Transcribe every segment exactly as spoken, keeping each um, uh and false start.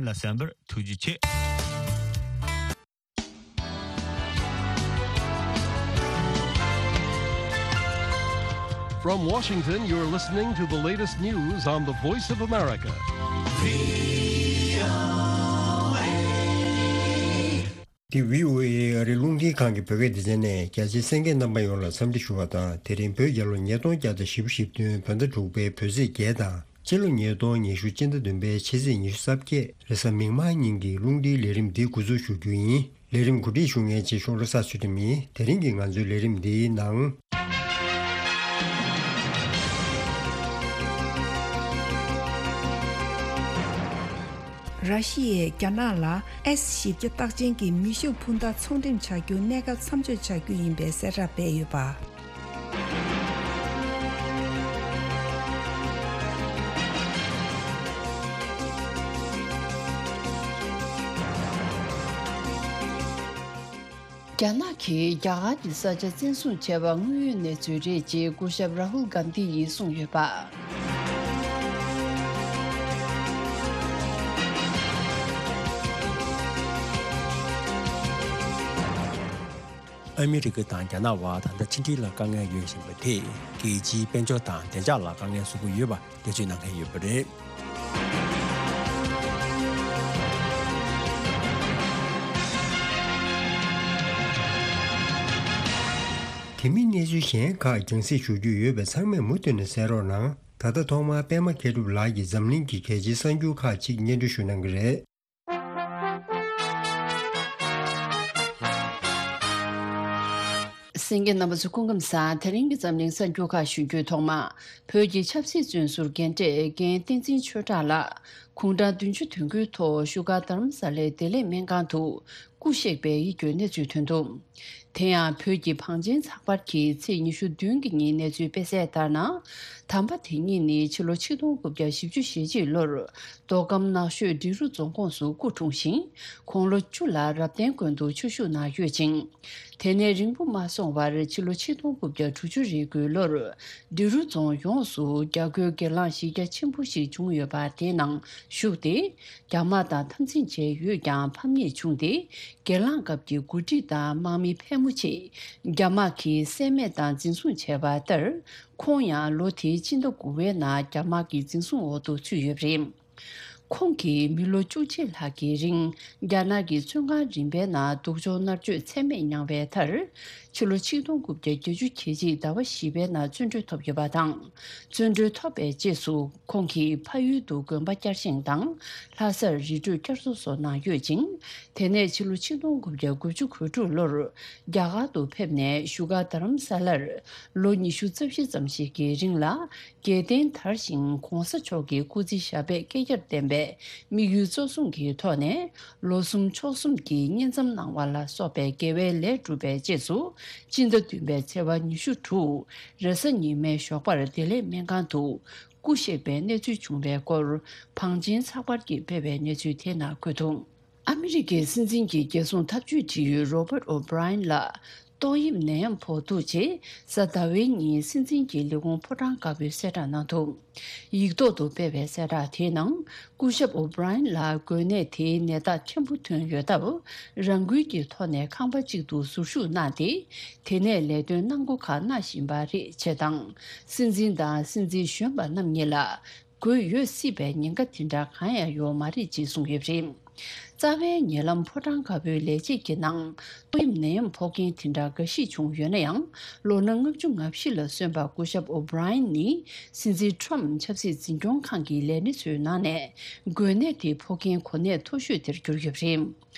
ལ་གསན་པར་ཐུགས་རྗེ་ཆེ། From Washington, you're listening to the latest news on the Voice of America. འདི་བྷི་ཨོ་ཨེ་ཨ་རིའི་རླུང་འཕྲིན་ཁང་གི་བོད་སྐད་སྡེ་ཚན་ནས། རྒྱ་ཆེའི་གསན་མཁན་རྣམ་པ་ཡོངས་ལ་འཚམས་འདྲི་ཞུ་བ་དང་། དེ་རིང་བོད་རྒྱལ་ལོ་ཉིས་སྟོང་བརྒྱ་དང་བཞི་བཅུ་ཞེ་བདུན་བོད་ཟླ་དྲུག་པའི་བོད་ཚེས་བརྒྱད་དང་། སྤྱི་ལོ་ཉིས་སྟོང་ཉི་ཤུ་སྤྱི་ཟླ་བདུན་པའི་ཕྱི་ཚེས་ཉི་ཤུ་རྩ་བརྒྱད་རེས་གཟའ་མིག་དམར་ཉིན་གྱི་རླུང་འཕྲིན་ལས་རིམ་འདི་འགོ་འཛུགས་ཞུ་རྒྱུ་ཡིན། ལས་རིམ་གོ་སྒྲིག་ཞུ་མཁན་ཆེ་ཤོག་བློ་བཟང་ཚུལ་ཁྲིམས་ཡིན། དེ་རིང་གི་ང་ཚོའི་ལས་རིམ་འདིའི་ནང་། ར་ཤི་ཡས་རྒྱ་ནག་ལ་ཨེས་བཞི་བརྒྱ་རྟགས་ཅན་གྱི་མེ་ཤུགས་འཕུར་མདའ་ཚོང་འགྲེམས་བྱ་རྒྱུ་གནས་སྐབས་མཚམས་འཇོག་བྱ་རྒྱུ་ཡིན་པའི་གསལ་བསྒྲགས་སྤེལ་ཡོད་པ། རྒྱ་ནག་གིས་རྒྱ་གར་གྱི་ས་ཆ་བཙན་བཟུང་བྱས་པ་དངོས་ཡོད་གནས་ཚུལ་རེད་ཅེས་སྐུ་ཞབས་རཱ་ཧུལ་གྷན་དྷི་ཡིས་གསུངས་ཡོད་པ། ཨ་མི་རི་ཀ་དང་རྒྱ་ནག་དབར་ད་ལྟ་ཕྱི་འབྲེལ་ལ་དཀའ་ངལ་ཡོད་བཞིན་པ་དེས་རྒྱལ་སྤྱིའི་དཔལ་འབྱོར་དང་བདེ་འཇགས་ལ་དཀའ་ངལ་བཟོ་གི་ཡོད་པ། འགྲེལ་བརྗོད་གནང་མཁན་ཡོད་པ་རེད། དེ་མིན་གནས་ཚུལ་གཞན་ཁག་རྒྱང་སྲིང་ཞུ་རྒྱུ་ཡོད་པས་ཚང་མས་མུ་མཐུད་ནས་གསན་རོགས་གནང་། ད་ལྟ་ཐོག་མར་པད་མ་མཁས་གྲུབ་ལགས་ཀྱིས་འཛམ་གླིང་གི་གལ་ཆེའི་གསར་འགྱུར་ཁག་ཅིག་སྙན་སྒྲོན་ཞུ་གནང་གི་རེད། གསན་མཁན་རྣམ་པ་ཚོ་སྐུ་ཁམས་བཟང་། དེ་རིང་གི་འཛམ་གླིང་གསར་འགྱུར་ཁག་ཞུ་རྒྱུའི་ཐོག་མ། བོད་ཀྱི་ཆབ་སྲིད་བཙོན་ཟུར་རྒན་གྲས་རྒན་བསྟན་འཛིན་ཆོས་གྲགས་ལགས་དགུང་གྲངས་བདུན་ཅུ་དོན་དགུའི་ཐོག་བཞུགས་སྒར་རྡ་རམ་ས་ལའི་བདེ་ལེགས་སྨན་ཁང་དུ་སྐུ་གཤེགས་པའི་ཡིད་སྐྱོའི་གནས་ཚུལ་ཐོན་འདུག་དེ་ཡང་བོད་ཀྱི་བང་ཆེན་ཚགས་པར་གྱིས་ཚེས་ཉི་ཤུ་བདུན་གྱི་ཉིན་གནས་ཚུལ་སྤེལ་གསལ་ལྟར་ན། དམ་པ་དེ་ཉིད་ནི་ཕྱི་ལོ་ཆིག་སྟོང་དགུ་བརྒྱ་བཞི་བཅུ་ཞེ་གཅིག་ལོར་མདོ་ཁམས་ནགས་ཤོད་འབྲི་རུ་རྫོང་ཁོངས་སུ་སྐུ་འཁྲུངས་ཤིང་། དགུང་ལོ་བཅུ་ལ་རབ་བརྟན་དགོན་དུ་ཆོས་ཞུགས་གནང་ཡོད་ཅིང་། དེ་ནས་རིང་པོ་མ་སོང་བར་ཕྱི་ལོ་ཆིག་སྟོང་དགུ་བརྒྱ་དྲུག་ཅུ་རེ་དགུའི་ལོར་འབྲི་རུ་རྫོང་ཡོངས་སུ་རྒྱ་རྒོལ་སྒེར་ལངས་གཞི་རྒྱ་ཆེན་པོ་ཞིག་བྱུང་ཡོད་པ་དེའི་ནང་ཞུགས་ཏེ། རྒྱ་དམག་དང་འཐབ་འཛིང་བྱས་ཡོད་ཀྱང་ཕམ་ཉེས་བྱུང་སྟེ། སྒེར་ལངས་སྐབས་ཀྱི་འགོ་ཁྲིད་དང་དམག་མི་ཕལ་མོ་ཆེ་རྒྱ་དམག་གིས་བསད་རྨས་དང་འཛིན་བཟུང་བྱས་པ་ལྟར། ཁོང་ཡང་ལོ་དེའི་སྤྱི་ཟླ་དགུ་པའི་ནང་རྒྱ་དམག་གི་འཛིན་བཟུང་འོག་ཏུ་ཚུད་ཡོད་པ་རེད། ཁོང་གིས་མི་ལོ་བཅུ་གཅིག་ལྷག་གི་རིང་རྒྱ་ནག་གི་བཙོན་ཁང་རིམ་པའི་ནང་སྡུག་སྦྱོང་མནར་གཅོད་ཚད་མེད་མྱངས་པའི་མཐར། ཕྱི་ལོ་ཆིག་སྟོང་དགུ་བརྒྱ་བརྒྱད་ཅུ་གྱ་གཅིག་ཟླ་བ་བཞི་པའི་ནང་བཙོན་གྲོལ་ཐོབ་ཡོད་པ་དང་། བཙོན་གྲོལ་ཐོབ་པའི་རྗེས་སུ་ཁོང་གིས་ཕ་ཡུལ་དུ་དགོན་པ་བསྐྱར་བཞེངས་དང་ལྷ་སར་རི་ཁྲོད་བསྐྱར་གསོ་སོགས་གནང་ཡོད་ཅིང་། དེ་ནས་ཕྱི་ལོ་ཆིག་སྟོང་དགུ་བརྒྱ་དགུ་བཅུ་གོ་དྲུག་ལོར་རྒྱ་གར་དུ་ཕེབས་ནས་བཞུགས་སྒར་རྡ་རམ་ས་ལར་ལོ་ཉི་ཤུ་རྩ་བཞི་ཙམ་ཞིག་གི་རིང་ལ་རྒྱལ་བསྟན་དར་ཞིང་གོང་ས་མཆོག་གི་སྐུ་ཚེ་ཞབས་པད་བསྐལ་བརྒྱར་བརྟན་པའི་དམིགས་ཡུལ་གཙོ་བཟུང་གི་ཐོག་ནས། ལོ་གསུམ་ཕྱོགས་གསུམ་གྱི་བསྙེན་མཚམས་གནང་བ་ལ་སོགས་པའི་དགེ་བའི་ལས་བསྒྲུབས་པའི་རྗེས་སུ། སྤྱི་ཟླ་བདུན་པའི་ཚེས་པ་ཉི་ཤུ་དྲུག་རེས་གཟའ་ཉི་མའི་ཞོགས་པར་བདེ་ལེགས་སྨན་ཁང་དུ་སྐུ་གཤེགས་པའི་གནས་ཚུལ་བྱུང་བའི་སྐོར། བང་ཆེན་ཚགས་པར་གྱིས་སྤེལ་བའི་གནས་ཚུལ་དེ་ནང་འཁོད་འདུག་ཨ་མི་རི་ཀའི་སྲིད་འཛིན་གྱི་རྒྱལ་སྲུང་འཐབ་ཇུས་འབྲེལ་ཡོད་རོ་པར་ཨོ་བྷི་རའེན་ལ་ཏོག་དབྱིབས་ནད་ཡམས་ཕོག་འདུག་ཅེས་གཟའ་ཟླ་བའི་ཉིན་སྲིད་འཛིན་གྱི་ལས་ཁུངས་ཕོ་བྲང་དཀར་པོས་གསལ་བསྒྲགས་གནང་འདུག་ཡིག་ཐོག་ཏུ་སྤེལ་བའི་གསལ་བསྒྲགས་དེའི་ནང་། སྐུ་ཞབས་ཨོ་བྷི་རའེན་ལ་འགོས་ནད་དེའི་ནད་རྟགས་ཕྲན་བུ་ཐོན་ཡོད་སྟབས། རང་འགུལ་གྱི་ཐོག་ནས་ཁང་པ་གཅིག་ཏུ་ཟུར་བཞུགས་གནང་སྟེ། དེ་ནས་ལས་དོན་གནང་སྒོ་ཁག་གནང་བཞིན་པ་རེད་ཅེས་དང་། སྲིད་འཛིན་དང་སྲིད་འཛིན་གཞོན་པ་རྣམ་གཉིས་ལ། འགོས་ཡོད་སྲིད་པའི་ཉེན་ཁ་དེ་འདྲ་གང་ཡང་ཡོད་མ་རེད་ཅེས་གསུངས་ཡོད་པ་རེད། རྩ་བའི་ཉེ་ལམ་ཕོ་བྲང་དཀར་པོའི་ལས་བྱེད་ཀྱི་ནང་ཏོག་དབྱིབས་ནད་ཡམས་ཕོག་མཁན་དེ་འདྲ་འགའ་ཞིག་བྱུང་ཡོད་ན་ཡང་། ལོ་ན་ལྔ་བཅུ་ང་བཞི་ལ་སོན་པ་སྐུ་ཞབས་ཨོ་བྷི་རའེན་ནི། སྲིད་འཛིན་ཁྲོམ་ཆབ་སྲིད་འཛིན་སྐྱོང་ཁང་གི་ལས་སྣེ་ཚོའི་ནང་ནས། འགོས་ནད་དེ་ཕོག་མཁན་གོ་གནས་མཐོ་ཤོས་དེར་གྱུར་ཡོད་པ་རེད།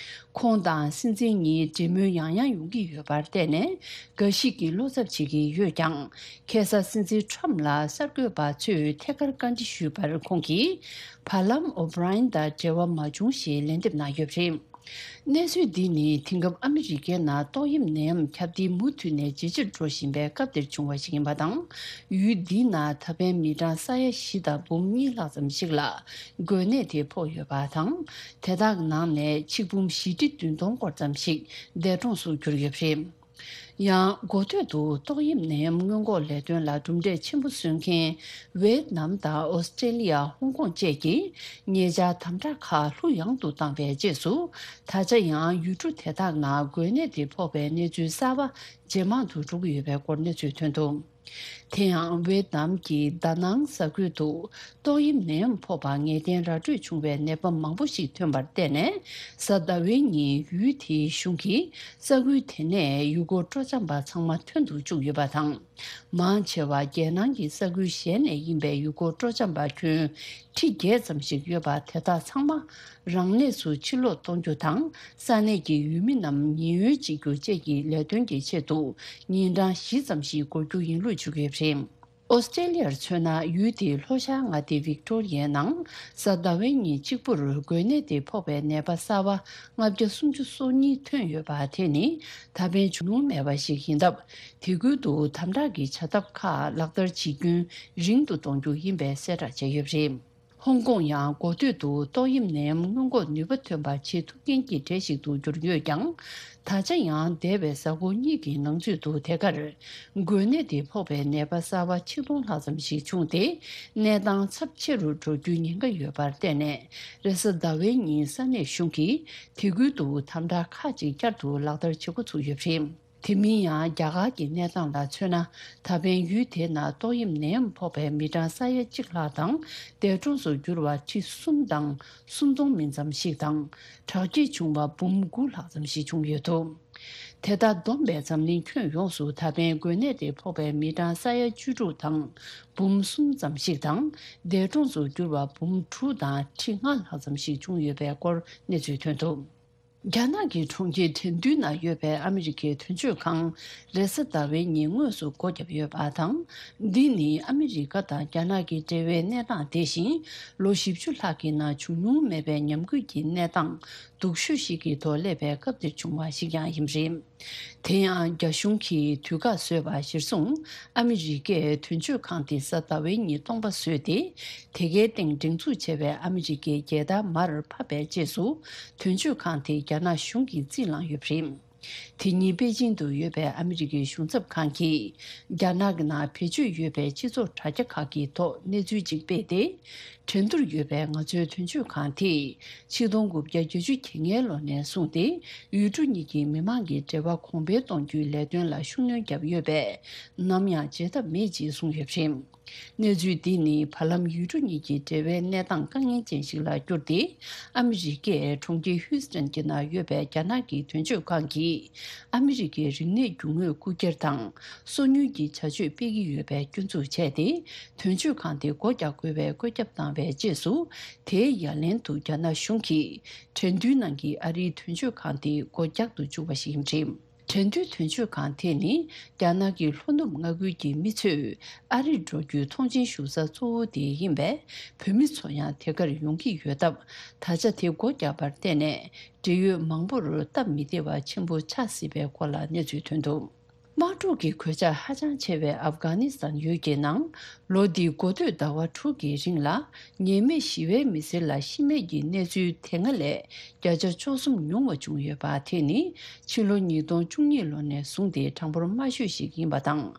ཁོང་དང་སྲིད་འཛིན་གཉིས་འབྲེལ་མོལ་ཡང་ཡང་ཡོང་གི་ཡོད་པར་བརྟེན་ནས། འགའ་ཞིག་གིས་བློ་འཚབ་བྱེད་ཀྱི་ཡོད་ཀྱང་། ཁ་སང་སྲིད་འཛིན་ཁྲོམ་ལ་གསར་འགོད་པ་ཚོས་ཐད་ཀར་བཀའ་འདྲི་ཞུས་པར། ཁོང་གིས། བར་ལམ་ཨོ་བྷི་རའེན་དང་འབྲེལ་བ་མ་བྱུང་ཞེས་ལན་འདེབས་གནང་ཡོད་པ་རེད། གནས་ཚུལ་འདི་ནི་དེང་སྐབས་ཨ་མི་རི་ཀའི་ནང་ཏོག་དབྱིབས་ནད་ཡམས་ཁྱབ་གདལ་མུ་མཐུད་ནས་ཇེ་ཆེར་འགྲོ་བཞིན་པའི་སྐབས་འདིར་བྱུང་བ་ཞིག་ཡིན་པ་དང་། ཡུལ་འདིའི་ནང་ད་ཕན་མི་གྲངས་ས་ཡ་བཞི་དང་འབུམ་གཉིས་ལྷག་ཙམ་ཞིག་ལ་འགོས་ནད་དེ་ཕོག་ཡོད་པ་དང་། དེ་དག་ནང་ནས་ཆིག་འབུམ་བཞི་ཁྲི་བདུན་སྟོང་སྐོར་ཙམ་ཞིག་འདས་གྲོངས་སུ་གྱུར་ཡོད་པ་རེད། ཡང་འགོ་སྟོད་དུ་ཏོག་དབྱིབས་ནད་ཡམས་སྔོན་འགོག་ལས་དོན་ལ་གྲུབ་འབྲས་ཆེན་པོ་སོན་མཁན་ཝེད་ནམ་དང་ཨོ་སི་ཀྲེ་ལི་ཡ། ཧོང་ཀོང་བཅས་ཀྱིས་ཉེ་ཆར་དམ་དྲག་ཁག་ལྷུག་ཡངས་དུ་བཏང་བའི་རྗེས་སུ། ད་ཆ་ཡང་ཡུལ་གྲུ་དེ་དག་ནང་འགོས་ནད་དེ་ཕོག་པའི་གནས་ཚུལ་གསར་པ་ཇེ་མང་དུ་འགྲོ་གི་ཡོད་པའི་སྐོར་གནས་ཚུལ་ཐོན་འདུག་དེ་ཡང་ཝེད་ནམ་གྱི་ད་ནང་ས་ཁུལ་དུ་ཏོག་དབྱིབས་ནད་ཡམས་ཕོག་པ་ངེས་གཏན་ར་སྤྲོད་བྱུང་བའི་ནད་པ་མང་པོ་ཞིག་ཐོན་པར་བརྟེན་ནས། གཟའ་ཟླ་བའི་ཉིན་ཡུལ་དེའི་གཞུང་གིས་ས་ཁུལ་དེ་ནས་ཡུལ་སྐོར་སྤྲོ་འཆམ་པ་ཚང་མ་ཐོན་དུ་བཅུག་ཡོད་པ་དང་། མང་ཆེ་བ་རྒྱལ་ནང་གི་ས་ཁུལ་གཞན་ནས་ཡིན་པའི་ཡུལ་སྐོར་སྤྲོ་འཆམ་པ་ཁྱོན་ཁྲི་བརྒྱད་ཙམ་ཞིག་ཡོད་པ་དེ་དག་ཚང་མ་རང་གནས་སུ་ཕྱིར་ལོག་གཏོང་རྒྱུ་དང་། ས་གནས་ཀྱི་ཡུལ་མི་རྣམས་ཉེན་གཡོལ་བྱེད་རྒྱུ་བཅས་ཀྱི་ལས་དོན་གྱི་ཆེད་དུ་ཉིན་གྲངས་བཞི་ཙམ་ཞིག་འགོར་རྒྱུ་ཡིན་ལུགས་བརྗོད་ཀྱི་ཡོད་པ་རེད། ཨོ་སི་ཀྲེ་ལི་ཡར་མཚོན་ན། ཡུལ་དེའི་ལྷོ་ཤར་མངའ་སྡེ་ཝིག་ཏོ་རི་ཡའི་ནང་གཟའ་ཟླ་བའི་ཉིན་གཅིག་པུར་འགོས་ནད་དེ་ཕོག་པའི་ནད་པ་གསར་པ་ལྔ་བརྒྱ་སུམ་ཅུ་སོ་གཉིས་ཐོན་ཡོད་པ་དེ་ནི་ད་ཕན་བྱུང་མྱོང་མེད་པ་ཞིག་ཡིན་སྟབས། དེ་ཁུལ་དུ་དམ་དྲག་གི་བྱ་ཐབས་ཁག་ལག་བསྟར་བྱེད་རྒྱུན་རིང་དུ་གཏོང་རྒྱུ་ཡིན་པའི་གསལ་བསྒྲགས་བྱས་ཡོད་པ་རེད། ཧོང་ཀོང་ཡང་འགོ་སྟོད་དུ་ཏོག་དབྱིབས་ནད་ཡམས་སྔོན་འགོག་ནུས་པ་ཐོན་པ་བྱེད་ཐུབ་མཁན་གྱི་གྲས་ཤིག་ཏུ་གྱུར་ཡོད་ཀྱང་། ད་ཆ་ཡང་འདས་པའི་གཟའ་འཁོར་གཉིས་ཀྱི་ནང་ཚུད་དུ་དེ་གར་འགོས་ནད་དེ་ཕོག་པའི་ནད་པ་གསར་པ་ཆིག་སྟོང་ལྷག་ཙམ་ཞིག་བྱུང་སྟེ། གནས་སྟངས་ཚབས་ཆེ་རུ་འགྲོ་རྒྱུའི་ཉེན་ཁ་ཡོད་པར་བརྟེན་ནས། རེས་གཟའ་ཟླ་བའི་ཉིན་ས་གནས་གཞུང་གིས་དེ་ཁུལ་དུ་དམ་དྲག་ཁག་ཅིག་བསྐྱར་དུ་ལག་བསྟར་བྱེད་འགོ་ཚུགས་ཡོད་པ་རེད། དེ་མིན་ཡང་རྒྱ་གར་གྱི་གནས་སྟངས་ལ་མཚོན་ན། ད་ཕན་ཡུལ་དེའི་ནང་ཏོག་དབྱིབས་ནད་ཡམས་ཕོག་པའི་མི་གྲངས་ས་ཡ་གཅིག་ལྷག་དང་། འདས་གྲོངས་སུ་གྱུར་བ་ཁྲི་གསུམ་དང་སུམ་སྟོང་མིན་ཙམ་ཞིག་དང་། དྲག་སྐྱེད་བྱུང་བ་འབུམ་དགུ་ལྷག་ཙམ་ཞིག་བྱུང་ཡོད་འདུག་དེ་ལྟར་བསྡོམས་པས་འཛམ་གླིང་ཁྱོན་ཡོངས་སུ་ད་ཕན་འགོས་ནད་དེ་ཕོག་པའི་མི་གྲངས་ས་ཡ་བཅུ་དྲུག་དང་འབུམ་གསུམ་ཙམ་ཞིག་དང་། འདས་གྲོངས་སུ་གྱུར་བ་འབུམ་དྲུག་དང་ཁྲི་ལྔ་ལྷག་ཙམ་ཞིག་བྱུང་ཡོད་པའི་སྐོར་གནས་ཚུལ་ཐོན་འདུག་རྒྱ་ནག་གི་གྲོང་ཁྱེར་ཁྲེང་ཏུའུ་ནང་ཡོད་པའི་ཨ་མི་རི་ཀའི་དོན་གཅོད་ཁང་རེས་གཟའ་ཟླ་བའི་ཉིན་དངོས་སུ་སྒོ་བརྒྱབ་ཡོད་པ་དང་། འདི་ནི་ཨ་མི་རི་ཀ་དང་རྒྱ་ནག་གི་འབྲེལ་བའི་གནས་སྟངས་དེ་བཞིན་ལོ་བཞི་བཅུ་ལྷག་གི་ནང་བྱུང་མྱོང་མེད་པའི་ཉམས་རྒུད་ཀྱི་གནས་སྟངས་སྡུག་ཤོས་ཤིག་གི་ཐོག་སླེབས་པའི་སྐབས་འདིར་བྱུང་བ་ཞིག་ཀྱང་ཡིན་པ་རེད། དེ་ཡང་རྒྱ་གཞུང་གིས་དུས་བཀག་བཟོས་པ་གཞིར་བཟུང་། ཨ་མི་རི་ཀས་དོན་གཅོད་ཁང་དེ་གཟའ་ཟླ་བའི་ཉིན་སྟོང་པ་བཟོས་ཏེ། དེ་གའི་སྟེང་སྒྲེང་འཛུགས་བྱས་པའི་ཨ་མི་རི་ཀའི་རྒྱལ་དར་མར་ཕབ་པའི་རྗེས་སུ། དོན་གཅོད་ཁང་དེ་རྒྱ་ནག་གཞུང་གིས་རྩིས་བླངས་ཡོད་པ་རེད། དེ་ཉིན་པེ་ཅིང་དུ་ཡོད་པའི་ཨ་མི་རི་ཀའི་གཞུང་ཚབ་ཁང་གིས། རྒྱ་ནག་གི་ནང་བེད་སྤྱོད་ཡོད་པའི་སྤྱི་ཚོགས་དྲ་རྒྱ་ཁག་གི་ཐོག་གནས་ཚུལ་ཅིག་སྤེལ་ཏེ། ཁྲེང་ཏུར་ཡོད་པའི་ང་ཚོའི་དོན་གཅོད་ཁང་དེས་ཆིག་སྟོང་དགུ་བརྒྱ་བརྒྱད་ཅུ་གྱ་ལྔའི་ལོ་ནས་བཟུང་སྟེ། ཡུལ་གྲུ་གཉིས་ཀྱི་མི་མང་གི་འབྲེལ་བ་གོང་འཕེལ་གཏོང་རྒྱུའི་ལས་དོན་ལ་ཤུགས་སྣོན་བརྒྱབ་ཡོད་པས། ནམ་ཡང་བརྗེད་ཐབས་མེད་ཅེས་གསུངས་ཡོད་པ་རེད། གནས་ཚུལ་འདི་ནི་བར་ལམ་ཡུལ་གྲུ་གཉིས་ཀྱི་འབྲེལ་བའི་གནས་སྟངས་དཀའ་ངལ་ཅན་ཞིག་ལ་གྱུར་ཏེ། ཨ་མི་རི་ཀས་གྲོང་ཁྱེར་ཧིའུ་སི་ཐན་གྱི་ནང་ཡོད་པའི་རྒྱ་ནག་གི་དོན་གཅོད་ཁང་གིས། ཨ་མི་རི་ཀའི་རིག་གནས་རྒྱུ་དངོས་རྐུ་འཁྱེར་དང་སོ་ཉུལ་གྱི་བྱ་སྤྱོད་སྤེལ་གྱི་ཡོད་པའི་སྐྱོན་འཛུགས་བྱས་ཏེ། དོན་གཅོད་ཁང་དེ་སྒོ་རྒྱག་དགོས་པའི་བཀོད་ཁྱབ་བཏང་བའི་རྗེས་སུ། དེའི་ཡ་ལན་དུ་རྒྱ་ནག་གཞུང་གིས་ཁྲེང་ཏུའུ་ནང་གི་ཨ་རིའི་དོན་གཅོད་ཁང་དེ་སྒོ་རྒྱག་ཏུ་བཅུག་པ་ཞིག་ཡིན་པ་རེད། ཁྲེང་ཏུའུ་དོན་གཅོད་ཁང་དེ་ནི་རྒྱ་ནག་གི་ལྷོ་ནུབ་མངའ་ཁུལ་གྱི་མི་ཚོས་ཨ་རིར་འགྲོ་རྒྱུའི་མཐོང་མཆན་ཞུ་ས་གཙོ་བོ་དེ་ཡིན་པས། བོད་མི་ཚོ་ཡང་དེ་གར་ཡོང་གི་ཡོད་སྟབས། ད་ཆ་དེ་སྒོ་བརྒྱབ་པར་བརྟེན་ནས། འབྲེལ་ཡོད་མང་པོར་སྟབས་མི་བདེ་བ་ཆེན་པོ་ཆགས་སྲིད་པའི་སྐོར་ལ་གནས་ཚུལ་ཐོན་འདུག་དམག་འཁྲུག་གི་གོད་ཆག་ཧ་ཅང་ཆེ་བའི་ཨབ་གྷ་ནི་སི་ཐན་ཡུལ་གྱི་ནང་། ལོ་འདིའི་འགོ་སྟོད་ཟླ་བ་དྲུག་གི་རིང་ལ། ཉེས་མེད་ཞི་བའི་མི་སེར་ལ་ཤི་རྨས་ཀྱི་གནས་ཚུལ་དེ་སྔ་ལས་བརྒྱ་ཆ་བཅུ་གསུམ་ཉུང་བ་བྱུང་ཡོད་པ། དེ་ནི་ཕྱི་ལོ་ཉིས་སྟོང་བཅུ་གཉིས་ལོ་ནས་བཟུང་སྟེ་གྲངས་འབོར་དམའ་ཤོས་ཤིག་ཡིན་པ་དང་།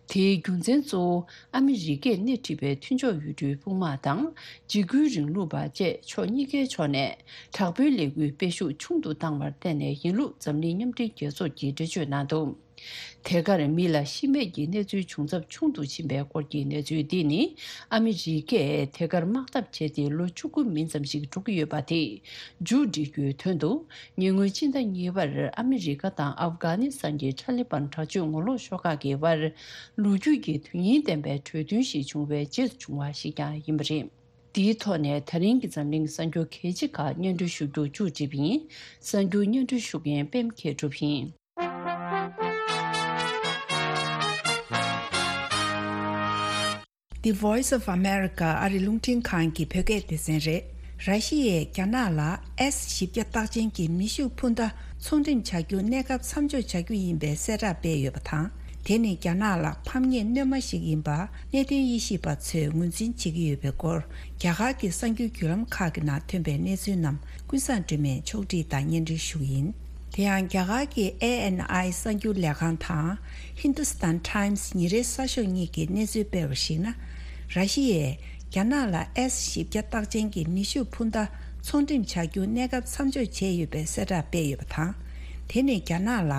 དེའི་རྒྱུ་མཚན་གཙོ་བོ། ཨ་མི་རི་ཀས་སྣེ་ཁྲིད་པའི་མཐུན་ཕྱོགས་ཡུལ་གྲུའི་དཔུང་དམག་དང་། འཇིགས་སྐུལ་རིང་ལུགས་པ་བཅས་ཕྱོགས་གཉིས་ཀའི་ཕྱོགས་ནས་དྲག་པོའི་ལས་འགུལ་སྤེལ་ཤུགས་ཆུང་དུ་བཏང་བར་བརྟེན་ནས་ཡིན་ལུགས། འཛམ་གླིང་མཉམ་འབྲེལ་རྒྱལ་ཚོགས་ཀྱིས་འགྲེལ་བརྗོད་གནང་འདུག་དེ་གར་མི་ལ་ཤི་རྨས་ཀྱི་གནས་ཚུལ་བྱུང་ཚབས་ཆུང་དུ་ཕྱིན་པའི་སྐོར་གྱི་གནས་ཚུལ་འདི་ནི། ཨ་མི་རི་ཀས་དེ་གར་དམག་འཐབ་བྱས་ཏེ་ལོ་བཅུ་དགུ་མིན་ཙམ་ཞིག་འགྲོ་གི་ཡོད་པ་དེ་མཇུག་སྒྲིལ་རྒྱུའི་དོན་དུ། ཉེ་སྔོན་སྤྱི་ཟླ་གཉིས་པར་ཨ་མི་རི་ཀ་དང་ཨབ་གྷ་ནི་སི་ཐན་གྱི་ཊ་ལི་བན་དྲག་སྤྱོད་ངོ་ལོག་ཤོག་ཁག་གི་དབར། ལོ་རྒྱུས་ཀྱི་དོན་སྙིང་ལྡན་པའི་གྲོས་མཐུན་ཞིག་བྱུང་བའི་རྗེས་སུ་བྱུང་བ་ཞིག་ཀྱང་ཡིན་པ་རེད། དེའི་ཐོག་ནས་ད་རིང་གི་འཛམ་གླིང་གསར་འགྱུར་གལ་ཆེ་ཁག་སྙན་སྒྲོན་ཞུ་རྒྱུ་མཇུག་བསྒྲིལ་བ་ཡིན། གསར་འགྱུར་སྙན་སྒྲོན་ཞུ་མཁན་པད་མ་མཁས་གྲུབ་ཡིན། The Voice of America ཨ་རི་རླུང་འཕྲིན་ཁང་གི་བོད་སྐད་སྡེ་ཚན་རེད། ར་ཤི་ཡས་རྒྱ་ནག་ལ་ཨེས་བཞི་བརྒྱ་རྟགས་ཅན་གྱི་མེ་ཤུགས་འཕུར་མདའ་ཚོང་འགྲེམས་བྱ་རྒྱུ་གནས་སྐབས་མཚམས་འཇོག་བྱ་རྒྱུ་ཡིན་པའི་གསལ་བསྒྲགས་སྤེལ་ཡོད་པ་དང་། དེ་ནི་རྒྱ་ནག་ལ་ཕམ་ཉེས་སྣོན་མ་ཞིག་ཡིན་པ་གནད་དོན་དབྱེ་ཞིབ་པ་ཚོས་ངོས་འཛིན་བྱེད་ཀྱི་ཡོད་པའི་སྐོར། རྒྱ་གར་གྱི་གསར་འགྱུར་བརྒྱུད་ལམ་ཁག་གི་ནང་ཐོན་པའི་གནས་ཚུལ་རྣམས་ཀུན་བཟང་སྒྲོལ་མས་ཕྱོགས་སྒྲིག་དང་སྙན་སྒྲོན་ཞུ་གི་ཡིན། དེ་ཡང་རྒྱ་གར་གྱི་ཨེ་ཨེན་ཨའི་གསར་འགྱུར་ལས་ཁང་དང་Hindustan Times ཉིན་རེའི་གསར་ཤོག་གཉིས་ཀྱིས་གནས་ཚུལ་སྤེལ་བར་གཞིགས་ན། ར་ཤི་ཡས་རྒྱ་ནག་ལ་ཨེས་བཞི་བརྒྱ་རྟགས་ཅན་གྱི་མེ་ཤུགས་འཕུར་མདའ་ཚོང་འགྲེམས་བྱ་རྒྱུ་གནས་སྐབས་མཚམས་འཇོག་བྱས་ཡོད་པའི་གསལ་བསྒྲགས་སྤེལ་ཡོད་པ་དང་། དེ་ནི་རྒྱ་ནག་ལ་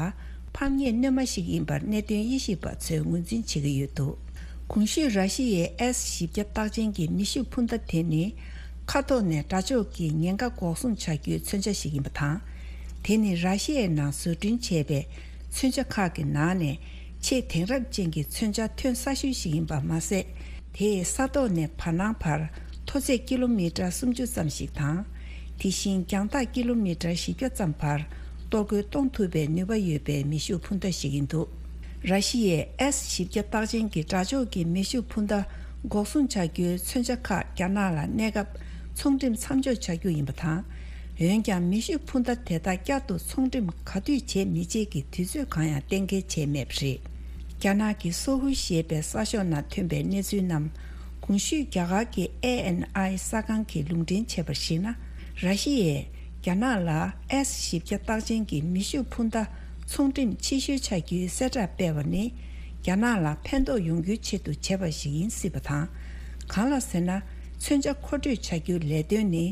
ཕམ་ཉེས་སྣོན་མ་ཞིག་ཡིན་པར་གནད་དོན་དབྱེ་ཞིབ་པ་ཚོས་ངོས་འཛིན་བྱེད་ཀྱི་ཡོད་འདུག། གོང་ཞུས་ར་ཤི་ཡའི་ཨེས་བཞི་བརྒྱ་རྟགས་ཅན་གྱི་མེ་ཤུགས་འཕུར་མདའ་དེ་ནི། མཁའ་ཐོག་ནས་དགྲ་ཕྱོགས་ཀྱི་ཉེན་ཁ་འགོག་སྲུང་བྱ་རྒྱུའི་མཚོན་ཆ་ཞིག་ཡིན་པ་དང་། དེ་ནི་ར་ཤི་ཡའི་ནང་བཟོ་སྐྲུན་བྱས་པའི་མཚོན་ཆ་ཁག་གི་ནང་ནས་ཆེས་དེང་རབས་ཅན་གྱི་མཚོན་ཆ་ཐོན་ས་ཤོས་ཤིག་ཡིན་པ་མ་ཟད། དེས་ས་ཐོག་ནས་བར་སྣང་བར་མཐོ་ཚད་ཀི་ལོ་མི་ཊར་སུམ་ཅུ་ཙམ་ཞིག་དང་། དེ་བཞིན་རྒྱང་ཐག་ཀི་ལོ་མི་ཊར་བཞི་བརྒྱ་ཙམ་བར་གཏོར་རྒོལ་གཏོང་ཐུབ་པའི་ནུས་པ་ཡོད་པའི་མེ་ཤུགས་འཕུར་མདའ་ཞིག་ཡིན་འདུག། ར་ཤི་ཡས་ཨེས་བཞི་བརྒྱ་རྟགས་ཅན་གྱི་དགྲ་ཕྱོགས་ཀྱི་མེ་ཤུགས་འཕུར་མདའ་འགོག་སྲུང་བྱ་རྒྱུའི་མཚོན་ཆ་ཁག་རྒྱ་ནག་ལ་གནས་སྐབས་ཚོང་འགྲེམས་མཚམས་འཇོག་བྱ་རྒྱུ་ཡིན་པ་དང་། འོན་ཀྱང་མེ་ཤུགས་འཕུར་མདའ་དེ་དག་བསྐྱར་དུ་ཚོང་འགྲེམས་ག་དུས་བྱེད་མི་བྱེད་ཀྱི་དུས་ཚོད་གང་ཡང་གཏན་འཁེལ་བྱས་མེད་པ་རེད། རྒྱ་ནག་གི་སོ་ཧུ་ཞེས་པའི་གསར་ཤོག་ནང་ཐོན་པའི་གནས་ཚུལ་རྣམས། གོང་ཞུས་རྒྱ་གར་གྱི་ཨེ་ཨེན་ཨའི་གསར་ཁང་གིས་ལུང་འདྲེན་བྱས་པར་གཞིགས་ན། ར་ཤི་ཡས་རྒྱ་ནག་ལ་ཨེས་བཞི་བརྒྱ་རྟགས་ཅན་གྱི་མེ་ཤུགས་འཕུར་མདའ་ཚོང་འགྲེམས་ཕྱི་བཤོལ་བྱ་རྒྱུའི་གསལ་བསྒྲགས་སྤེལ་བ་ནི། རྒྱ་ནག་ལ་ཕན་ཐོགས་ཡོང་རྒྱུའི་ཆེད་དུ་བྱས་པ་ཞིག་ཡིན་སྲིད་པ་དང་། གང་ལ་ཟེར་ན། མཚོན་ཆ་མཁོ་སྤྲོད་བྱ་རྒྱུའི་ལས་དོན་ནི་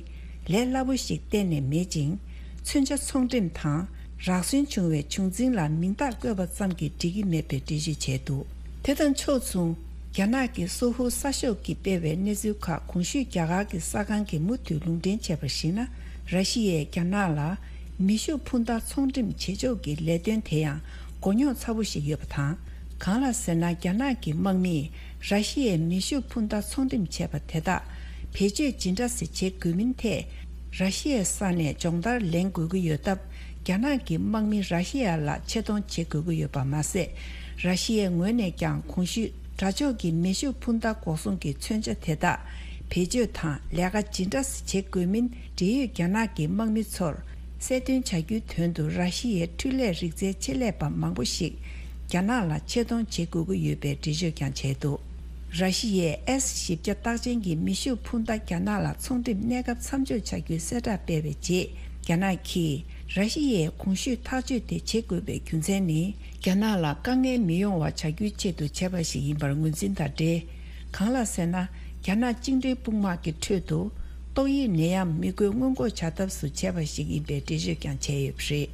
ལས་སླ་པོ་ཞིག་གཏན་ནས་མེད་ཅིང་། མཚོན་ཆ་ཚོང་འགྲེམས་དང་། རག་སོན་བྱུང་བའི་བྱུང་འཛིན་ལ་མིང་རྟགས་བཀོད་པ་ཙམ་གྱིས་འགྲིག་གི་མེད་པའི་འགྲེལ་བརྗོད་བྱས་འདུག། དེ་དང་ཕྱོགས་མཚུངས། རྒྱ་ནག་གི་སོ་ཧུ་གསར་ཤོག་གིས་སྤེལ་བའི་གནས་ཚུལ་ཁག་གོང་ཞུས་རྒྱ་གར་གྱི་གསར་ཁང་གིས་མུ་མཐུད་ལུང་འདྲེན་བྱས་པར་གཞིགས་ན། ར་ཤི་ཡས་རྒྱ་ནག་ལ་མེ་ཤུགས་འཕུར་མདའ་ཚོང་འགྲེམས་བྱེད་ཕྱོགས་ཀྱི་ལས་དོན་དེ་ཡང་མགོ་རྙོག་ཚ་པོ་ཞིག་ཡོད་པ་དང་། གང་ལ་ཟེར་ན། རྒྱ་ནག་གི་དམག་མིས་ར་ཤི་ཡའི་མེ་ཤུགས་འཕུར་མདའ་ཚོང་འགྲེམས་བྱས་པ་དེ་དག་བེད་སྤྱོད་ཇི་འདྲ་ཞིག་བྱེད་དགོས་མིན་ཐད། ར་ཤི་ཡའི་ས་ནས་སྦྱོང་བརྡར་ལེན་དགོས་ཀྱི་ཡོད་སྟབས། རྒྱ་ནག་གི་དམག་མི་ར་ཤི་ཡ་ལ་ཆེ་མཐོང་བྱེད་དགོས་ཀྱི་ཡོད་པ་མ་ཟད། ར་ཤི་ཡའི་ངོས་ནས་ཀྱང་གོང་ཞུས་དགྲ་ཕྱོགས་ཀྱི་མེ་ཤུགས་འཕུར་མདའ་འགོག་སྲུང་གི་མཚོན་ཆ་དེ་དག་བེད་སྤྱོད་དང་ལས་ཀ་ཇི་འདྲ་བྱེད་དགོས་མིན། འབྲེལ་ཡོད་རྒྱ་ནག་གི་དམག་མི་ཚོར་གསལ་སྟོན་བྱ་རྒྱུའི་དོན་དུ། ར་ཤི་ཡའི་འཕྲུལ་ལས་རིག་རྩལ་ཆེད་ལས་པ་མང་པོ་ཞིག་རྒྱ་ནག་ལ་ཆེད་གཏོང་བྱེད་དགོས་ཀྱི་ཡོད་པའི་འགྲེལ་བརྗོད་ཀྱང་བྱས་འདུག། ར་ཤི་ཡས་ཨེས་བཞི་བརྒྱ་རྟགས་ཅན་གྱི་མེ་ཤུགས་འཕུར་མདའ་རྒྱ་ནག་ལ་ཚོང་འགྲེམས་གནས་སྐབས་མཚམས་འཇོག་བྱ་རྒྱུའི་གསལ་བསྒྲགས་སྤེལ་བའི་རྗེས། རྒྱ་ནག་གིས་ར་ཤི་ཡས་གོང་ཞུས་ཐག་གཅོད་དེ་བྱེད་དགོས་པའི་རྒྱུ་མཚན་ནི། རྒྱ་ནག་ལ་དཀའ་ངལ་མི་ཡོང་བ་བྱ་རྒྱུའི་ཆེད་དུ་བྱས་པ་ཞིག་ཡིན་པར་ངོས་འཛིན་དང་འབྲེལ། གང་ལ་ཟེར་ན། རྒྱ་ནག་བཅིངས་འགྲོལ་དཔུང་དམག་གི་ཁྲོད་དུ་ཏོག་དབྱིབས་ནད་ཡམས་མི་འགོས་སྔོན་འགོག་བྱ་ཐབས་སུ་བྱས་པ་ཞིག་ཡིན་པའི་འགྲེལ་བརྗོད་ཀྱང་བྱས་ཡོད་པ་རེད།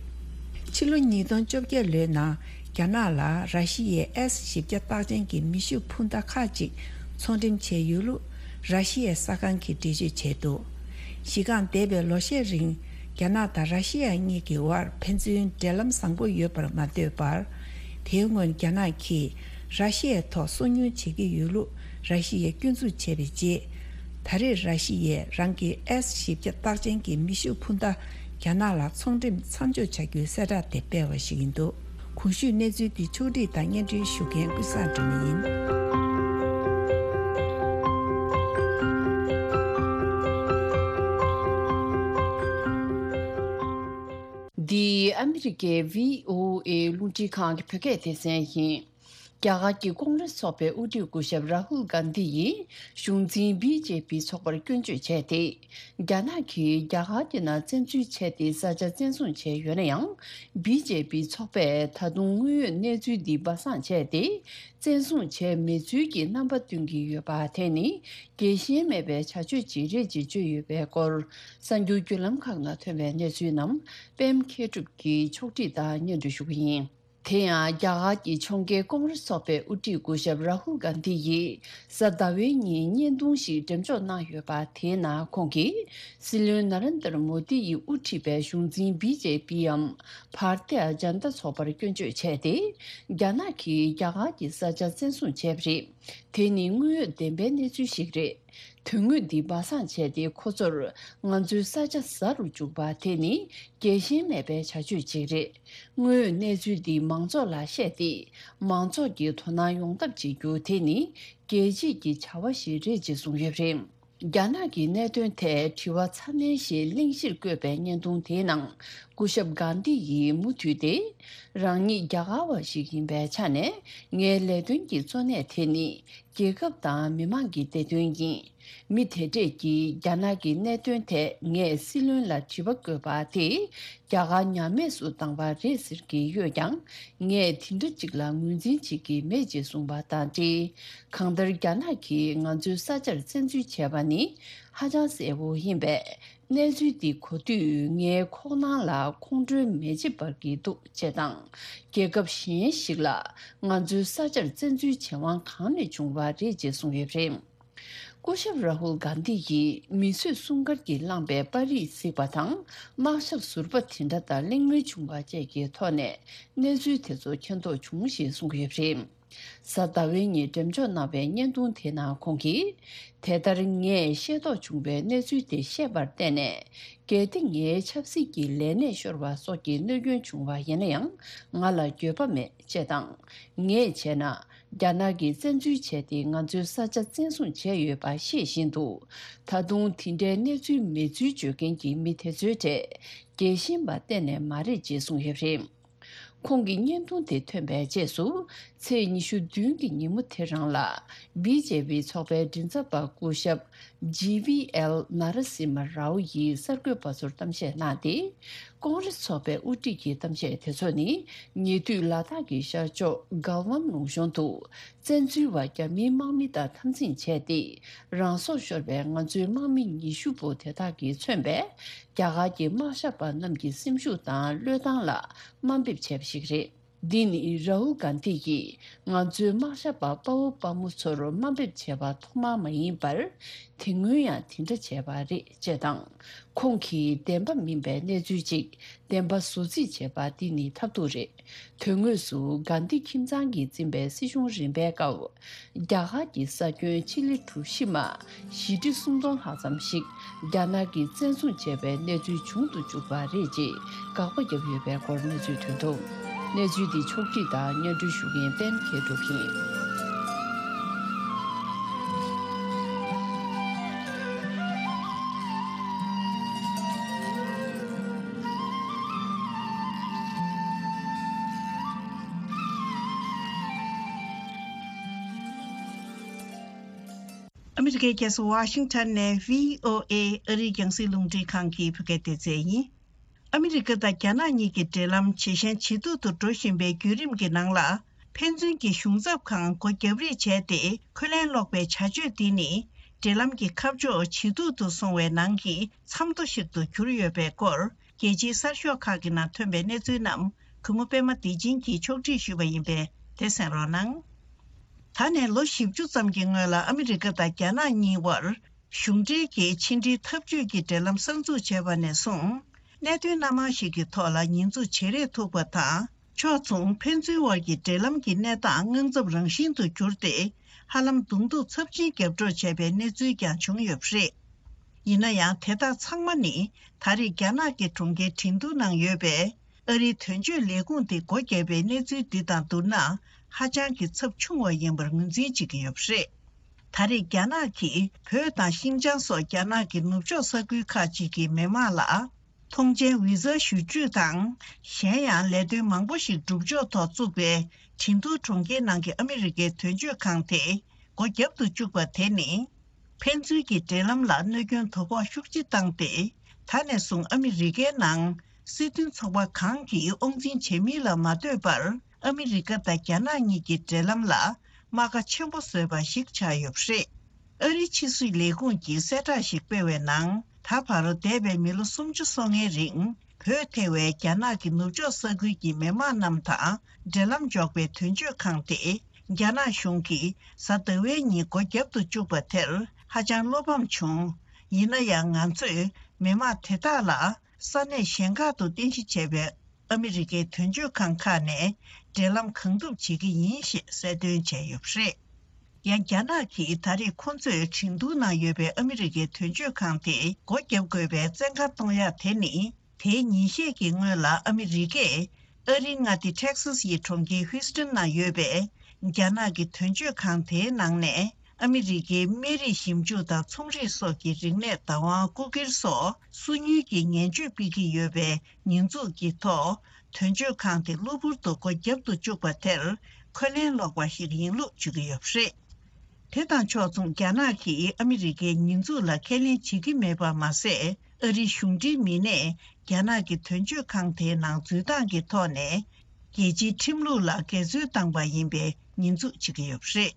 ཕྱི་ལོ་ཉིས་སྟོང་བཅོ་བརྒྱད་ལོའི་ནང་རྒྱ་ནག་ལ་ར་ཤི་ཡའི་ཨེས་བཞི་བརྒྱ་རྟགས་ཅན་གྱི་མེ་ཤུགས་འཕུར་མདའ་ཁག་ཅིག་ཚོང་འགྲེམས་བྱས་ཡོད་ལུགས་ར་ཤི་ཡའི་གསར་ཁང་གིས་འགྲེལ་བརྗོད་བྱས་འདུག། གཞི་རྐང་འདས་པའི་ལོ་ཤས་རིང་རྒྱ་ནག་དང་ར་ཤི་ཡ་གཉིས་ཀྱི་དབར་ཕན་ཚུན་འབྲེལ་ལམ་བཟང་པོ་ཡོད་པར་མ་ལྟོས་པར། དེའི་སྔོན་རྒྱ་ནག་གིས་ར་ཤི་ཡའི་ཐོག་སོ་ཉུལ་བྱེད་ཀྱི་ཡོད་ལུགས་ར་ཤི་ཡས་སྐྱོན་འཛུགས་བྱས་པའི་རྗེས། ད་རེས་ར་ཤི་ཡས་རང་གི་ཨེས་བཞི་བརྒྱ་རྟགས་ཅན་གྱི་མེ་ཤུགས་འཕུར་མདའ་རྒྱ་ནག་ལ་ཚོང་འགྲེམས་མཚམས་འཇོག་བྱ་རྒྱུའི་གསལ་བསྒྲགས་དེ་སྤེལ་བ་ཞིག་ཡིན་འདུག། གོང་ཞུས་གནས་ཚུལ་འདི་ཕྱོགས་སྒྲིག་དང་སྙན་སྒྲོན་ཞུ་མཁན་ཀུན་བཟང་སྒྲོལ་མ་ཡིན། འདི་ཨ་མི་རི་ཀའི་བྷི་ཨོ་ཨེ་རླུང་འཕྲིན་ཁང་གི་བོད་སྐད་སྡེ་ཚན་ཡིན། རྒྱ་གར་གྱི་ཀོང་རེས་ཚོགས་པའི་དབུ་ཁྲིད་སྐུ་ཞབས་རཱ་ཧུལ་གྷན་དྷི་ཡིས་གཞུང་འཛིན་བི་ཇེ་པི་ཚོགས་པར་སྐྱོན་བརྗོད་བྱས་ཏེ། རྒྱ་ནག་གིས་རྒྱ་གར་གྱི་ནང་བཙན་འཛུལ་བྱས་ཏེ་ས་ཆ་བཙན་བཟུང་བྱས་ཡོད་ན་ཡང་། བི་ཇེ་པི་ཚོགས་པས་ད་དུང་དངོས་ཡོད་གནས་ཚུལ་འདི་སྦ་གསང་བྱས་ཏེ། བཙན་བཟུང་བྱས་མེད་ཚུལ་གྱི་རྣམ་པ་སྟོན་གྱི་ཡོད་པ་དེ་ནི་རྒྱལ་ཞེན་མེད་པའི་བྱ་སྤྱོད་ཅིག་རེད་ཅེས་བརྗོད་ཡོད་པའི་སྐོར། གསར་འགྱུར་བརྒྱུད་ལམ་ཁག་ནང་ཐོན་པའི་གནས་ཚུལ་རྣམས་པད་མ་མཁས་གྲུབ་ཀྱིས་ཕྱོགས་སྒྲིག་དང་སྙན་སྒྲོན་ཞུ་གི་ཡིན། དེ་ཡང་རྒྱ་གར་གྱི་ཕྱོགས་འགལ་ཀོང་རེས་ཚོགས་པའི་དབུ་ཁྲིད་སྐུ་ཞབས་རཱ་ཧུལ་གྷན་དྷི་ཡིས་གཟའ་ཟླ་བའི་ཉིན་བརྙན་ཐུང་ཞིག་འགྲེམས་འཇོག་གནང་ཡོད་པ། དེའི་ནང་ཁོང་གིས་སྲིད་བློན་ན་རེན་དར་མོ་དི་ཡིས་དབུ་ཁྲིད་པའི་གཞུང་འཛིན་བི་ཇེ་པི་འམ་བྷར་ཏི་ཡ་ཇན་ཏ་ཚོགས་པར་སྐྱོན་བརྗོད་བྱས་ཏེ། རྒྱ་ནག་གིས་རྒྱ་གར་གྱི་ས་ཆ་བཙན་བཟུང་བྱས་པ་རེད། དེ་ནི་དངོས་ཡོད་བདེན་པའི་གནས་ཚུལ་ཞིག་རེད། དོན་དངོས་འདི་སྦ་གསང་བྱས་ཏེ། ཁོ་ཚོར་ང་ཚོའི་ས་ཆ་ཟ་རུ་འཇུག་པ་དེ་ནི་རྒྱལ་ཞེན་མེད་པའི་བྱ་སྤྱོད་ཅིག་རེད། དངོས་ཡོད་གནས་ཚུལ་འདི་མང་ཚོགས་ལ་བཤད་དེ། མང་ཚོགས་ཀྱིས་དོ་སྣང་ཡོང་ཐབས་བྱེད་རྒྱུ་དེ་ནི་རྒྱལ་གཅེས་ཀྱི་བྱ་བ་ཞིག་རེད་ཅེས་གསུངས་ཡོད་པ་རེད། རྒྱ་ནག་གི་གནད་དོན་ཐད་དྲི་བ་ཚ་ནན་ཞེས་གླེང་གཞིར་བཀོད་པའི་བརྙན་ཐུང་དེའི་ནང་། སྐུ་ཞབས་གྷན་དྷི་ཡིས་མུ་མཐུད་དེ། རང་ཉིད་རྒྱ་གར་བ་ཞིག་ཡིན་པའི་ཆ་ནས། ངའི་ལས་དོན་གྱི་གཙོ་གནད་དེ་ནི། རྒྱལ་ཁབ་དང་མི་མང་གི་བདེ་དོན་ཡིན། མི་དེ་འདྲས་ཀྱིས་རྒྱ་ནག་གི་གནད་དོན་ཐད་ངས་སྲིད་བློན་ལ་དྲི་བ་བཀོད་པ་དེ་རྒྱ་གར་ཉམས་དམས་སུ་བཏང་བ་རེད་ཟེར་གྱི་ཡོད་ཀྱང་། ངས་དེ་འདྲ་ཅིག་ལ་ངོས་འཛིན་བྱེད་ཀྱི་མེད་ཅེས་གསུངས་པ་དང་འབྲེལ། གང་ལྟར་རྒྱ་ནག་གིས་ང་ཚོའི་ས་ཆར་བཙན་འཛུལ་བྱས་པ་ནི་ཧ་ཅང་གསལ་བོ་ཡིན་པས། གནས་ཚུལ་འདི་གོ་དུས་ངའི་ཁོག་ནང་ལ་ཁོང་ཁྲོའི་མེ་ལྕེ་འབར་གྱི་འདུག་ཅེས་དང་། རྒྱལ་ཁབ་གཞན་ཞིག་ལ་ང་ཚོའི་ས་ཆར་བཙན་འཛུལ་བྱེད་དབང་གང་ནས་བྱུང་བ་རེད་ཅེས་གསུངས་ཡོད་པ་རེད། སྐུ་ཞབས་རཱ་ཧུལ་གྷན་དྷི་ཡིས་མི་གསོད་སྲུང་སྐར་གྱིས་བསླངས་པའི་པར་རིས་གཟིགས་པ་དང་དམག་ཞབས་ཟུར་པ་དེ་འདྲ་དང་གླེང་མོལ་བྱུང་བ་བཅས་ཀྱི་ཐོག་ནས་གནས་ཚུལ་དེ་ཚོ་མཁྱེན་རྟོགས་བྱུང་ཞེས་གསུངས་ཡོད་པ་རེད། གཟའ་ཟླ་བའི་ཉིན་འགྲེམས་འཇོག་གནང་བའི་བརྙན་ཐུང་དེ་ནང་ཁོང་གིས། དེ་ལྟར་ངས་ཤེས་རྟོགས་བྱུང་བའི་གནས་ཚུལ་དེ་ཤེས་པར་བརྟེན་ནས། གལ་ཏེ་ངའི་ཆབ་སྲིད་ཀྱི་ལས་གནས་ཤོར་བ་སོགས་ཀྱི་གནོད་སྐྱོན་བྱུང་བ་ཡིན་ན་ཡང་ང་ལ་འགྱོད་པ་མེད་ཅེས་དང་། ངས་བྱས་ན། རྒྱ་ནག་གིས་བཙན་འཛུལ་བྱས་ཏེ་ང་ཚོའི་ས་ཆ་བཙན་བཟུང་བྱས་ཡོད་པ་ཤེས་བཞིན་དུ། ད་དུང་དེ་འདྲའི་གནས་ཚུལ་མེད་ཚུལ་བརྗོད་མཁན་གྱི་མི་དེ་ཚོའི་གྲས་རྒྱལ་ཞེན་པ་གཏན་ནས་མ་རེད་ཅེས་གསུངས་ཡོད་པ་རེད། ཁོང་གི་བརྙན་ཐུང་དེ་ཐོན་པའི་རྗེས་སུ། ཚེས་ཉི་ཤུ་བདུན་གྱི་ཉིན་མོ་དེ་རང་ལ། བི་ཇེ་པི་ཚོགས་པའི་མགྲིན་ཚབ་པ་སྐུ་ཞབས་ཇི་ཝི་ཨེལ་ན་ར་སི་མ་རའོ་ཡིས་གསར་འགོད་པ་ཚོར་གཏམ་བཤད་གནང་སྟེ། ཀོང་རེ་སི་ཚོགས་པའི་དབུ་ཁྲིད་ཀྱི་གཏམ་བཤད་དེ་ཚོ་ནི། ཉེ་དུས་ལ་དྭགས་ཀྱི་ཤར་ཕྱོགས་གལ་ཝན་ལུང་གཤོང་དུ། བཙན་འཛུལ་བ་རྒྱ་མིའི་དམག་མི་དང་འཐབ་འཛིང་བྱས་ཏེ། རང་སྲོག་ཤོར་བའི་ང་ཚོའི་དམག་མི་ཉི་ཤུ་པོ་དེ་དག་གིས་མཚོན་པའི། རྒྱ་གར་གྱི་དམག་ཞབས་པ་རྣམས་ཀྱི་སེམས་ཤུགས་དང་བློས་བཏང་ལ་དམའ་འབེབས་བྱས་པ་ཞིག་རེད། འདི་ནི་རཱ་ཧུལ་གྷན་དྷི་ཡིས་ང་ཚོའི་དམག་ཞབས་པ་དཔའ་བོ་དཔའ་མོ་ཚོར་དམའ་འབེབས་བྱས་པ་ཐོག་མ་མ་ཡིན་པར། དེ་སྔོན་ཡང་དེ་འདྲ་བྱས་པ་རེད་ཅེས་དང་། ཁོང་གིས་བདེན་པ་མིན་པའི་གནས་ཚུལ་ཅིག་བདེན་པ་བཟོ་རྩིས་བྱས་པ་འདི་ནི་ཐབས་སྡུག་རེད། དོན་དངོས་སུ་གྷན་དྷི་ཁྱིམ་ཚང་གིས་འཛིན་པའི་སྲིད་གཞུང་རིམ་པའི་སྐབས། རྒྱ་གར་གྱི་ས་ཁྱོན་ཆི་ལི་གྲུ་བཞི་མ་བཞི་ཁྲི་སུམ་སྟོང་ལྷག་ཙམ་ཞིག་རྒྱ་ནག་གིས་བཙན་བཟུང་བྱས་པའི་གནས་ཚུལ་བྱུང་དུ་བཅུག་པ་རེད་ཅེས་དགག་པ་བརྒྱབ་ཡོད་པའི་སྐོར་གནས་ཚུལ་ཐོན་འདུག་གནས་ཚུལ་འདི་ཕྱོགས་སྒྲིག་དང་སྙན་སྒྲོན་ཞུ་མཁན་པད་མ་མཁས་གྲུབ་ཡིན། ཨ་མི་རི་ཀའི་རྒྱལ་ས་ཝ་ཤིང་ཊོན་ནས་བྷི་ཨོ་ཨེ་ཨ་རིའི་རྒྱང་སྲིང་རླུང་འཕྲིན་ཁང་གི་བོད་སྐད་སྡེ་ཚན་ཡིན། ཨ་མི་རི་ཀ་དང་རྒྱ་ནག་གཉིས་ཀྱི་འབྲེལ་ལམ་ཇེ་ཞན་ཇེ་སྡུག་ཏུ་འགྲོ་བཞིན་པའི་བརྒྱུད་རིམ་གྱི་ནང་ལ། ཕན་ཚུན་གྱི་གཞུང་ཚབ་ཁང་སྒོ་རྒྱབ་རེས་བྱས་ཏེ་འཁོན་ལན་སློག་པའི་བྱ་སྤྱོད་འདི་ནི། འབྲེལ་ལམ་གྱི་ཁ་ཕྱོགས་ཇེ་སྡུག་ཏུ་སོང་བའི་ནང་གི་མཚམས་ཐོ་ཞིག་ཏུ་གྱུར་ཡོད་པའི་སྐོར། རྒྱལ་སྤྱིའི་གསར་ཤོག་ཁག་གི་ནང་ཐོན་པའི་གནས་ཚུལ་རྣམས་གུས་མོ་པད་མ་བདེ་ཆེན་གྱིས་ཕྱོགས་སྒྲིག་ཞུས་པ་ཡིན་པས་དེ་གསན་རོགས་གནང་། ད་ནས་ལོ་བཞི་བཅུ་ཙམ་གྱི་སྔོན་ལ་ཨ་མི་རི་ཀ་དང་རྒྱ་ནག་གཉིས་དབར་གཞུང་འབྲེལ་གྱི་ཕྱི་འབྲེལ་འཐབ་ཇུས་ཀྱི་འབྲེལ་ལམ་གསར་འཛུགས་བྱས་པ་ནས་བཟུང་། གནད་དོན་སྣ་མང་ཞིག་གི་ཐོག་ལ་ཉེས་འཛུགས་བྱེད་རེས་ཐུབ་པ་དང་། ཕྱོགས་མཚུངས་ཕན་ཚུན་དབར་གྱི་འབྲེལ་ལམ་གྱི་གནས་སྟངས་དངངས་འཚབ་རང་བཞིན་དུ་གྱུར་ཏེ། ཧ་ལམ་གདོང་ཐུག་ཚབས་ཆེན་རྒྱབ་སྐྱོར་བྱས་པའི་གནས་ཚུལ་ཀྱང་བྱུང་ཡོད་པ་རེད། ཡིན་ན་ཡང་དེ་དག་ཚང་མ་ནི་ད་རེས་རྒྱ་ནག་གི་གྲོང་ཁྱེར་ཁྲིན་ཏུའུ་ནང་ཡོད་པའི་ཨ་རིའི་དོན་གཅོད་ལས་ཁུངས་དེ་སྒོ་བརྒྱབ་པའི་གནས་ཚུལ་འདི་དང་བསྡུར་ན་ཧ་ཅང་གི་ཚབས་ཆུང་བ་ཡིན་པར་ངོས་འཛིན་བྱེད་ཀྱི་ཡོད་པ་རེད། ད་རེས་རྒྱ་ནག་གིས་བོད་དང་ཤིན་ཅང་སོགས་རྒྱ་ནག་གི་ནུབ་ཕྱོགས་ས་ཁུལ་ཁག་ཅིག་གི་མི་དམངས་ལ། ཐོངས་མཆན་བི་ཟ་ཞུ་སྤྲོད་དང་། གཞན་ཡང་ལས་དོན་མང་པོ་ཞིག་སྒྲུབ་ཕྱོགས་ཐོག་བཙུགས་པའི་ཁྲིན་ཏུའུ་གྲོང་ཁྱེར་ནང་གི་ཨ་མི་རི་ཀའི་དོན་གཅོད་ཁང་དེ་སྒོ་བརྒྱབ་ཏུ་བཅུག་པ་དེ་ནི། ཕན་ཚུན་གྱི་འབྲེལ་ལམ་ལ་གནོད་སྐྱོན་དོ་ཕོག་ཤུགས་ཆེ་བཏང་སྟེ། ད་ནས་བཟུང་ཨ་མི་རི་ཀའི་ནང་སྲིད་དོན་ཚོགས་པ་གང་གིས་དབང་འཛིན་བྱེད་མིན་ལ་མ་ལྟོས་པར། ཨ་མི་རི་ཀ་དང་རྒྱ་ནག་གཉིས་ཀྱི་འབྲེལ་ལམ་ལ་རྨ་ཁ་ཆེན་པོ་བཟོས་པ་ཞིག་ཆགས་ཡོད་པ་རེད། ཨ་རིའི་ཕྱི་སྲིད་ལས་ཁུངས་ཀྱིས་གསལ་བསྒྲགས་ཤིག་སྤེལ་བའི་ནང་། ད་བར་འདས་པའི་མི་ལོ་སུམ་ཅུ་སོ་ལྔའི་རིང་བོད་ཐེ་བའི་རྒྱ་ནག་གི་ནུབ་ཕྱོགས་ས་ཁུལ་གྱི་མི་དམངས་རྣམས་དང་འབྲེལ་ལམ་འཇོག་པའི་དོན་གཅོད་ཁང་དེ་རྒྱ་ནག་གཞུང་གིས་གཟའ་ཟླ་བའི་ཉིན་སྒོ་བརྒྱབ་ཏུ་བཅུག་པ་དེར་ཧ་ཅང་བློ་ཕམ་བྱུང་། ཡིན་ན་ཡང་ང་ཚོས་མི་དམངས་དེ་དག་ལ་ས་གནས་གཞན་ཁག་ཏུ་རྟེན་གཞི་བྱས་པའི་ཨ་མི་རི་ཀའི་དོན་གཅོད་ཁང་ཁག་ནས་འབྲེལ་ལམ་གང་ཐུབ་བྱེད་ཀྱི་ཡིན་ཞེས་གསལ་སྟོན་བྱས་ཡོད་པ་རེད། ཡང་རྒྱ་ནག་གིས་ད་རེས་ཁོ་ཚོས་ཁྲིན་ཏུའུ་ནང་ཡོད་པའི་ཨ་མི་རི་ཀའི་དོན་གཅོད་ཁང་དེ་སྒོ་བརྒྱབ་དགོས་པའི་བཙན་བཀའ་གཏོང་ཡག་དེ་ནི། དེའི་ཉིན་ཤས་ཀྱི་སྔོན་ལ་ཨ་མི་རི་ཀས་ཨ་རིའི་མངའ་སྡེ་ཊེག་སཱ་སི་ཡི་གྲོང་ཁྱེར་ཧུའུ་སི་ཏན་ནང་ཡོད་པའི་རྒྱ་ནག་གི་དོན་གཅོད་ཁང་དེའི་ནང་ནས། ཨ་མི་རི་ཀའི་སྨན་རིགས་ཞིབ་འཇུག་དང་ཚོང་རིག་སོགས་ཀྱི་རིག་གནས་བདག་དབང་རྐུ་འཁྱེར་སོགས་སོ་ཉུལ་གྱི་ངན་སྤྱོད་སྤེལ་གྱི་ཡོད་པའི་ཉེས་འཛུགས་ཀྱི་ཐོག་དོན་གཅོད་ཁང་དེ་གློ་བུར་དུ་སྒོ་བརྒྱབ་ཏུ་བཅུག་པ་དེར་འཁོན་ལན་སློག་པ་ཞིག་ཡིན་ལུགས་བརྗོད་ཀྱི་ཡོད་པ་རེད། དེ་དང་ཕྱོགས་མཚུངས། རྒྱ་ནག་གིས་ཨ་མི་རི་ཀའི་ཉེས་འཛུགས་ལ་ཁས་ལེན་བྱེད་ཀྱི་མེད་པ་མ་ཟད། ཨ་རིའི་གཞུང་འབྲེལ་མི་སྣས་རྒྱ་ནག་གི་དོན་གཅོད་ཁང་དེའི་ནང་འཛུལ་སྟངས་ཀྱི་ཐོག་ནས། རྒྱལ་སྤྱིའི་ཁྲིམས་ལུགས་ལ་འགལ་འཛོལ་བཏང་པ་ཡིན་པའི་ཉེས་འཛུགས་བྱེད་ཀྱི་ཡོད་པ་རེད།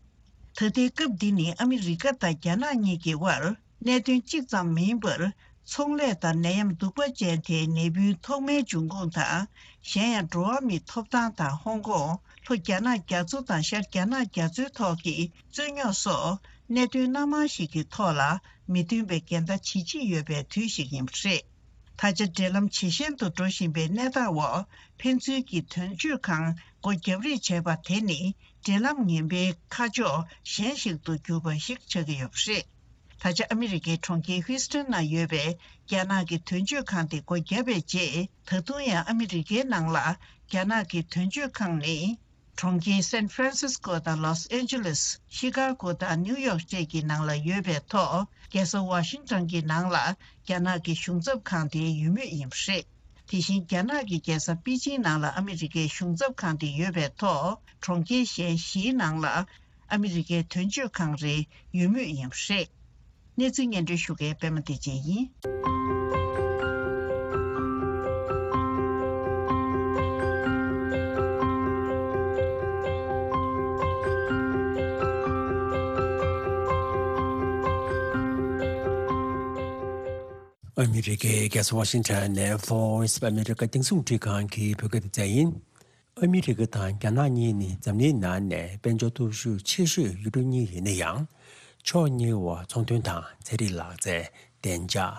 ད་ལྟའི་སྐབས་འདི་ནི་ཨ་མི་རི་ཀ་དང་རྒྱ་ནག་གཉིས་ཀྱི་དབར། གནད་དོན་གཅིག་ཙམ་མིན་པར། ཚོང་ལས་དང་ནད་ཡམས་གདུག་པ་ཅན་དེའི་ནད་འབུའི་ཐོག་མའི་འབྱུང་ཁུངས་དང་། གཞན་ཡང་། འགྲོ་བ་མིའི་ཐོབ་ཐང་དང་། ཧོང་ཀོང་། ལྷོ་རྒྱ་ནག་རྒྱ་མཚོ་དང་། ཤར་རྒྱ་ནག་རྒྱ་མཚོའི་ཐོག་གི་རྩོད་རྙོག་སོགས། གནད་དོན་སྣ་མང་ཞིག་གི་ཐོག་ལ་མི་མཐུན་པའི་འགལ་ཟླ་ཇི་ཆེ་ཡོད་པའི་དུས་ཤིག་ཡིན་པ་རེད། ད་ཆ་འབྲེལ་ལམ་ཇེ་ཞན་དུ་འགྲོ་བཞིན་པའི་གནས་སྟངས་འོག། ཕན་ཚུན་གྱི་དོན་གཅོད་ཁང་སྒོ་བརྒྱབ་རེས་བྱས་པ་དེ་ནི། འབྲེལ་ལམ་ངན་པའི་ཁ་ཕྱོགས་གཞན་ཞིག་ཏུ་གྱུར་པ་ཞིག་ཆགས་ཀྱི་ཡོད་པ་རེད། ད་ཆ་ཨ་མི་རི་ཀའི་གྲོང་ཁྱེར་ཧུའུ་སི་ཐན་ན་ཡོད་པའི་རྒྱ་ནག་གི་དོན་གཅོད་ཁང་དེ་སྒོ་བརྒྱབ་པའི་རྗེས། ད་དུང་ཡང་ཨ་མི་རི་ཀའི་ནང་ལ་རྒྱ་ནག་གི་དོན་གཅོད་ཁང་ནི། གྲོང་ཁྱེར་སན་ཧྥ་རན་སིས་ཀོ་དང་ལོས་ཨན་ཇེ་ལིས། ཤི་ཀ་གོ་དང་ནིའུ་ཡོག་བཅས་ཀྱི་ནང་ལ་ཡོད་པའི་ཐོག་རྒྱལ་ས་ཝ་ཤིང་ཊོན་གྱི་ནང་ལ་རྒྱ་ནག་གི་གཞུང་ཚབ་ཁང་དེའི་ཡུལ་མུས་ཡིན་པ་རེད། དེ་བཞིན་རྒྱ་ནག་གི་རྒྱལ་ས་པེ་ཅིང་ནང་ལ་ཨ་མི་རི་ཀའི་གཞུང་ཚབ་ཁང་དེ་ཡོད་པའི་ཐོག་གྲོང་ཁྱེར་གཞན་བཞིའི་ནང་ལ་ཨ་མི་རི་ཀའི་དོན་གཅོད་ཁང་རེའི་ཡུལ་མུས་ཡིན་པ་རེད། གནས་ཚུལ་སྙན་སྒྲོན་ཞུ་མཁན་པད་མ་བདེ་ཆེན་ཡིན། ཨ་མི་རི་ཀའི་རྒྱལ་ས་ཝ་ཤིང་ཊོན་ནས་Voice of America རྒྱང་སྲིང་རླུང་འཕྲིན་ཁང་གི་བོད་སྐད་སྡེ་ཚན་ཡིན། ཨ་མི་རི་ཀ་དང་རྒྱ་ནག་གཉིས་ནི་འཛམ་གླིང་ནང་ནས་དཔལ་འབྱོར་སྟོབས་ཤུགས་ཆེ་ཤོས་ཡུལ་གྲུ་གཉིས་ཡིན་ན་ཡང་། ཕྱོགས་གཉིས་བར་ཚོང་དོན་དང་ཚན་རིག་ལག་རྩལ། བདེ་འཇགས།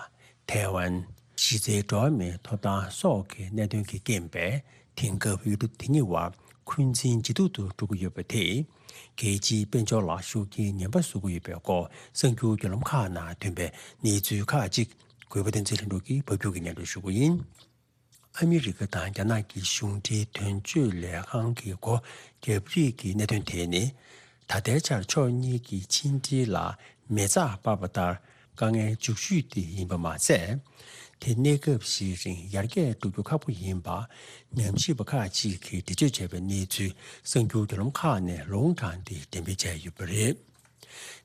ཐའེ་ཝན། གཞི་རྩའི་འགྲོ་བ་མིའི་ཐོབ་ཐང་སོགས་ཀྱི་གནད་དོན་གྱི་རྐྱེན་པས། དེང་སྐབས་ཡུལ་གྲུ་དེ་གཉིས་བར་འཁོན་འཛིན་ཇེ་སྡུག་ཏུ་འགྲོ་གི་ཡོད་པ་དེས། རྒྱལ་སྤྱིའི་དཔལ་འབྱོར་ལ་ཤུགས་རྐྱེན་ངན་པ་བཟོ་གི་ཡོད་པའི་སྐོར། གསར་འགྱུར་བརྒྱུད་ལམ་ཁག་ནང་ཐོན་པའི་གནས་ཚུལ་ཁག་ཅིག། གུས་པ་བསྟན་འཛིན་ལྷུན་གྲུབ་ཀྱིས་ཕབ་སྒྱུར་གྱིས་སྙན་སྒྲོན་ཞུ་གི་ཡིན། ཨ་མི་རི་ཀ་དང་རྒྱ་ནག་གི་གཞུང་འབྲེལ་དོན་གཅོད་ལས་ཁང་གི་སྒོ་བརྒྱབ་རེས་ཀྱི་གནད་དོན་དེ་ནི། ད་ལྟའི་ཆར་ཕྱོགས་གཉིས་ཀྱི་ཕྱི་འབྲེལ་ལ་མེ་བཙའ་སྤར་བ་ལྟར་དཀའ་ངལ་འཇུག་ཤོས་དེ་ཡིན་པ་མ་ཟད། དེ་གནས་སྐབས་ཤིག་རིང་ཡར་རྒྱས་འགྲོ་རྒྱུ་ཁག་པོ་ཡིན་པ། ཉམས་ཞིབ་པ་ཁག་ཅིག་གིས་འགྲེལ་བརྗོད་བྱས་པའི་གནས་ཚུལ་གསར་འགྱུར་བརྒྱུད་ལམ་ཁག་ནས་ལུང་དྲངས་ཏེ་འགྲེམས་སྤེལ་བྱས་ཡོད་པ་རེད།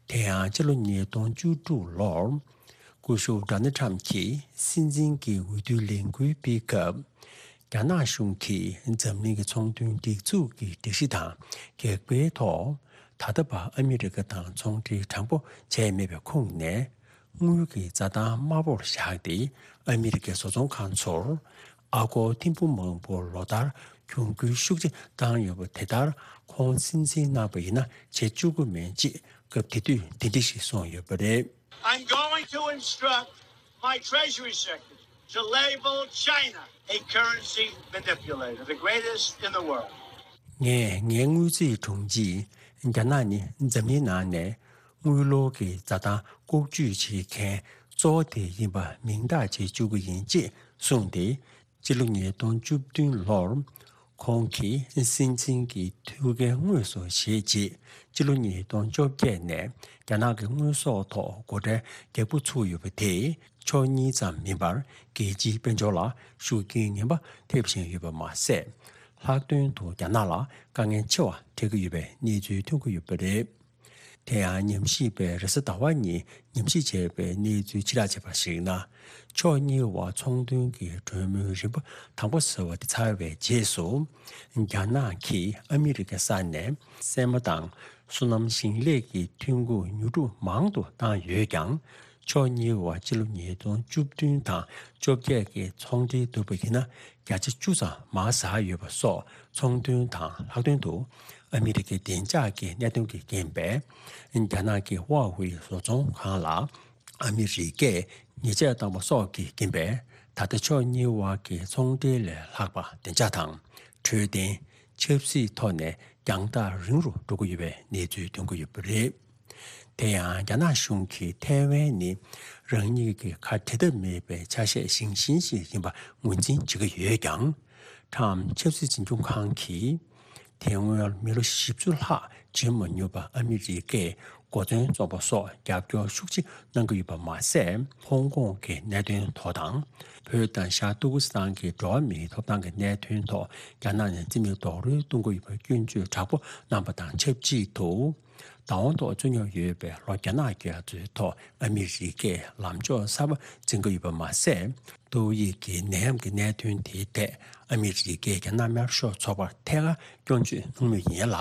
དེ་ཡང་སྤྱི་ལོ་ཉིས་སྟོང་བཅུ་དྲུག་ལོར། སྐུ་ཞབས་ཌོ་ནལ་ཁྲམ་གྱིས་སྲིད་འཛིན་གྱི་འོས་བསྡུའི་ལས་འགུལ་སྤེལ་སྐབས། རྒྱ་ནག་གཞུང་གིས་འཛམ་གླིང་གི་ཚོང་དོན་སྒྲིག་འཛུགས་ཀྱི་སྒྲིག་གཞི་དང་འགལ་བའི་ཐོག་ད་ལྟ་བར་ཨ་མི་རི་ཀ་དང་ཚོང་འབྲེལ་དྲང་པོ་བྱས་མེད་པའི་ཁོངས་ནས། དངུལ་གྱི་འཛའ་ཐང་དམའ་པོར་བཞག་སྟེ། ཨ་མི་རི་ཀའི་བཟོ་ཚོང་ཁང་ཚོར་ཨ་སྒོར་ཐེར་འབུམ་མང་པོ་ལོ་ལྟར་གྱོང་གུན་ཤུགས་ཆེ་བཏང་ཡོད་པ་དེ་ལྟར་ཁོང་སྲིད་འཛིན་གནང་བ་ཡིན་ན་བྱེད་བཅུག་གི་མེད་ཅེས་སྐབས་དེ་དུས་འདི་འདྲ་ཞིག་གསུངས་ཡོད་པ་རེད། I'm going to instruct my Treasury Secretary to label China a currency manipulator, the greatest in the world. ངས་ངའི་དངུལ་རྩིས་དྲུང་ཆེས་རྒྱ་ནག་ནི་འཛམ་གླིང་ནང་ནས་དངུལ་ལོར་གྱི་འཛའ་ཐང་ལྐོག་ཇུས་བྱེད་མཁན་གཙོ་བོ་དེ་ཡིན་པ་མིང་རྟགས་བྱེད་བཅུག་གི་ཡིན་ཅེས་གསུངས་ཏེ། སྤྱི་ལོ་ཉིས་སྟོང་བཅུ་བདུན་ལོར། ཁོང་གིས་སྲིད་འཛིན་གྱི་ཐུགས་འགན་དངོས་སུ་བཞེས་རྗེས། སྤྱི་ལོ་ཉིས་སྟོང་བཅོ་བརྒྱད་ནས་རྒྱ་ནག་གི་དངོས་ཟོག་ཐོག་སྒོ་ཁྲལ་རྒྱག་འབུ་ཚུགས་ཡོད་པ་དེས། ཕྱོགས་གཉིས་ཙམ་མིན་པར་རྒྱལ་སྤྱིའི་དཔལ་འབྱོར་ལ་ཤུགས་རྐྱེན་ངན་པ་ཐེབས་བཞིན་ཡོད་པ་མ་ཟད། ལྷག་དོན་དུ་རྒྱ་ནག་ལ་དཀའ་ངལ་ཆེ་བ་འཕྲད་ཀྱི་ཡོད་པའི་གནས་ཚུལ་ཐོན་གྱི་ཡོད་པ་རེད། དེ་ཡང་ཉམས་ཞིབ་པས་རེས་གཟའ་ཟླ་བ་ཉིན་ཉམས་ཞིབ་བྱས་པའི་གནས་ཚུལ་ཕྱིར་བསྒྲགས་བྱས་པར་གཞིགས་ན། ཕྱོགས་གཉིས་བར་ཚོང་དོན་གྱི་གྲོས་མོལ་རིམ་པ་དང་པོ་ཟེར་བ་དེ་ཚར་བའི་རྗེས་སུ། རྒྱ་ནག་གིས་ཨ་མི་རི་ཀའི་ས་ནས་སྲན་མ་དང་སོ་ནམ་ཞིང་ལས་ཀྱི་ཐོན་ཁུངས་ཉོ་སྒྲུབ་མང་དུ་བཏང་ཡོད་ཀྱང་། ཕྱོགས་གཉིས་བར་སྤྱི་ལོ་ཉིས་སྟོང་བཅུ་བདུན་དང་བཅོ་བརྒྱད་ཀྱི་ཚོང་འབྲེལ་བསྡུར་བ་ཡིན་ན། བརྒྱ་ཆ་བཅུ་ཙམ་མར་ཟག་ཡོད་པ་སོགས་ཚོང་དོན་དང་། ལྷག་དོན་དུ་ཨ་མི་རི་ཀའི་བདེ་འཇགས་ཀྱི་གནད་དོན་གྱི་རྐྱེན་པས། རྒྱ་ནག་གི་ཧྭ་ཝེ་བཟོ་ཚོང་ཁང་ལ་ཨ་མི་རི་ཀས་ཉེས་ཆད་བཏང་བ་སོགས་ཀྱི་རྐྱེན་པས། ད་ལྟ་ཕྱོགས་གཉིས་བར་གྱི་ཚོང་འབྲེལ་ལས་ལྷག་པ་བདེ་འཇགས་དང་། འཕྲོད་བསྟེན། ཆབ་སྲིད་ཐོག་ནས་རྒྱང་ཐག་རིང་རུ་འགྲོ་གི་ཡོད་པའི་གནས་ཚུལ་ཐོན་གྱི་ཡོད་པ་རེད། དེ་ཡང་རྒྱ་ནག་གཞུང་གིས་ཐའེ་ཝན་ནི་རང་ཉིད་ཀྱི་ཁ་འབྲལ་ཐབས་མེད་པའི་ཆ་ཤས་ཞན་ཞན་ཞིག་ཡིན་པ་ངོས་འཛིན་བྱེད་ཀྱི་ཡོད་ཀྱང་། ཁྲམ་ཆབ་སྲིད་འཛིན་སྐྱོང་ཁང་གིས། དེ་སྔོན་མི་ལོ་བཞི་བཅུ་ལྷག་བྱོན་མ་མྱོང་བ་ཨ་མི་རི་ཀས་གོ་མཚོན་བཙོང་པ་སོགས་རྒྱབ་སྐྱོར་ཤུགས་ཆེ་གནང་གི་ཡོད་པ་མ་ཟད། ཧོང་ཀོང་གི་གནད་དོན་ཐོག་དང་། བོད་དང་ཤར་ཏུར་ཀི་སི་ཐན་གྱི་འགྲོ་བ་མིའི་ཐོབ་ཐང་གི་གནད་དོན་ཐོག་རྒྱ་ནག་ནས་རྩིས་མེད་རྡོག་རོལ་གཏོང་གི་ཡོད་པའི་སྐྱོན་བརྗོད་དྲག་པོ་གནང་པ་དང་ཆབས་ཅིག་ཏུ། བདག་དབང་ཐོག་བཙུགས་མྱོང་ཡོད་པའི་ལྷོ་རྒྱ་ནག་རྒྱ་མཚོའི་ཐོག་ཨ་མི་རི་ཀས་ལམ་ཕྱོགས་གསར་པ་འཛིན་གྱི་ཡོད་པ་མ་ཟད། ཏོག་དབྱིབས་ཀྱི་ནད་ཡམས་ཀྱི་གནད་དོན་དེའི་ཐད་ཨ་མི་རི་ཀས་རྒྱ་ནག་དམར་ཤོག་ཚོགས་པར་ཐད་ཀར་སྐྱོན་བརྗོད་གནང་མུས་ཡིན་ལ།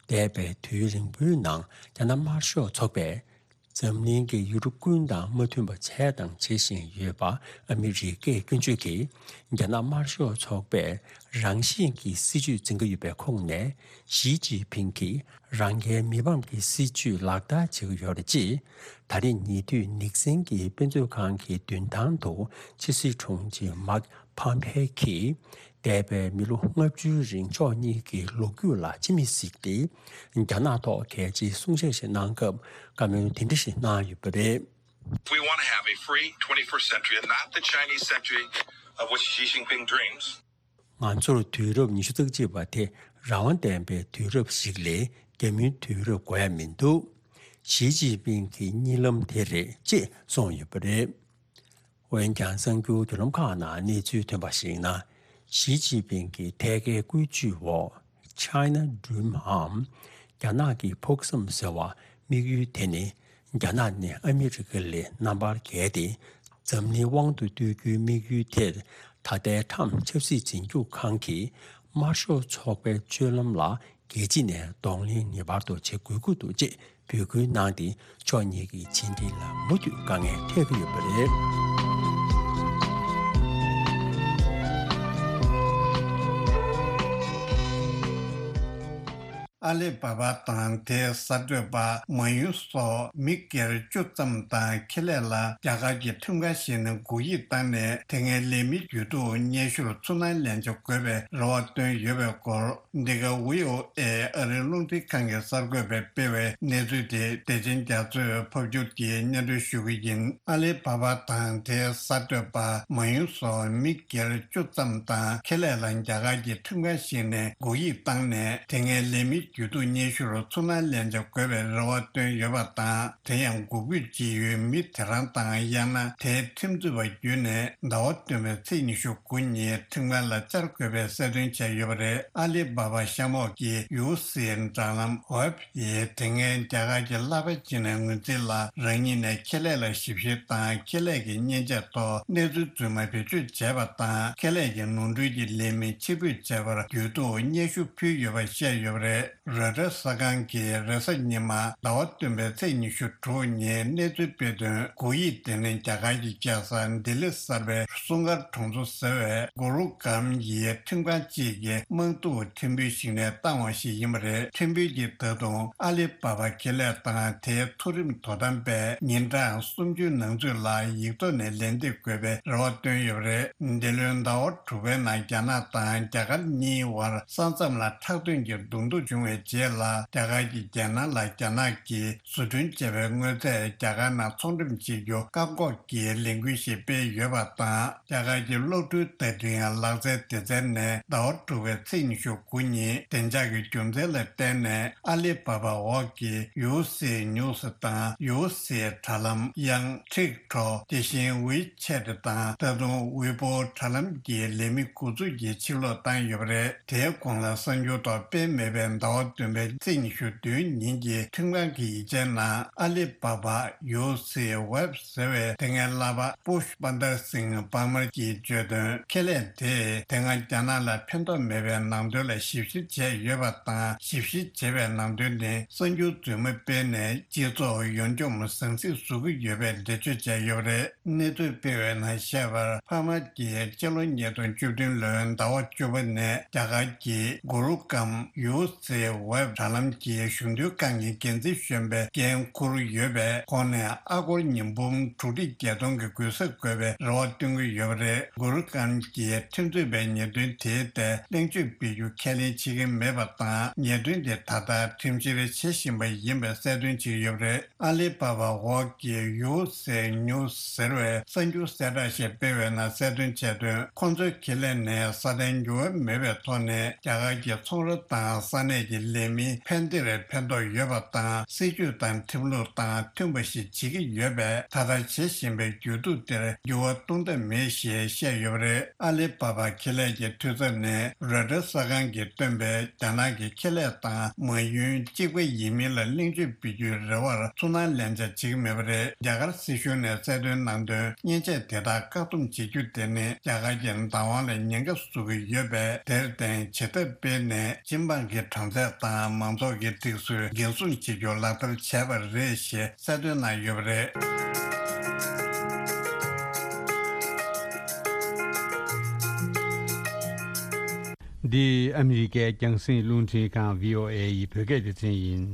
འདས་པའི་དུས་རིང་པོའི་ནང་རྒྱ་ནག་དམར་ཤོག་ཚོགས་པས་འཛམ་གླིང་གི་ཡུལ་གྲུ་ཀུན་དང་མ་མཐུན་པ་བྱས་དང་བྱེད་བཞིན་ཡོད་པ་ཨ་མི་རི་ཀས་སྐྱོན་བརྗོད་ཀྱིས། རྒྱ་ནག་དམར་ཤོག་ཚོགས་པས་རང་བཞིན་གྱི་སྲིད་བྱུས་འཛིན་གྱི་ཡོད་པའི་ཁོངས་ནས། ཞི་ཅིན་ཕིང་གིས་རང་རྒྱལ་མི་ཕམ་གྱི་སྲིད་བྱུས་ལག་བསྟར་བྱེད་ཀྱི་ཡོད་རེད། ཅེས་ད་རེས་ཉེ་དུས་ནིག་སན་གྱི་དཔེ་མཛོད་ཁང་གི་མདུན་ཐང་དུ་ཕྱི་སྲིད་དྲུང་ཆེ་མཱིག་ཕོམ་པེ་གིས། འདས་པའི་མི་ལོ་ལྔ་བཅུའི་རིང་ཕྱོགས་གཉིས་ཀྱི་ལོ་རྒྱུས་ལ་ཕྱི་མིག་གཟིགས་ཏེ། རྒྱ་ནག་ཐོག་གལ་ཆེའི་གསུང་བཤད་ཞིག་གནང་སྐབས་བཀའ་མོལ་དེ་འདྲ་ཞིག་གནང་ཡོད་པ་རེད། We want to have a free twenty-first century and not the Chinese century of which Xi Jinping dreams. ང་ཚོར་དུས་རབས་ཉི་ཤུ་རྩ་གཅིག་པ་དེ་རང་དབང་ལྡན་པའི་དུས་རབས་ཤིག་ལས་རྒྱ་མིའི་དུས་རབས་དགོས་ཡ་མི་འདུག། ཞི་ཅིན་ཕིང་གི་གཉིད་ལམ་དེ་རེད། ཅེས་གསུངས་ཡོད་པ་རེད། འོན་ཀྱང་གསར་འགྱུར་བརྒྱུད་ལམ་ཁག་ནང་གནས་ཚུལ་ཐོན་པར་གཞིགས་ན། ཞི་ཅིན་ཕིང་གི་ཐད་ཀའི་བཀོད་ཇུས་འོག China Dream འམ། རྒྱ་ནག་གི་ཕུགས་བསམ་ཟེར་བ་དམིགས་ཡུལ་དེ་ནི། རྒྱ་ནག་ནི་ཨ་མི་རི་ཀ་ལས་རྣམ་པར་རྒྱལ་ཏེ། འཛམ་གླིང་དབང་དུ་བསྡུ་རྒྱུའི་དམིགས་ཡུལ་དེར། ད་ལྟའི་ཊམ་ཆབ་སྲིད་འཛིན་སྐྱོང་ཁང་གིས་དམར་ཤོག་ཚོགས་པའི་སྤྱོད་ལམ་ལ་རྒྱལ་སྤྱི་ནས་གདོང་ལེན་ངེས་པར་དུ་བྱེད་དགོས་ཀྱི་འདུག་ཅེས་འབོད་སྐུལ་གནང་སྟེ། ཕྱོགས་གཉིས་ཀྱི་ཕྱི་འབྲེལ་ལ་མུ་མཐུད་དཀའ་ངལ་འཕྲད་ཀྱི་ཡོད་པ་རེད། ཨ་ལི་བྷ་བྷ་དང་དེའི་གསར་གཏོད་པ་མ་ཡུན་སོགས་མི་སྒེར་བཅུ་ཙམ་དང་ཁེ་ལས་ལ་རྒྱ་གར་གྱི་ཁྲིམས་ཁང་ཞིག་ནས་སྒུག་ཡིག་བཏང་ནས། དེ་སྔའི་ལས་མི་རྒྱུ་དུ་སྙན་ཞུར་ཚུར་སྣང་ལན་ཆ་དགོས་པའི་རེ་བ་བཏོན་ཡོད་པའི་སྐོར། འདི་ག་བྷི་ཨོ་ཨེ་ཨ་རིའི་རླུང་འཕྲིན་ཁང་གིས་གསར་འགོད་པས་སྤེལ་བའི་གནས་ཚུལ་དེ་བདེ་ཆེན་རྒྱ་མཚོས་ཕབ་སྒྱུར་གྱིས་སྙན་སྒྲོན་ཞུ་གི་ཡིན། ཨ་ལི་བྷ་བྷ་དང་དེའི་གསར་གཏོད་པ་མ་ཡུན་སོགས་མི་སྒེར་བཅུ་ཙམ་དང་ཁེ་ལས་ལ་རྒྱ་གར་གྱི་ཁྲིམས་ཁང་ཞིག་ནས་སྒུག་ཡིག་བཏང་ནས། དེ་སྔའི་ལས་མི་རྒྱུ་དུ་སྙན་ཞུར་ཚུར་སྣང་ལན་ཆ་དགོས་པའི་རེ་བ་བཏོན་ཡོད་པ་དང་། དེ་ཡང་སྒུག་ཁུལ་བྱེད་ཡུལ་མི་དེ་རང་དང་། ཡང་ན་དེའི་ཁྲིམས་རྩོད་པ་བརྒྱུད་ནས་ཟླ་བ་བདུན་པའི་ཚེས་ཉི་ཤུ་དགུ་ཉིན་ཁྲིམས་ཁང་ལ་བཅར་དགོས་པའི་གསལ་སྟོན་བྱས་ཡོད་པ་རེད། ཨ་ལི་བྷ་བྷ་གཤམ་འོག་གི་ཡུ་སི་དྲ་ལམ་ཝེབ་ཡིས་དེ་སྔའི་རྒྱ་གར་གྱི་གླ་པ་ཅིག་ནས་ངོས་འཛིན་ལ། རང་ཉིད་ནས་ཁེ་ལས་ལ་ཞིབ་བཤེར་དང་། ཁེ་ལས་ཀྱི་མཉེན་ཆས་ཐོག་གནས་ཚུལ་རྫུན་མ་བེད་སྤྱོད་བྱས་པ་དང་། ཁེ་ལས་ཀྱི་ནོར་འཁྲུལ་གྱི་ལས་མི་ཕྱིར་འབུད་བྱས་པར་རྒྱུད་དུ་སྙན་ཞུ་ཕུལ་ཡོད་པ་བཤད་ཡོད་པ་རེད། རོའི་ཊར་གསར་ཁང་གིས་རེས་གཟའ་ཉི་མ་ཟླ་བ་བདུན་པའི་ཚེས་ཉི་ཤུ་དྲུག་ཉིན་གནས་ཚུལ་སྤེལ་དོན། སྒུག་ཡིག་དེ་ནི་རྒྱ་གར་གྱི་རྒྱལ་ས་ལྡི་ལི་གསར་པའི་སུང་དཀར་གྲོང་ཚོ་ཟེར་བའི་གུ་རུ་གམ་ཡི་ཁྲིམས་ཁང་གཅིག་གི་དམངས་གཙོའི་ཁྲིམས་དཔོན་ཞིག་ནས་བཏང་བ་ཞིག་ཡིན་པ་རེད། ཁྲིམས་དཔོན་གྱིས་ད་དུང་ཨ་ལི་བྷ་བྷ་ཁེ་ལས་དང་དེའི་མཐོ་རིམ་དོ་དམ་པས་ཉིན་གྲངས་སུམ་ཅུའི་ནང་ཚུད་ལ་ཡིག་ཐོག་ནས་ལན་འདེབས་དགོས་པའི་རེ་བ་བཏོན་ཡོད་པ་རེད། འདི་ལོའི་ཟླ་བ་དྲུག་པའི་ནང་རྒྱ་ནག་དང་རྒྱ་གར་གཉིས་བར་ས་མཚམས་ལ་ཁྲག་དོན་གྱི་གདོང་ཐུག་བྱུང་བའི་རྗེས་ལ། རྒྱ་གར་གྱིས་རྒྱལ་ནང་ལ་རྒྱ་ནག་གིས་བཟོ་སྐྲུན་བྱས་པའི་དངོས་རྫས་རྒྱ་གར་ནང་ཚོང་འགྲེམས་བྱེད་རྒྱུ་བཀག་འགོག་གི་ལས་འགུལ་ཞིག་སྤེལ་ཡོད་པ་དང་། རྒྱ་གར་གྱི་གློག་འཕྲུལ་བརྡ་འཕྲིན་ལག་རྩལ་སྡེ་ཚན་ནས་ཟླ་བ་དྲུག་པའི་ཚེས་ཉི་ཤུ་དགུ་ཉིན་བདེ་འཇགས་ཀྱི་རྒྱུ་མཚན་ལ་བརྟེན་ནས། ཨ་ལི་བྷ་བྷ་འོག་གི་ཡུ་སི་ནིའུ་སི་དང་ཡུ་སི་དྲ་ལམ། ཡང་ཊིག་ཊོག་དེ་བཞིན་ཝི་ཆེ་ཊི་དང་། ད་དུང་ཝི་པོ་དྲ་ལམ་གྱི་ལས་མི་འགོ་འཛུགས་ཀྱིས་ཕྱིར་སློག་བཏང་ཡོད་པ་རེད། དེའི་གོང་ལ་གསར་འགྱུར་ཐོག་སྤེལ་མེད་པའི་ཟླ་བ་བདུན་པའི་ཚེས་ཉི་ཤུ་བདུན་ཉིན་གྱི་ཁྲིམས་ཁང་གི་ཡིག་ཆའི་ནང་། ཨ་ལི་བྷ་བྷ་ཡུ་སི་ཝེབ་ཟེར་བའི་དེ་སྔའི་གླ་པ་པུཤ་པ་ནྡར་སིང་པར་མར་གྱིས་བརྗོད་དོན། ཁེ་ལས་དེས་དེ་སྔ་རྒྱ་ནག་ལ་ཕན་ཐོགས་མེད་པའི་ནང་དོན་ལ་ཞིབ་བཤེར་བྱས་ཡོད་པ་དང་། ཞིབ་བཤེར་བྱས་པའི་ནང་དོན་ནི་གསར་འགྱུར་རྫུན་མ་སྤེལ་ནས་སྤྱི་ཚོགས་ཡོངས་འཇོམས་ཟང་ཟིང་བཟོ་གི་ཡོད་པའི་འགྲེལ་བརྗོད་བྱས་ཡོད་པ་རེད། གནས་ཚུལ་སྤེལ་བའི་ནང་བཤད་པར། པར་མར་གྱིས་སྤྱི་ལོ་ཉིས་སྟོང་བཅུ་བདུན་ལོའི་ཟླ་བ་བཅུ་པ་ནས་རྒྱ་གར་གྱི་གུ་རུ་གམ་ཡུ་སི་ཝེབ་དྲ་ལམ་གྱི་གཞུང་དོན་ཁང་གི་འགན་འཛིན་གཞོན་པའི་འགན་འཁུར་ཡོད་པས། ཁོང་ནས་ཨ་སྒོར་ཉིས་འབུམ་དྲུག་ཁྲི་བརྒྱད་སྟོང་གི་གུན་གསབ་དགོས་པའི་རེ་བ་བཏོན་གྱི་ཡོད་པ་རེད། གུ་རུ་གམ་གྱིས་ཁྲིམས་རྩོད་པའི་ཉེས་དོན་དེའི་ཐད་གླེང་བརྗོད་སྤེལ་རྒྱུ་ཁས་ལེན་བྱེད་ཀྱི་མེད་པ་དང་། ཉེས་དོན་དེ་ད་ལྟ་ཁྲིམས་བཤེར་བྱེད་བཞིན་པ་ཡིན་པའི་གསལ་སྟོན་བྱས་ཡོད་པ་རེད། ཨ་ལི་བྷ་བྷ་འོག་གི་ཡུ་སི་ནིའུ་སི་ཟེར་བའི་གསར་འགྱུར་གསལ་བསྒྲགས་ཤིག་སྤེལ་བའི་ནང་གསལ་སྟོན་བྱས་དོན། ཁོང་ཚོའི་ཁེ་ལས་ནས་ས་མཐའི་འགྱུར་བ་མེད་པའི་ཐོག་ནས་རྒྱ་གར་གྱི་ཚོང་ར་དང་ས་གནས་ཀྱི་ ལས་མིའི་ཕན་བདེར་ཕན་ཐོགས་ཡོད་པ་དང་། སྲིད་ཇུས་དང་ཁྲིམས་ལུགས་དང་མཐུན་པ་ཞིག་བྱེད་ཀྱི་ཡོད་པས། ད་ལྟ་བྱེད་བཞིན་པའི་རྒྱུ་དུག་དེར་འགྱུར་བ་གཏོང་ཐབས་མེད་ཞེས་བཤད་ཡོད་པ་རེད། ཨ་ལི་བྷ་བྷ་ཁེ་ལས་ཀྱི་འཐུས་ཚབ་ནས་རོའི་ཊར་གསར་ཁང་གིས་བཏོན་པའི་རྒྱ་ནག་གི་ཁེ་ལས་དང་མ་ཡུན་གཅིག་པ་ཡིན་མིན་ལ་གླེང་བརྗོད་སྤེལ་རྒྱུའི་རེ་བར་ཚུར་སྣང་ལན་ཆགས་བྱེད་ཀྱི་མེད་པ་རེད། རྒྱ་གར་སྲིད་གཞུང་ནས་གསལ་སྟོན་གནང་དོན། མཉེན་ཆས་དེ་དག་བཀག་སྡོམ་བྱེད་རྒྱུ་དེ་ནི་རྒྱ་གར་གྱི་བདག་དབང་ལ་ཉེན་ཁ་བཟོ་གི་ཡོད་པས། དེར་བརྟེན་བྱེད་ཐབས་སྤེལ་ནས་སྤྱི་འབངས་ཀྱི་གྲོང་ཚད་དང་མང་ཚོགས་ཀྱི་སྒྲིག་སྲོལ་འགན་སྲུང་བྱེད་རྒྱུ་ལག་བསྟར་བྱས་པ་རེད་ཞེས་གསལ་སྟོན་གནང་ཡོད་པ་རེད། འདི་ཨ་མི་རི་ཀའི་རྒྱང་སྲིང་རླུང་འཕྲིན་ཁང་བྷི་ཨོ་ཨེ་ཡི་བོད་སྐད་སྡེ་ཚན་ཡིན།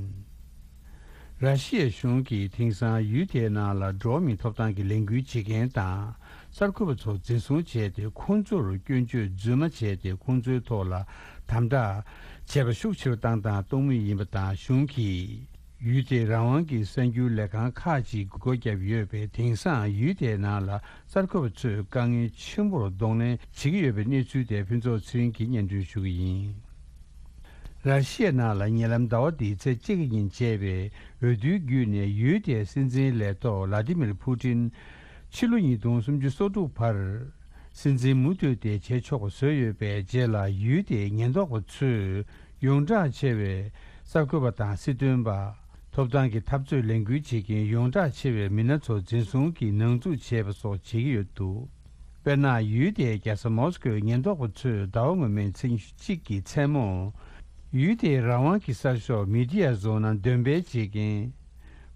ར་ཤི་ཡའི་གཞུང་གིས་དེང་སང་ཡུལ་དེའི་ནང་ལ་འགྲོ་བ་མིའི་ཐོབ་ཐང་གི་ལས་འགུལ་བྱེད་མཁན་དང་། གསར་འགོད་པ་ཚོ་འཛིན་བཟུང་བྱས་ཏེ། ཁོང་ཚོར་སྐྱོན་བརྗོད་རྫུན་མ་བྱས་ཏེ། ཁོང་ཚོའི་ཐོག་ལ་དམ་དྲག་བྱས་པ་ཤུགས་ཆེ་རུ་བཏང་དང་གཏོང་མུས་ཡིན་པ་དང་། གཞུང་གིས་ཡུལ་དེའི་རང་དབང་གི་གསར་འགྱུར་ལས་ཁང་ཁག་ཅིག་སྒོ་བརྒྱབ་ཡོད་པས། དེང་སང་ཡུལ་དེའི་ནང་ལ་གསར་འགོད་པ་ཚོས་དཀའ་ངལ་ཆེན་པོར་གདོང་ལེན་བྱེད་ཀྱི་ཡོད་པའི་གནས་ཚུལ་དེ་ཕུན་ཚོགས་ཚེ་རིང་གིས་སྙན་སྒྲོན་ཞུ་གི་ཡིན། ར་ཤི་ཡའི་ནང་ལ་ཉེ་ལམ་ཟླ་བ་འདིའི་ཚེས་གཅིག་ཉིན་བྱས་པའི་འོས་བསྡུའི་བརྒྱུད་ནས། ཡུལ་དེའི་སྲིད་འཛིན་ལས་ཐོག་ལ་ཏི་མིར་ཕུ་ཏིན་ཕྱི་ལོ་ཉིས་སྟོང་སུམ་ཅུ་སོ་དྲུག་བར་སྲིད་འཛིན་མུ་མཐུད་དེ་བྱེད་ཆོག་པ་བཟོས་ཡོད་པའི་རྗེས་ལ། ཡུལ་དེའི་ཉེན་རྟོག་པ་ཚོས་ཡོངས་གྲགས་ཆེ་བའི་གསར་འགོད་པ་དང་སྲིད་དོན་པ། ཐོབ་ཐང་གི་འཐབ་རྩོད་ལས་འགུལ་བྱེད་མཁན་ཡོངས་གྲགས་ཆེ་བའི་མི་སྣ་ཚོ་འཛིན་བཟུང་གིས་ནང་འཛུགས་བྱས་པ་སོགས་བྱེད་ཀྱི་ཡོད་འདུག་དཔེར་ན། ཡུལ་དེའི་རྒྱལ་ས་མོ་སི་ཀོའི་ཉེན་རྟོག་པ་ཚོས་ཟླ་བ་སྔོན་མའི་ཚེས་ཉི་ཤུ་གཅིག་གི་མཚན་མོ། ཡུལ་དེའི་རང་དབང་གི་གསར་ཤོག་མི་ཌི་ཡ་བཟོ་ན་འདོན་སྤེལ་བྱེད་མཁན་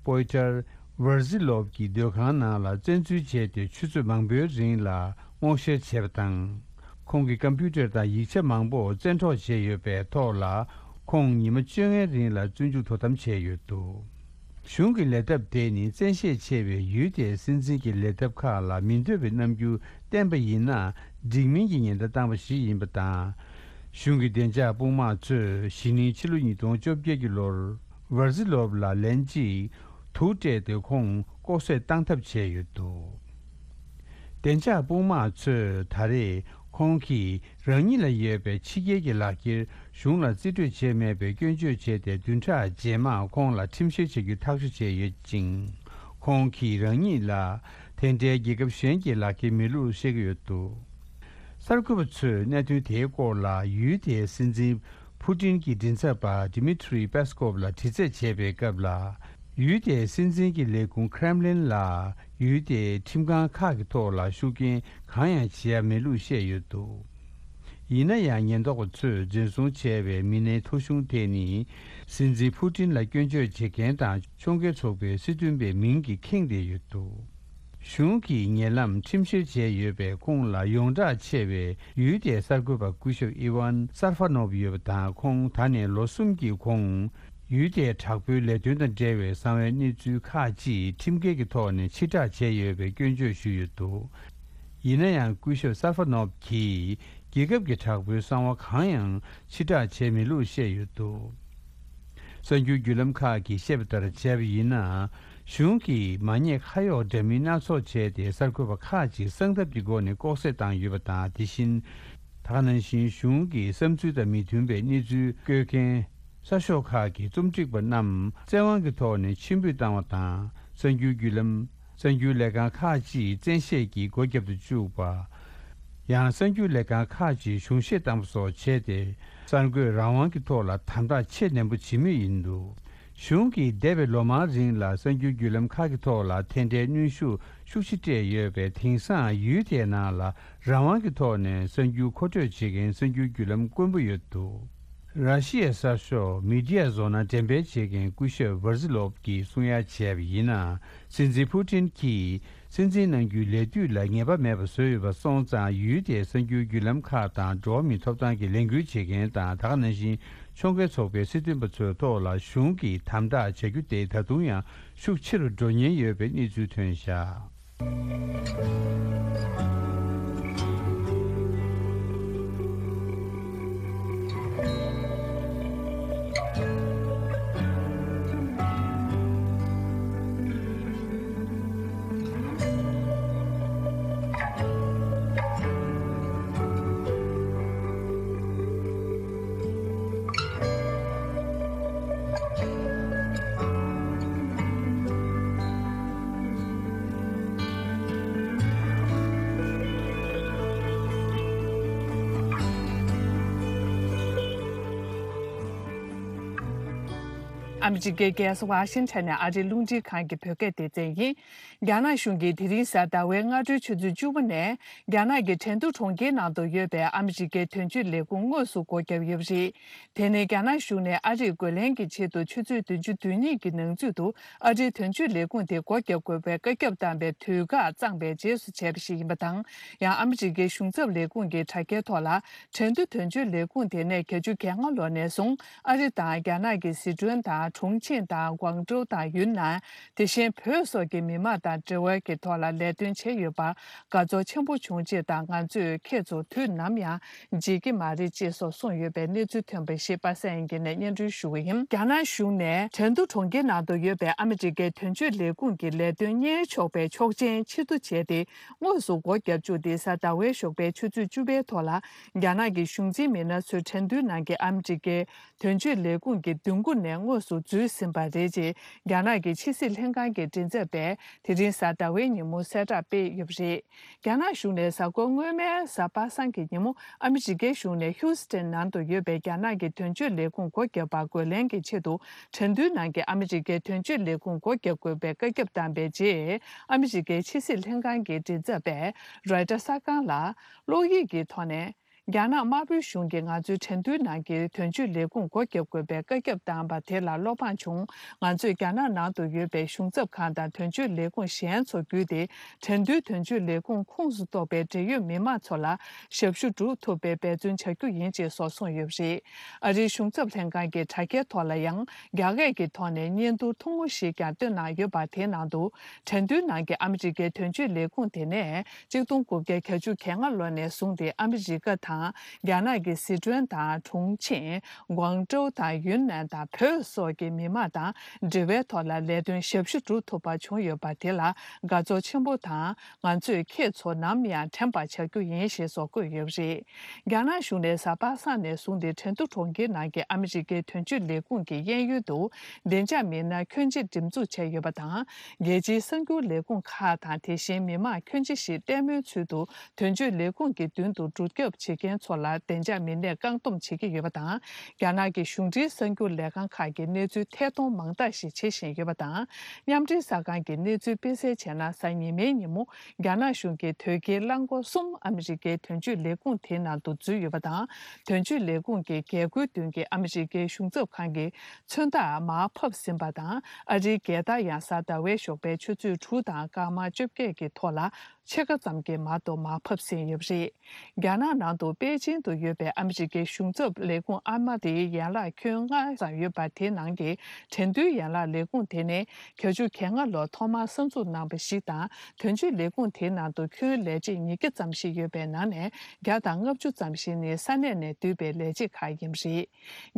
པོ་ཡི་ཊར་ཝར་ཟི་ལོབ་ཀྱི་སྡོད་ཁང་ནང་ལ་བཙན་འཛུལ་བྱས་ཏེ། ཆུ་ཚོད་མང་པོའི་རིང་ལ་སྔོག་བཤེར་བྱས་པ་དང་། ཁོང་གི་ཀམ་པུ་ཊར་དང་ཡིག་ཆ་མང་པོ་བཙན་འཕྲོག་བྱས་ཡོད་པའི་ཐོག་ལ། ཁོང་ཉི་མ་བཅོ་ལྔའི་རིང་ལ་བཙོན་འཇུག་དོ་དམ་བྱས་ཡོད་འདུག་གཞུང་གི་ལས་ཐབས་དེ་ནི། བཙན་ཤེད་ཆེ་བའི་ཡུལ་དེའི་སྲིད་འཛིན་གྱི་ལས་ཐབས་ཁག་ལ་མི་འདོད་པའི་རྣམ་འགྱུར་བསྟན་པ་ཡིན་ན། འགྲིག་མིན་གྱི་ཉེན་བརྡ་བཏང་བ་ཞིག་ཡིན་པ་དང་། གཞུང་གི་བདེ་འཇགས་དཔུང་དམག་ཚོས་གཞེས་ནིང་ཕྱི་ལོ་ཉིས་སྟོང་བཅོ་བརྒྱད་ཀྱི་ལོར་ཝར་ཟི་ལོབ་ལ་ལན་གཅིག་དུག་སྤྲད་དེ། ཁོང་ལྐོག་བསད་བཏང་ཐབས་བྱས་ཡོད་འདུག་བདེ་འཇགས་དཔུང་དམག་ཚོས་ད་རེས་ཁོང་གིས་རང་ཉིད་ལ་ཡོད་པའི་ཕྱི་རྒྱལ་གྱི་ལག་འཁྱེར་གཞུང་ལ་རྩིས་སྤྲོད་བྱས་མེད་པའི་སྐྱོན་བརྗོད་བྱས་ཏེ། བདུན་ཕྲག་རྗེས་མར་ཁོང་ལ་ཁྲིམས་བཤེར་བྱ་རྒྱུའི་ཐག་གཅོད་བྱས་ཡོད་ཅིང་། ཁོང་གིས་རང་ཉིད་ལ་དེ་འདྲའི་རྒྱལ་ཁབ་གཞན་གྱི་ལག་འཁྱེར་མེད་ལུགས་བཤད་ཀྱི་ཡོད་འདུག་གསར་འགོད་པ་ཚོས་གནད་དོན་དེའི་སྐོར་ལ་ཡུལ་དེའི་སྲིད་འཛིན་ཕུ་ཏིན་གྱི་མགྲིན་ཚབ་པ་ཌི་མི་ཐི་རི་པེ་སི་ཀོབ་ལ་དྲི་རྩད་བྱས་པའི་སྐབས་ལ། ཡུལ་དེའི་སྲིད་འཛིན་གྱི་ལས་ཁུངས་ཁྲེམ་ལིན་ལ་ཡུལ་དེའི་ཁྲིམས་ཁང་ཁག་གི་ཐོག་ལ་ཤུགས་རྐྱེན་གང་ཡང་བྱེད་ཡ་མེད་ལུགས་བཤད་ཡོད་འདུག་ཡིན་ན་ཡང་། ཉེན་རྟོག་པ་ཚོས་འཛིན་བཟུང་བྱས་པའི་མི་སྣའི་ཐོ་གཞུང་དེ་ནི། སྲིད་འཛིན་ཕུ་ཏིན་ལ་སྐྱོན་བརྗོད་བྱེད་མཁན་དང་ཕྱོགས་འགལ་ཚོགས་པའི་སྲིད་དོན་པའི་མིང་གིས་ཁེངས་བསྡད་ཡོད་འདུག་གཞུང་གིས་ཉེ་ལམ་ཁྲིམས་བཤེར་བྱས་ཡོད་པའི་ཁོངས་ལ་ཡོངས་གྲགས་ཆེ་བའི་ཡུལ་དེའི་གསར་འགོད་པ་སྐུ་ཞབས་ཨི་ཝན་སར་ཧྥ་ནོབ་ཡོད་པ་དང་། ཁོང་ད་ནས་ལོ་གསུམ་གྱི་གོང་ཡུལ་དེའི་དྲག་པོའི་ལས་དོན་དང་འབྲེལ་བའི་གསང་བའི་གནས་ཚུལ་ཁག་ཅིག་ཁྲིམས་འགལ་གྱི་ཐོག་ནས་ཕྱིར་བསྒྲགས་བྱས་ཡོད་པའི་སྐྱོན་བརྗོད་ཞུས་ཡོད་འདུག་ཡིན་ན་ཡང་། སྐུ་ཞབས་སར་ཧྥ་ནོབ་ཀྱིས་རྒྱལ་ཁབ་ཀྱི་དྲག་པོའི་གསང་བ་གང་ཡང་ཕྱིར་བསྒྲགས་བྱས་མེད་ལུགས་བཤད་ཡོད་འདུག་གསར་འགྱུར་བརྒྱུད་ལམ་ཁག་གིས་བཤད་པ་ལྟར་བྱས་པ་ཡིན་ན། གཞུང་གིས་མ་ཉེས་ཁ་གཡོགས་འདྲ་མིན་སྣ་ཚོགས་བྱས་ཏེ། གསར་འགོད་པ་ཁག་ཅིག་གསང་ཐབས་ཀྱི་སྒོ་ནས་ལྐོག་བསད་བཏང་ཡོད་པ་དང་། དེ་བཞིན། ད་ག་ནང་བཞིན་གཞུང་གི་བསམ་ཚུལ་དང་མི་མཐུན་པའི་གནས་ཚུལ་བཀོད་མཁན་གསར་ཤོག་ཁག་གི་རྩོམ་སྒྲིག་པ་རྣམས་བཙན་དབང་གི་ཐོག་ནས་ཕྱིར་འབུད་བཏང་བ་དང་། གསར་འགྱུར་བརྒྱུད་ལམ། གསར་འགྱུར་ལས་ཁང་ཁག་ཅིག་བཙན་ཤེད་ཀྱིས་སྒོ་བརྒྱབ་ཏུ་བཅུག་པ། ཡང་གསར་འགྱུར་ལས་ཁང་ཁག་ཅིག་གཞུང་བཞེས་བཏང་པ་སོགས་བྱས་ཏེ། གསར་འགོད་རང་དབང་གི་ཐོག་ལ་དམ་དྲག་ཆེས་ནན་པོ་བྱེད་མུས་ཡིན་འདུག་གཞུང་གིས་འདས་པའི་ལོ་མང་རིང་ལ་གསར་འགྱུར་བརྒྱུད་ལམ་ཁག་གི་ཐོག་ལ་དེ་འདྲའི་གནོན་ཤུགས་ཤུགས་ཆེ་སྤྲད་ཡོད་པས། དེང་སང་ཡུལ་དེའི་ནང་ལ་རང་དབང་གི་ཐོག་ནས་གསར་འགྱུར་མཁོ་སྤྲོད་བྱེད་མཁན་གསར་འགྱུར་བརྒྱུད་ལམ་དཀོན་པོ་ཡོད་འདུག་ར་ཤི་ཡའི་གསར་ཤོག་མི་ཌི་ཡ་བཟོ་ན་འགྲེམས་སྤེལ་བྱེད་མཁན་སྐུ་ཞབས་ཝར་ཟི་ལོབ་ཀྱིས་གསུང་ཡ་བྱས་པ་ཡིན་ན། སྲིད་འཛིན་ཕུ་ཏིན་གྱིས་སྲིད་འཛིན་གནང་རྒྱུའི་ལས་དུས་ལ་ངེས་པ་མེད་པ་བཟོས་ཡོད་པ་སོང་ཙང་། ཡུལ་དེའི་གསར་འགྱུར་བརྒྱུད་ལམ་ཁག་དང་། འགྲོ་བ་མིའི་ཐོབ་ཐང་གི་ལས་འགུལ་བྱེད་མཁན་དང་། ད་ག་ནང་བཞིན་ཕྱོགས་འགལ་ཚོགས་པའི་སྲིད་དོན་པ་ཚོའི་ཐོག་ལ་གཞུང་གིས་དམ་དྲག་བྱ་རྒྱུ་དེ་ད་དུང་ཡང་ཤུགས་ཆེ་རུ་འགྲོ་ཉེན་ཡོད་པའི་གནས་ཚུལ་ཐོན་བཞག་ཨ་མི་རི་ཀའི་རྒྱལ་ས་ཝ་ཤིང་ཊོན་ནས་ཨ་རིའི་རླུང་འཕྲིན་ཁང་གི་བོད་སྐད་སྡེ་ཚན་ཡིན། རྒྱ་ནག་གཞུང་གིས་དེ་རིང་གཟའ་ཟླ་བའི་སྔ་དྲོའི་ཆུ་ཚོད་བཅུ་པ་ནས་རྒྱ་ནག་གི་ཁྲེང་ཏུའུ་གྲོང་ཁྱེར་ནང་དུ་ཡོད་པའི་ཨ་མི་རི་ཀའི་དོན་གཅོད་ལས་ཁུངས་དངོས་སུ་སྒོ་བརྒྱབ་ཡོད་པ་རེད། དེ་ནི་རྒྱ་ནག་གཞུང་ནས་ཨ་རིར་རྒོལ་ལན་གྱི་ཆེད་དུ་ཆུ་ཚོད་བདུན་ཅུ་དོན་གཉིས་ཀྱི་ནང་ཚུད་དུ་ཨ་རིའི་དོན་གཅོད་ལས་ཁུངས་དེ་སྒོ་བརྒྱབ་དགོས་པའི་བཀའ་ཁྱབ་བཏང་པའི་དུས་བཀག་གཙང་པའི་རྗེས་སུ་བྱས་པ་ཞིག་ཡིན་པ་དང་། ཡང་ཨ་མི་རི་ཀའི་གཞུང་ཚབ་ལས་ཁུངས་ཀྱི་དྲ་རྒྱའི་ཐོག་ལ། ཁྲེང་ཏུའུ་དོན་གཅོད་ལས་ཁུངས་དེ་ནས་བརྒྱད་ཅུ་གྱ་ལྔ་ལོ་ནས་བཟུང་ཨ་རི་དང་རྒྱ་ནག་གི་ཟི་ཁྲོན་དང་གྲོང་ཆེན་དང་ཀུང་ཀྲོའུ་དང་ཡུན་ནན། དེ་བཞིན་བོད་སོགས་ཀྱི་མི་མང་དང་འབྲེལ་བའི་གི་ཐོག་ལ་ལས་དོན་བྱས་ཡོད་པར་དགའ་ཚོར་ཆེན་པོ་བྱུང་ཅེས་དང་། ང་ཚོས་ཁྱེད་ཚོ་དུས་ནམ་ཡང་བརྗེད་ཀྱི་མ་རེད་ཅེས་སོགས་གསུངས་ཡོད་པའི་གནས་ཚུལ་ཐོན་པ་ཞིག་པ་སངས་དབྱངས་སྐྱིད་ནས་སྙན་སྒྲོན་ཞུ་གི་ཡིན། རྒྱ་ནག་གཞུང་ནས་ཁྲེང་ཏུའུ་གྲོང་ཁྱེར་ནང་དུ་ཡོད་པའི་ཨ་མི་རི་ཀའི་དོན་གཅོད་ལས་ཁུངས་ཀྱི་ལས་དོན་གཉེར་ཆོག་པའི་ཆོག་མཆན་ཕྱིར་བསྡུ་བྱས་ཏེ། དངོས་སུ་སྒོ་བརྒྱབ་བཅུག་སྟེ། གཟའ་ཟླ་བའི་ཞོགས་པའི་ཆུ་ཚོད་བཅུ་པའི་ཐོག་ལ། རྒྱ་ནག་གི་གཞུང་འཛིན་མི་སྣ་ཚོས་ཁྲེང་ཏུའུ་ནང་གི་ཨ་མི་རི་ཀའི་དོན་གཅོད་ལས་ཁུངས་ཀྱི་མདུན་སྒོ་ནས་དངོས་སུ་འཛུལ་ཟིན་པ་རེད་ཅེས། རྒྱ་ནག་གི་ཕྱི་སྲིད་ལྷན་ཁང་གི་མགྲིན་ཚབ་པས་དེ་རིང་གཟའ་ཟླ་བའི་ཉིན་མོ་གསལ་བསྒྲགས་སྤེལ་ཡོད་པ་རེད། རྒྱ་ནག་གཞུང་ནས་གཟའ་འཁོར་སྔོན་མའི་གཟའ་པ་སངས་ཀྱི་ཉིན་མོ། ཨ་མི་རི་ཀའི་གཞུང་ནས་ཧིའུ་སི་ཐན་ནང་དུ་ཡོད་པའི་རྒྱ་ནག་གི་དོན་གཅོད་ལས་ཁུངས་སྒོ་བརྒྱབ་པར་རྒོལ་ལན་གྱི་ཆེད་དུ། ཁྲེང་ཏུའུ་ནང་གི་ཨ་མི་རི་ཀའི་དོན་གཅོད་ལས་ཁུངས་སྒོ་བརྒྱབ་དགོས་པའི་བཀའ་ཁྱབ་བཏང་པའི་རྗེས། ཨ་མི་རི་ཀའི་ཕྱི་སྲིད་ལྷན་ཁང་གི་མགྲིན་ཚབ་པས་རོའི་ཊར་གསར་ཁང་ལ། གློག་ཡིག་གི་ཐོག་ནས། རྒྱ་ནག་དམར་པོའི་གཞུང་གིས་ང་ཚོའི་ཁྲེང་ཏུའུ་ནང་གི་དོན་གཅོད་ལས་ཁུངས་སྒོ་བརྒྱབ་དགོས་པའི་བཀའ་ཁྱབ་བཏང་པ་དེ་ལ་བློ་ཕངས་བྱུང་། ང་ཚོས་རྒྱ་ནག་ནང་དུ་ཡོད་པའི་གཞུང་ཚབ་ཁང་དང་དོན་གཅོད་ལས་ཁུངས་གཞན་ཚོ་བརྒྱུད་དེ། ཁྲེང་ཏུའུ་དོན་གཅོད་ལས་ཁུངས་ཁོངས་སུ་གཏོགས་པའི་འབྲེལ་ཡོད་མི་མང་ཚོ་ལ་ཞབས་ཞུ་སྒྲུབ་ཐུབ་པའི་འབད་བརྩོན་བྱ་རྒྱུ་ཡིན་ཅེས་སོགས་གསུངས་ཡོད་པ་རེད། ཨ་རིའི་གཞུང་ཚབ་ལྷན་ཁང་གི་དྲ་རྒྱའི་ཐོག་ལ་ཡང་། རྒྱ་སྐད་ཀྱི་ཐོག་ནས་བརྙན་ཐུང་ཐུང་ངུ་ཞིག་ཀྱང་བཏོན་གནང་ཡོད་པ། དེའི་ནང་དུ། ཁྲེང་ཏུའུ་ནང་གི་ཨ་མི་རི་ཀའི་དོན་གཅོད་ལས་ཁུངས་དེ་ནས་གཅིག་སྟོང་དགུ་བརྒྱ་གྱ་བཅུ་གྱ་ལྔ་ལོ་ནས་བཟུང་སྟེ། ཨ་མི་རི་ཀ་དང་རྒྱ་ནག་གི་ཟི་ཁྲོན་དང་གྲོང་ཆེན་ཀུང་ཀྲོའུ་དང་ཡུན་ནན་དང་བོད་སོགས་ཀྱི་མི་མང་དང་འབྲེལ་བའི་ཐོག་ལ་ལས་དོན་ཞབས་ཞུ་སྒྲུབ་ཐུབ་པ་བྱུང་ཡོད་པ་དེ་ལ་དགའ་ཚོར་ཆེན་པོ་དང་། ང་ཚོས་ཁྱེད་ཚོ་ནམ་ཡང་དྲན་པར་བྱ་རྒྱུ་ཡིན་ཞེས་སོགས་བཀོད་ཡོད་པ་རེད། རྒྱ་ནག་གཞུང་ནས་གཟའ་པ་སངས་ནས་བཟུང་སྟེ་ཁྲེང་ཏུའུ་གྲོང་ཁྱེར་ནང་གི་ཨ་མི་རི་ཀའི་དོན་གཅོད་ལས་ཁུངས་ཀྱི་གཡས་གཡོན་དུ་བདེ་འཇགས་མི་སྣ་ཁྱོན་ཆེ་འགྲེམས་འཛུགས་བྱས་ཡོད་པ་དང་། རྒྱལ་སྤྱིའི་གསར་འགྱུར་ལས་ཁུངས་ཁག་དང་། དེ་བཞིན་མི་མང་ཁྱོན་ཆེ་ཞིག་ལྟད་མོའི་ཚུལ་དུ་དོན་གཅོད་ལས་ཁུངས་ཀྱི་མདུན་དུ་འགྲོ་སྐྱོད་བྱེད་མཁན་ཚོ་ལ་བདེ་འཇགས་མི་སྣས་བཀག་སྡོམ་བྱེད་ཀྱི་ཡོད་པ་དང་། རྒྱ་ནག་གི་གཞུང་འབྲེལ་གསར་འགྱུར་ལས་ཁང་ཁག་གིས་གནས་ཚུལ་ཐད་གཏོང་མང་དག་ཞིག་བྱེད་བཞིན་ཡོད་པ་དང་། མཉམ་འབྲེལ་གསར་ཁང་གིས་གནས་ཚུལ་སྤེལ་གསལ་བྱས་ན། གཟའ་ཉི་མའི་ཉིན་མོ། རྒྱ་ནག་གཞུང་གིས་དོལ་རྒྱལ་རླངས་འཁོར་གསུམ་ཨ་མི་རི་ཀའི་དོན་གཅོད་ལས་ཁུངས་དེའི་ནང་དུ་འཛུལ་ཡོད་པ་དང་། དོན་གཅོད་ལས་ཁུངས་ཀྱི་རྒྱལ་སྒོའི་མདུན་གྱི་ཨ་མི་རི་ཀའི་གཞུང་ཚབ་ཁང་གི་མཚོན་རྟགས་མར་ཕབ་ཟིན་པ་དང་། ཨ་རིའི་རྒྱལ་དར་ཡང་གཟའ་ཟླ་བའི་ཞོགས་པའི་ཆུ་ཚོད་དྲུག་དང་སྐར་མ་བཅོ་བརྒྱད་ཀྱི་ཐོག་ལ་ཕྱེད་ཀ་ཙམ་གྱི་མར་དུ་མར་ཕབ་ཟིན་ཡོད་པ་རེད། རྒྱ་ནག་ནང་དུ་པེ་ཅིང་དུ་ཡོད་པའི་ཨ་མི་རི་ཀའི་གཞུང་ཚབ་ལས་ཁུངས་ཨ་མ་དེའི་ཡན་ལག་ཁྱོན་ལྔ་ཙམ་ཡོད་པ། དེའི་ནང་གི་ཁྲེང་ཏུའུ་ཡན་ལག་ལས་ཁུངས་དེ་ནི་བརྒྱད་ཅུ་གྱ་ལྔ་ལོར་ཐོག་མར་གསར་འཛུགས་གནང་བ་ཞིག་དང་། དོན་གཅོད་ལས་ཁུངས་དེའི་ནང་དུ་ཁྱོན་ལས་བྱེད་ཉིས་བརྒྱ་ཙམ་ཞིག་ཡོད་པའི་ནང་ནས་བརྒྱ་དང་ལྔ་བཅུ་ཙམ་ཞིག་ནི་ས་གནས་ནས་བསྡུས་པའི་ལས་བྱེད་ཁག་ཡིན་པ་རེད།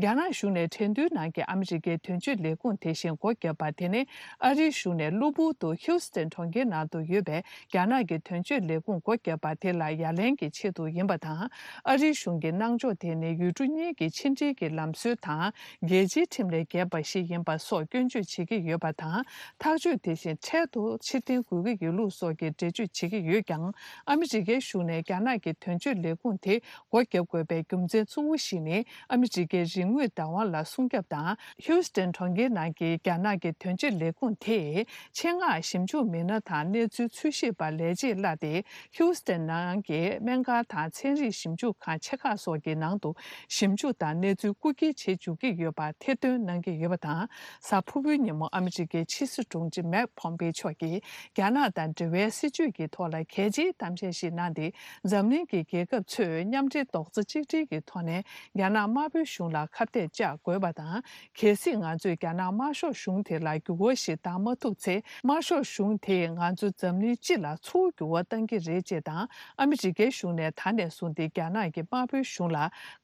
རྒྱ་ནག་གཞུང་ནས་ཁྲེང་ཏུའུ་ནང་གི་ཨ་མི་རི་ཀའི་དོན་གཅོད་ལས་ཁུངས་དེ་བཞིན་སྒོ་བརྒྱབ་པ་དེ་ནི། ཨ་རིའི་གཞུང་ནས་གློ་བུར་དུ་ཧིའུ་སི་ཐན་གྲོང་ཁྱེར་ནང་དུ་ཡོད་པའི་རྒྱ་ནག་གི་དོན་གཅོད་ལས་ཁུངས་སྒོ་བརྒྱབ་པ་དེ་ལ་ཡ་ལན་གྱི་ཆེད་དུ་ཡིན་པ་དང་། ཨ་རིའི་གཞུང་གི་གནང་ཕྱོགས་དེ་ནི་ཡུལ་གྲུ་གཉིས་ཀྱི་ཕྱི་འབྲེལ་གྱི་ལམ་སྲོལ་དང་རྒྱལ་སྤྱིའི་ཁྲིམས་ལས་འགལ་བ་ཞིག་ཡིན་པ་སོགས་སྐྱོན་བརྗོད་བྱེད་ཀྱི་ཡོད་པ་དང་། ཐག་གཅོད་དེ་བཞིན་འཕྲལ་དུ་ཕྱིར་འཐེན་དགོས་ཀྱི་ཡོད་ལུགས་སོགས་ཀྱི་འགྲེལ་བརྗོད་བྱེད་ཀྱི་ཡོད་ཀྱང་། ཨ་མི་རི་ཀའི་གཞུང་ནས་རྒྱ་ནག་གི་དོན་གཅོད་ལས་ཁུངས་དེ་སྒོ་བརྒྱབ་དགོས་པའི་རྒྱུ་མཚན་གཙོ་བོ་ཞིག་ནི། ཨ་མི་རི་ཀའི་རིག་དངོས་བདག་དབང་ལ་སྲུང་སྐྱོབ་དང་། ཧིའུ་སི་ཐན་གྲོང་ཁྱེར་ནང་གི་རྒྱ་ནག་གི་དོན་གཅོད་ལས་ཁུངས་དེས་ཆེད་མངགས་ཞིབ་འཇུག་མི་སྣ་དང་གནས་ཚུལ་འཚོལ་ཞིབ་པར་ལས་བྱེད་གླ་སྟེ། ཧིའུ་སི་ཐན་ནང་གི་སྨན་ཁང་དང་ཚན་རིག་ཞིབ་འཇུག་ཁང་ཆེ་ཁག་སོགས་ཀྱི་ནང་དུ་ཞིབ་འཇུག་དང་གནས་ཚུལ་རྐུ་འཁྱེར་བྱེད་འཇུག་གི་ཡོད་པར་ཐེར་འདོན་གནང་གི་ཡོད་པ་དང་། གཟའ་ཕུར་བུའི་ཉིན་མོ་ཨ་མི་རི་ཀའི་ཕྱི་སྲིད་དྲུང་ཆེ་མེག་ཕོམ་པེ་མཆོག་གིས་རྒྱ་ནག་དང་འབྲེལ་བའི་སྲིད་བྱུས་ཀྱི་ཐོག་ལ་གལ་ཆེའི་གཏམ་བཤད་ཞིག་གནང་སྟེ། འཛམ་གླིང་གི་རྒྱལ་ཁབ་ཚོས་མཉམ་འབྲེལ་རྡོག་རྩ་གཅིག་སྒྲིལ་གྱི་ཐོག་ནས་རྒྱ་ནག་དམར་པོའི་གཞུང་ལ་ཁ་གཏད་བཅག་དགོས་པ་དང་། གལ་སྲིད་ང་ཚོས་རྒྱ་ནག་དམར་ཤོག་གཞུང་དེ་ལ་འགྱུར་བ་ཞིག་བཏང་མ་ཐུབ་ཚེ། དམར་ཤོག་གཞུང་དེས་ང་ཚོ་འཛམ་གླིང་སྤྱི་ལ་ཚུར་འགྱུར་བ་གཏང་གི་རེད་ཅེས་དང་། ཨ་མི་རི་ཀའི་གཞུང་ནས་ད་ནས་བཟུང་སྟེ་རྒྱ་ནག་གི་དམར་པོའི་གཞུང་ལ་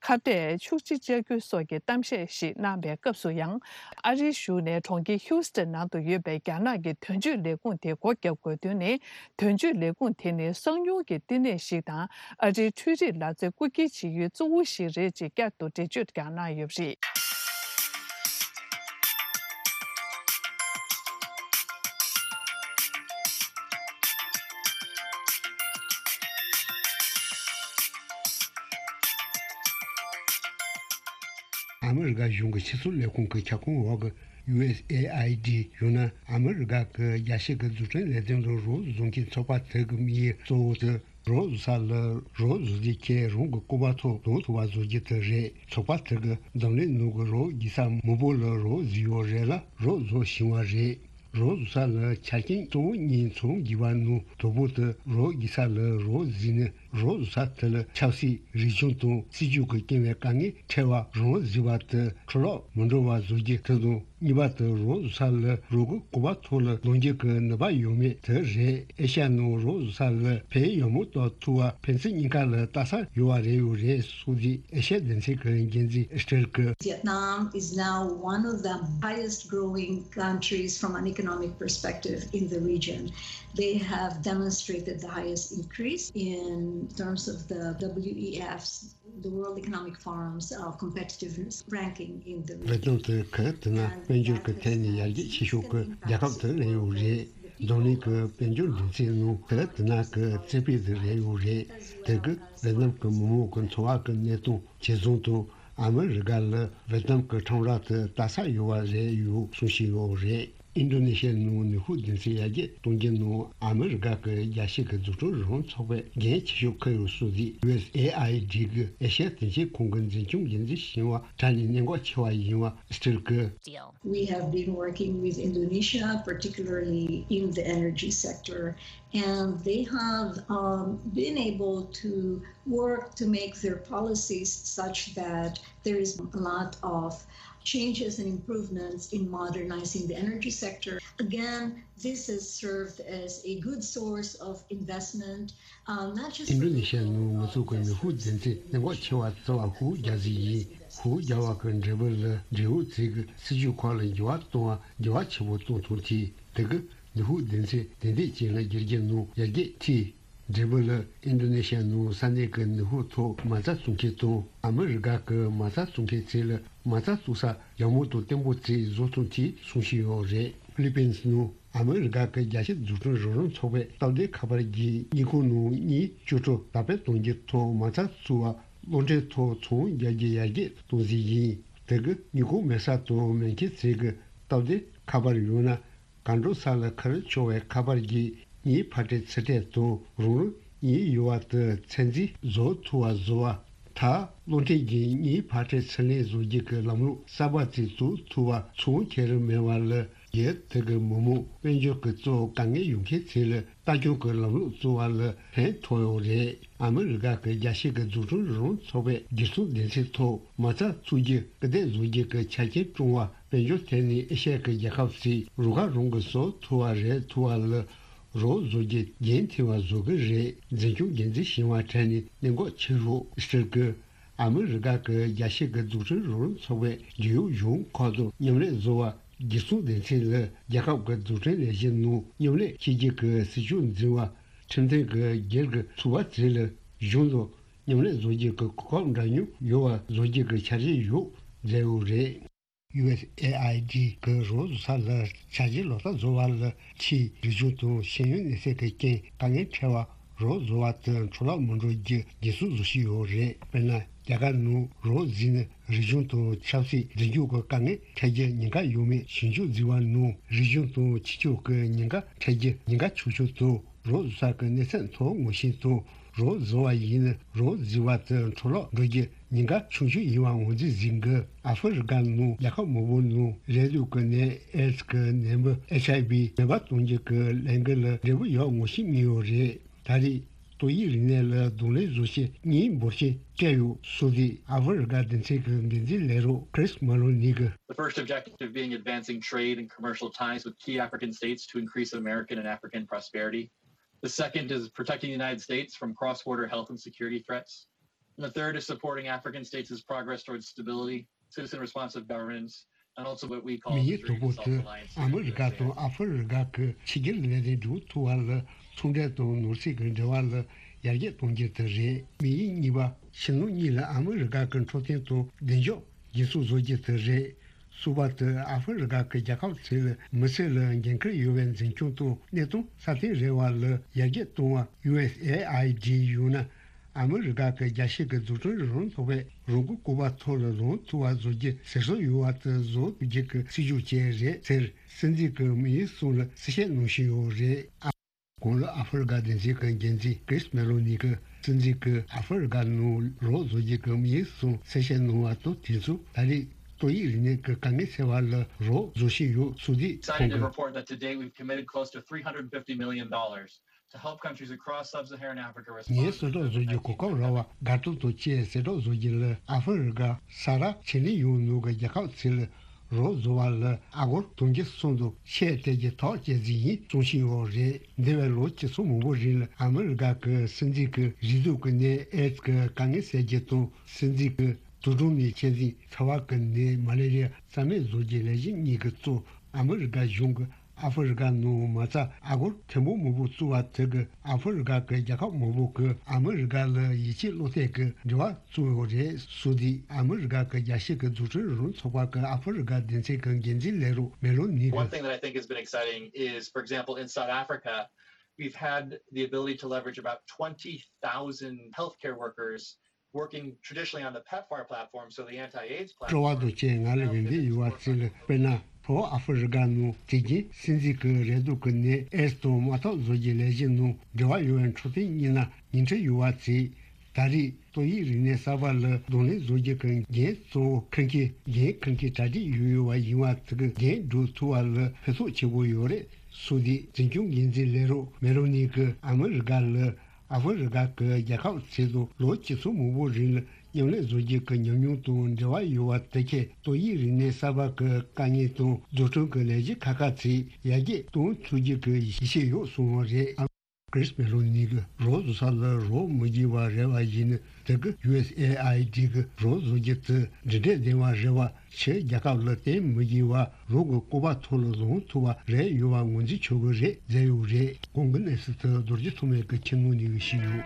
ཁ་གཏད་ཤུགས་ཆེ་བཅག་རྒྱུ་སོགས་ཀྱི་གཏམ་བཤད་ཞིག་གནང་བའི་སྐབས་སུ་ཡང་། ཨ་རིའི་གཞུང་ནས་གྲོང་ཁྱེར་ཧིའུ་སི་ཐན་ནང་དུ་ཡོད་པའི་རྒྱ་ནག་གི་དོན་གཅོད་ལས་ཁུངས་དེ་སྒོ་བརྒྱབ་དགོས་དོན་ནི། དོན་གཅོད་ལས་ཁུངས་དེ་ནི་གསང་མྱུལ་གྱི་བསྟི་གནས་ཤིག་དང་། ཨ་རིའི་འཕྲུལ་རིག་ལག་རྩལ་རྐུ་འཁྱེར་བྱེད་ཡུལ་གཙོ་བོ་ཞིག་རེད་ཅེས་བསྐྱར་དུ་འགྲེལ་བརྗོད་ཀྱང་གནང་ཡོད་པ་རེད། ཨ་མི་རི་ཀ་གཞུང་གི་ཕྱི་སྲིད་ལས་ཁུངས་ཀྱི་ཁྱབ་ཁོངས་འོག་གི་ཡུ་ཨེས་ཨེ་ཨའི་ཌི། ཡང་ན་ཨ་མི་རི་ཀ་གི་རྒྱལ་སྤྱི་གི་འཛུགས་སྐྲུན་ལས་དོན་ལ་རོགས་བཟོ་མཁན་ཚོགས་པ་དེ་གི་དམིགས་ཡུལ་གཙོ་བོ་དེ། རོགས་བཟོ་ས་ལ་རོགས་བཟོ་རྒྱུ་ཁྱེད་རང་གི་སྐོར་བ་ཐོག་གཏོང་ཐུབ་པ་བཟོ་རྒྱུ་དེ་རེད། ཚོགས་པ་དེ་གི་འཛམ་གླིང་ནང་གི་རོགས་བགྱིས་ས་མང་པོ་ལ་རོགས་བཟོས་ཡོད་རེད་ལ་རོགས་བཟོ་བཞིན་པ་རེད། རོགས་བཟོ་ས་ལ་ཆ་རྐྱེན་གཙོ་བོ་གཉིས་ཚང་དགོས་པ་ནང་དང་པོ་དེ་རོགས་བགྱིས་ས་ལ་རོགས་བཟོས་ནས་རོགས་བཟོ་ས་དེ་ལ་ཆབ་སྲིད། རིག་གཞུང་དང་སྲིད་ཇུས་ཀྱི་རྐྱེན་པས་དཀའ་ངལ་འཕྲད་པ་རང་བཟོས་པ་དེ་འཕྲོ་བརླག་མི་འགྲོ་བ་བཟོ་རྒྱུ་དེ་དང་། གཉིས་པ་དེ་རོགས་བཟོ་ས་ལ་རོགས་ཀྱི་སྐོར་བ་ཐོག་ལ་གཏོང་རྒྱུ་གི་ནུས་པ་ཡོད་མེད་དེ་རེད། ཨེ་ཤ་ཡ་ནང་རོགས་བཟོ་ས་ལ་ཕན་ཡོན་མང་གཏོང་ཐུབ་པ་ཕན་ཚུན་གཉིས་ཀ་ལ་ལྟ་ས་ཡོད་པ་རེད་ཡོད་རེད་གསུངས་ཏེ། ཨེ་ཤ་ཡ་སྡེ་ཚན་གྱི་འགན་འཛིན་སི་ཊེལ་གྱིས། Vietnam is now one of the highest growing countries from an economic perspective in the region. They have demonstrated the highest increase in terms of the W E F's, the World Economic Forum's, uh, competitiveness ranking in the region. ཝེ་ཏི་ནམ་དེ་ག་དེ་ན་དཔལ་འབྱོར་གྱི་ཐད་ནས་ཡར་རྒྱས་ཆེ་ཤོས་ཀྱི་རྒྱལ་ཁབ་དེ་རེད་ཡོད་རེད། འཛམ་གླིང་གི་དཔལ་འབྱོར་འགྲན་ཚད་ནང་ག་དེ་ན་གི་རྩེ་ཕུད་དེ་རེད་ཡོད་རེད། དེ་གི་ཝེ་ཏི་ནམ་གི་མི་མང་གི་འཚོ་བ་གི་གནས་སྟངས་ཇེ་བཟང་དང་ཨ་མི་རི་ཀ་ལ་ཝེ་ཏི་ནམ་གི་ཁྲོམ་ར་དེ་ལྟ་ས་ཡོད་པ་རེད་ཡོད་གསུངས་བཞིན་ཡོད་རེད། ཨིན་ཌོ་ནེ་ཤི་ཡའི་ནང་ནུས་ཤུགས་སྡེ་ཚན་ཡར་རྒྱས་གཏོང་རྒྱུ་ནང་ཨ་མི་རི་ཀ་གི་རྒྱལ་སྤྱི་གི་འཛུགས་སྐྲུན་རོགས་རམ་ཚོགས་པས་འགན་ཆེ་ཤོས་འཁུར་ཡོད་གསུངས་ཏེ། ཡུ་ཨེས་ཨེ་ཨའི་ཌི་གི་ཨེ་ཤ་ཡ་དོན་གཅོད་ཁང་གི་འཛིན་སྐྱོང་འགན་འཛིན་གཞོན་པ་གྲས་ནས་གནད་འགག་ཆེ་བ་ཡིན་པ་སི་ཊེལ་གྱིས། We have been working with Indonesia, particularly in the energy sector, and they have, um, been able to work to make their policies such that there is a lot of changes and improvements in modernizing the energy sector. Again, this has served as a good source of investment, uh, not just for local, uh, investors. ཨིན་ཌོ་ནེ་ཤི་ཡའི་ནང་ང་ཚོ་གི་ནུས་ཤུགས་སྡེ་ཚན་གནད་འགག་ཆེ་བ་བརྩི་བ་ཧུའུ་རྒྱག་ས་ཡིན། ཧུའུ་རྒྱག་པ་གི་འབྲས་བུ་ལ་འབྲེལ་ཡོད་ཚད་ཀྱི་སྲིད་ཇུས་ཁག་ལ་འགྱུར་བ་གཏོང་བ་འགྱུར་བ་ཆེན་པོ་གཏོང་ཐུབ་ཐལ། དེ་གི་ནུས་ཤུགས་སྡེ་ཚན་ཏན་ཏིག་ཅན་ལ་འགྱུར་རྒྱུ་ནང་ཡར་རྒྱས་ཐེབས། འབྲས་བུ་ལ་ཨིན་ཌོ་ནེ་ཤི་ཡའི་ནང་ས་གནས་ཀྱི་ནུས་ཤུགས་ཐོག་མ་རྩ་བཙུགས་མཁན་དང་ཨ་མི་རི་ཀ་གི་མ་རྩ་བཙུགས་མཁན་བཅས་ལ་མ་རྩ་བཙུགས་ས་ཡག་མོ་དང་བརྟན་པོ་བཅས་བཟོ་ཐུབ་ཅེས་གསུངས་བཞིན་ཡོད་རེད། ཧྥི་ལི་པིན་སི་ནང་ཨ་མི་རི་ཀ་གི་རྒྱལ་སྤྱིའི་འཛུགས་སྐྲུན་རོགས་རམ་ཚོགས་པའི་སྟབས་བདེའི་ཁ་པར་གྱིས་དངུལ་ཁང་ནང་དངུལ་བཅུ་ཕྲག་དར་སྤེལ་གཏོང་རྒྱུའི་ཐོག་མ་རྩ་བཙུགས་པ་གློག་འཕྲིན་ཐོག་ཚོང་རྒྱག་རྒྱུ་ཡར་རྒྱས་གཏོང་རྩིས་ཡིན། དེ་གི་དངུལ་ཁང་མེད་ས་དང་མེད་མཁན་བཅས་ཀྱི་སྟབས་བདེའི་ཁ་པར་ཡང་ན། གང་འགྲོ་ས་ལ་ཁ་རུ་ཆོག་པའི་ཁ་པར་གྱིས་དངུལ་ཕར་སྤྲད་ཚུར་སྤྲད་དང་རང་རང་དངུལ་ཡོད་པ་དེ་ཚད་འཛིན་བཟོ་ཐུབ་པ་བཟོ་བ། ད་གློག་འཕྲིན་གྱིས་དངུལ་ཕར་སྤྲད་ཚུར་ལེན་བཟོ་རྒྱུ་གི་ལམ་ལུགས་གསར་པ་ཅིག་བཙུགས་ཐུབ་པ་ཚོང་ཁྱད་རིམ་མེད་པ་ལ་རྒྱལ་ཁབ་དེ་གི་མི་དམངས་དཔལ་འབྱོར་གྱི་གཙོ་བོ་དཀའ་ངལ་ཡོད་མཁན་ཚོ་ལ་ལྟ་སྐྱོང་གི་ལམ་ལུགས་བཙུགས་པ་ལ་ཕན་ཐོགས་ཡོད་རེད། ཨ་མི་རི་ཀ་གི་རྒྱལ་སྤྱི་གི་འཛུགས་སྐྲུན་རོགས་རམ་ཚོགས་པའི་སྒེར་ཚོང་སྡེ་ཚན་ཐོག་མ་རྩ་བཙུགས་རྒྱུ་སྐུལ་འདེད་བཟོ་རྒྱུ་གི་ཆ་རྐྱེན་བསྐྲུན་པ། དཔལ་འབྱོར་ཐད་ནས་ཨེ་ཤ་ཡ་གི་རྒྱལ་ཁབ་ཚོས་རུ་ཁག་རང་གི་བཟོ་ཐུབ་པ་རེད་ཐུབ་པ་ལ་རོགས་བཟོ་རྒྱུ་རྒྱུན་མཐུད་པ་བཟོ་གི་རེད། འཛིན་སྐྱོང་འགན་འཛིན་གཞོན་པ་གྲས་ནས་གནད་འགག་ཆེ་ཤོས་སི་ཊེལ་གྱིས་ཨ་མི་རི་ཀ་གི་རྒྱལ་སྤྱི་གི་འཛུགས་སྐྲུན་རོགས་རམ་ཚོགས་པའི་རྒྱུས་ཡོད་གཞུང་ཁག་དང་མཉམ་ལས་བཟོ་བ། སྒེར་ཚོང་སྡེ་ཚན་ལ་རྒྱལ་ཁབ་ཀྱི་འཛུགས་སྐྲུན་ལས་གཞི་ནང་མཉམ་ལས་བྱེད་རྒྱུ་གི་སྲིད་ཇུས་འཛིན་པ། ཁྲིམས་མཐུན་གྱི་སྒེར་གྱི་ཚོགས་པ་ཚོ་ལ་གཞུང་དང་མཉམ་ལས་བཟོ་རྒྱུ་གི་གོ་སྐབས་འདྲ་མཉམ་ཡོད་པ་བཟོ་རྒྱུ་གི་འཆར་གཞི་ཡོད་མཛད་ཡོད་རེད། ཡུ་ཨེས་ཨེ་ཨའི་ཌི་གི་རོགས་བཟོ་ས་ལ་འཆར་གཞི་ལག་བསྟར་བཟོ་བ་ལ་ཕྱིའི་རིག་གཞུང་དང་ཤེས་ཡོན་གནས་ཚད་ཀྱི་རྐྱེན་དཀའ་ངལ་འཕྲད་པ་རོགས་བཟོ་བ་དེ་འཕྲོ་བརླག་མི་འགྲོ་རྒྱུ་འགན་སྲུང་བཟོ་བཞིན་ཡོད་རེད། དཔེར་ན། རྒྱ་གར་ནང་རོགས་བཟོས་ནས་རིག་གཞུང་དང་ཆབ་སྲིད་འཛིན་སྐྱོང་གི་དཀའ་ངལ་འཕྲད་རྒྱུ་ཉེན་ཁ་ཡོད་མེད་ཞིབ་འཇུག་བྱས་པ་ནང་རིག་གཞུང་དང་ཕྱི་ཕྱོགས་ཀྱི་ཉེན་ཁ་འཕྲད་རྒྱུ་ཉེན་ཁ་ཆུང་ཆུང་དང་རོགས་བཟོ་ས་ཀྱི་གནས་ཚད་མཐོ་བོ་ངོ་ཤེས་དང་རོགས་བཟོ་བ་ཡིན་ན་རོགས་བཟོ་བ་དེ་འཕྲོ་བརླག་འགྲོ་རྒྱུ་ཉེན་ཁ་ཆུང་ཆུང་ཡིན་པ་ངོས་འཛིན་བྱེད་དགོས། ཨ་ཧྥེ་རི་ཀ་ནང་རྒྱལ་ཁབ་མང་པོ་ནང་རེད་འདུག་གི་ནད་ཨེ་ཛི་གི་ནད་འབུ་ཨེཆ་ཨའི་ཝི་མེད་པ་གཏོང་རྒྱུ་གི་ལས་འགུལ་ལ་འབྲས་བུ་ཡག་ངོ་ཤེས་གཉིས་ཡོད་རེད། ད་རེས། ཏོག་དབྱིབས་རིམས་ནད་ལ་གདོང་ལེན་བཟོ་ཆེད་དངུལ་འབོར་ཆེན་སྤྲད་ཡོད་སོགས་ཏེ་ཨ་ཧྥེ་རི་ཀ་སྡེ་ཚན་གྱི་འགན་འཛིན་ལས་རོགས་Chris Maloney་གིས། The first objective being advancing trade and commercial ties with key African states to increase American and African prosperity. The second is protecting the United States from cross-border health and security threats. And the third is supporting African states' progress towards stability, citizen responsive governance, and also what we call དམིགས་ཡུལ་དང་པོ་དེ་ཨ་མི་རི་ཀ་དང་ཨ་ཧྥེ་རི་ཀ་གི་ཕྱི་རྒྱལ་ལས་དོན་སྒྲུབ་ཐུབ་པ་ལ་ཚོང་འབྲེལ་དང་ནོར་སྲིད་ཀྱི་འབྲེལ་བ་ལ་ཡར་རྒྱས་གཏོང་རྒྱུ་དེ་རེད། དམིགས་ཡུལ་གཉིས་པ་ཕྱི་ནང་གཉིས་ལ་ཨ་མི་རི་ཀ་གི་འཕྲོད་བསྟེན་དང་བདེ་འཇགས་འགན་སྲུང་བཟོ་རྒྱུ་དེ་རེད། གསུམ་པ་དེ་ཨ་ཧྥེ་རི་ཀ་གི་རྒྱལ་ཁབ་ཚོའི་མི་སེར་ལ་འགན་འཁུར་ཡོད་པའི་འཛིན་སྐྱོང་དང་གནས་སྟངས་སྲ་བརྟན་རེ་བ་ལ་ཡར་རྒྱས་གཏོང་བ་ཡུ་ཨེས་ཨེ་ཨའི་ཌི་ཡང་ན། ཨ་མི་རི་ཀ་གི་རྒྱལ་སྤྱི་གི་འཛུགས་སྐྲུན་རང་རྟོགས་པའི་རང་འགུལ་སྐོར་བ་ཐོག་ལ་ལངས་ཐུབ་པ་བཟོ་རྒྱུ་ཟེར་སྲོལ་ཡོད་པ་དེ་བཟོ་ཐུབ་རྒྱུ་གི་སྲིད་ཇུས་བཅས་རེད་ཟེར། སྲིད་འཛིན་གྱི་དམིགས་ཡུལ་གསུམ་ལ་གསལ་བཤད་གནང་བཞིན་ཡོད་རེད། ཨ། གོང་ལ་ཨ་ཧྥེ་རི་ཀ་སྡེ་ཚན་གྱི་འགན་འཛིན་ཀྲིས་མེ་ལོ་ནི་གིས་སྲིད་འཛིན་གྱིས་ཨ་ཧྥེ་རི་ཀ་ནང་རོགས་བཟོ་རྒྱུ་གི་དམིགས་ཡུལ་གསུམ་གསལ་བཤད་གནང་བ་དང་དུས་མཚུངས། ད་རེས་ཏོག་དབྱིབས་རིམས་ནད་ཀྱི་དཀའ་ངལ་སེལ་བ་ལ་རོགས་བཟོ་བཞིན་ཡོད་ཟེར་ཏེ། ཁོང་གིས། Excited to report that to date we've committed close to three hundred fifty million dollars to help countries across sub-Saharan Africa ངས་respond to གསོལ་རོགས་བཟོ་རྒྱུ་གོ་སྐབས་རག་པ་དགའ་སྤྲོ་དང་བཅས་གསོལ་རོགས་བཟོ་རྒྱུ་ལ་ཨ་ཧྥེ་རི་ཀ་ས་ར་ཆེ་གླིང་ཡོངས་ནང་གི་རྒྱལ་ཁབ་ཚོ་ལ་རོགས་བཟོ་བ་ལ་ཨ་སྒོར་དུང་ཕྱུར་གསུམ་དང་ཆེད་སྤྲད་རྒྱུ་ཐག་བཅད་རྩིས་ཡིན་གསུང་བཞིན་ཡོད་རེད། འདས་པའི་ལོ་བཅུ་ཚང་མང་པོ་རིང་ལ་ཨ་མི་རི་ཀ་གི་སྲིད་འཛིན་གྱི་རེག་དུག་གི་ནད་ཨེ་ཙི་གི་དཀའ་ངལ་སེལ་རྒྱུ་དང་། སྲིད་འཛིན་གྱི་དུག་སྦྲང་ནད་ཆེད་འཛིན་ཚ་བ་གི་ནད་མ་ལེ་རི་ཡ་རྩ་མེད་བཟོ་རྒྱུའི་ལས་གཞི་གཉིས་ཀྱི་གཙོ། ཨ་མི་རི་ཀ་གཞུང་གིས་ཨ་ཧྥེ་རི་ཀ་ནང་མ་རྩ་ཨ་སྒོར་ཐེར་འབུམ་མང་པོ་བཙུགས་པ་དེ་གིས་ཨ་ཧྥེ་རི་ཀ་གི་རྒྱལ་ཁབ་མང་པོ་གིས་ཨ་མི་རི་ཀ་ལ་ཡིད་ཆེས་བློ་གཏད་ཀྱི་འབྲེལ་བ་བཙུགས་ཡོད་རེད་ཟེར་ཏེ། ཨ་མི་རི་ཀ་གི་རྒྱལ་སྤྱི་གི་འཛུགས་སྐྲུན་རང་ཚོགས་པ་གི་ཨ་ཧྥེ་རི་ཀ་སྡེ་ཚན་གྱི་འགན་འཛིན་ལས་རོགས་མེ་ལོ་ནི་One གིས། Thing that I think has been exciting is, for example, in South Africa, we've had the ability to leverage about twenty thousand healthcare workers working traditionally on the PEPFAR platform, so the anti-AIDS platform. སྤྲོ་བ་དང་བཅས་ང་ལ་ཡོན་ཏན་ཡོད་པ་ཚོ་ལ། དཔེར་ན། ལྷོ་ཨ་ཧྥེ་རི་ཀ་ནང་དེ་རིང་སྲིད་འཛིན་གྱི་རེག་དུག་གི་ནད་ཨེ་ཙི་དང་དམག་འཐབ་བཟོ་རྒྱུའི་ལས་གཞི་ནང་འབྲེལ་བ་ཡོད་པའི་འཕྲོད་བསྟེན་གཉིས་ན་ཉིང་ཁྲི་ཡོད་པ་ཚོས། ད་རེས་ཏོག་དབྱིབས་རིམས་ནད་གསར་པ་ལ་གདོང་ལེན་བཟོ་རྒྱུ་གི་འགན་གཙོ་བོ་འཁུར་མཁན་འགན་འཁུར་མཁན་གྲ་སྒྲིག་ཡོད་ཡོད་པ་ཡིན་པ་དེ་གི་འགན་སྒྲུབ་ཐུབ་པ་ལ་ཕན་ཐོགས་ཆེ་པོ་ཡོད་རེད་ཟེར་ཏེ། འཛིན་སྐྱོང་འགན་འཛིན་ལས་རོགས་མེ་ལོ་ནི་གིས་ཨ་མི་རི་ཀ་ལ་ཨ་ཧྥེ་རི་ཀ་གི་རྒྱལ་ཁབ་ཚོ་དང་ལོ་བཅུ་ཚང་མང་པོ་རིང་ལ་མཉམ་ལས་བཟོ་རྒྱུ་གི་ཉམས་མྱོང་དང་འབྲེལ་བ་ཡོད་པ་དེ་གས་ཏོག་དབྱིབས་རིམས་ནད་གསར་པ་གི་དཀའ་ངལ་དང་འཛུགས་སྐྲུན་གྱི་ལས་གཞི་ཁག་ཁག་ཚོ་ཡར་རྒྱས་གཏོང་ཐུབ་རྒྱུ་གི་ཡིད་ཆེས་ཡོད་གསུངས་པ་རེད། ཀྲིས་མེ་ལོ་ནི་གིས་རོགས་བཟོ་ས་ལ་རོགས་མི་བྱེད་པ་རེད་པ་ཡིན་ན། དེ་གི་ཡུ་ཨེས་ཨེ་ཨའི་ཌི་གི་རོགས་བཟོ་རྒྱུ་དེ་འགྲིག་འགྲིག་བདེ་བ་རེད་པ། ཕྱི་རྒྱལ་ཁབ་ལ་བརྟེན་མི་དགོས་པ་རོགས་ཀྱི་སྐོར་བ་ཐོག་ལ་ལངས་ཐུབ་པ་རེད་ཡོད་པ་ངོས་འཛིན་ཆོག་གི་རེད་ཟེར་ཡོད་རེད། གོང་གི་གནས་ཚུལ་དེ་རྡོ་རྗེ་ཐོགས་མེད་ཀྱིས་ཁྱེར་གནང་ནས་ཞུས་ཡོད།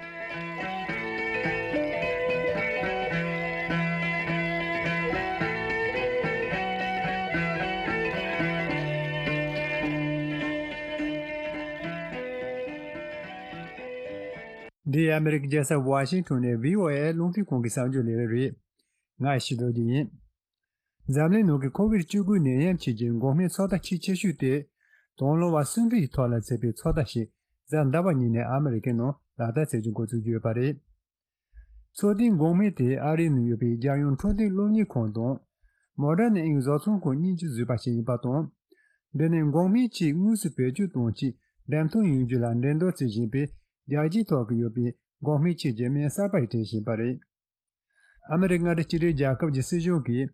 འདི་ཨ་མི་རི་ཀའི་རྒྱལ་ས་ཝ་ཤིང་ཊོན་ནས་བྷི་ཨོ་ཨེ་རླུང་འཕྲིན་ཁང་གི་གསར་འགྱུར་ལས་རིམ་རེད། ང་ཡེ་ཤེས་རྡོ་རྗེ་ཡིན། འཛམ་གླིང་ནང་གི་ཁོ་བིད་བཅུ་དགུ་ནད་ཡམས་ཆེད་ཀྱི་འགོག་སྨན་ཚོད་ལྟ་ཆེས་ཆེ་ཤོས་དེ། དང་བླངས་པ་སུམ་ཁྲི་ཡི་ཐོག་ལ་བྱས་པའི་ཚོད་ལྟ་ཞིག་གཟའ་ཟླ་བ་ཉིན་ནས་ཨ་མི་རི་ཀའི་ནང་ལག་བསྟར་བྱེད་རྒྱུ་འགོ་བཙུགས་ཀྱི་ཡོད་པ་རེད། ཚོད་ལྟའི་འགོག་སྨན་དེ་ཨ་རིའི་ནང་ཡོད་པའི་རྒྱལ་ཡོངས་འཕྲོད་བསྟེན་སློབ་གཉེར་ཁང་དང་། Moderna Inc བཟོ་ཚོང་ཁང་གཉིས་ཀྱིས་བཟོས་པ་ཞིག་ཡིན་པ་དང་། འདི་ནི་འགོག་སྨན་གཅིག་དངོས་སུ་བེད་སྤྱོད་གཏོང་ཆེད་འགྲེམས་སྟོན་ཡོང་རྒྱུ་ལ་འགྲན་བསྡུར་བྱེད་བཞིན་པའི་རྒྱལ་སྤྱིའི་ཐོག་གི་ཡོད་པའི་འགོག་སྨན་ཆེད་ཀྱི་སྨན་གསར་པ་ཞིག་སྤྲད་བཞིན་པ་རེད། ཨ་མི་རི་ཀ་མངའ་སྡེ་གཅིག་སྒྲིལ་རྒྱལ་ཁབ་ཀྱི་སྲིད་གཞུང་གིས་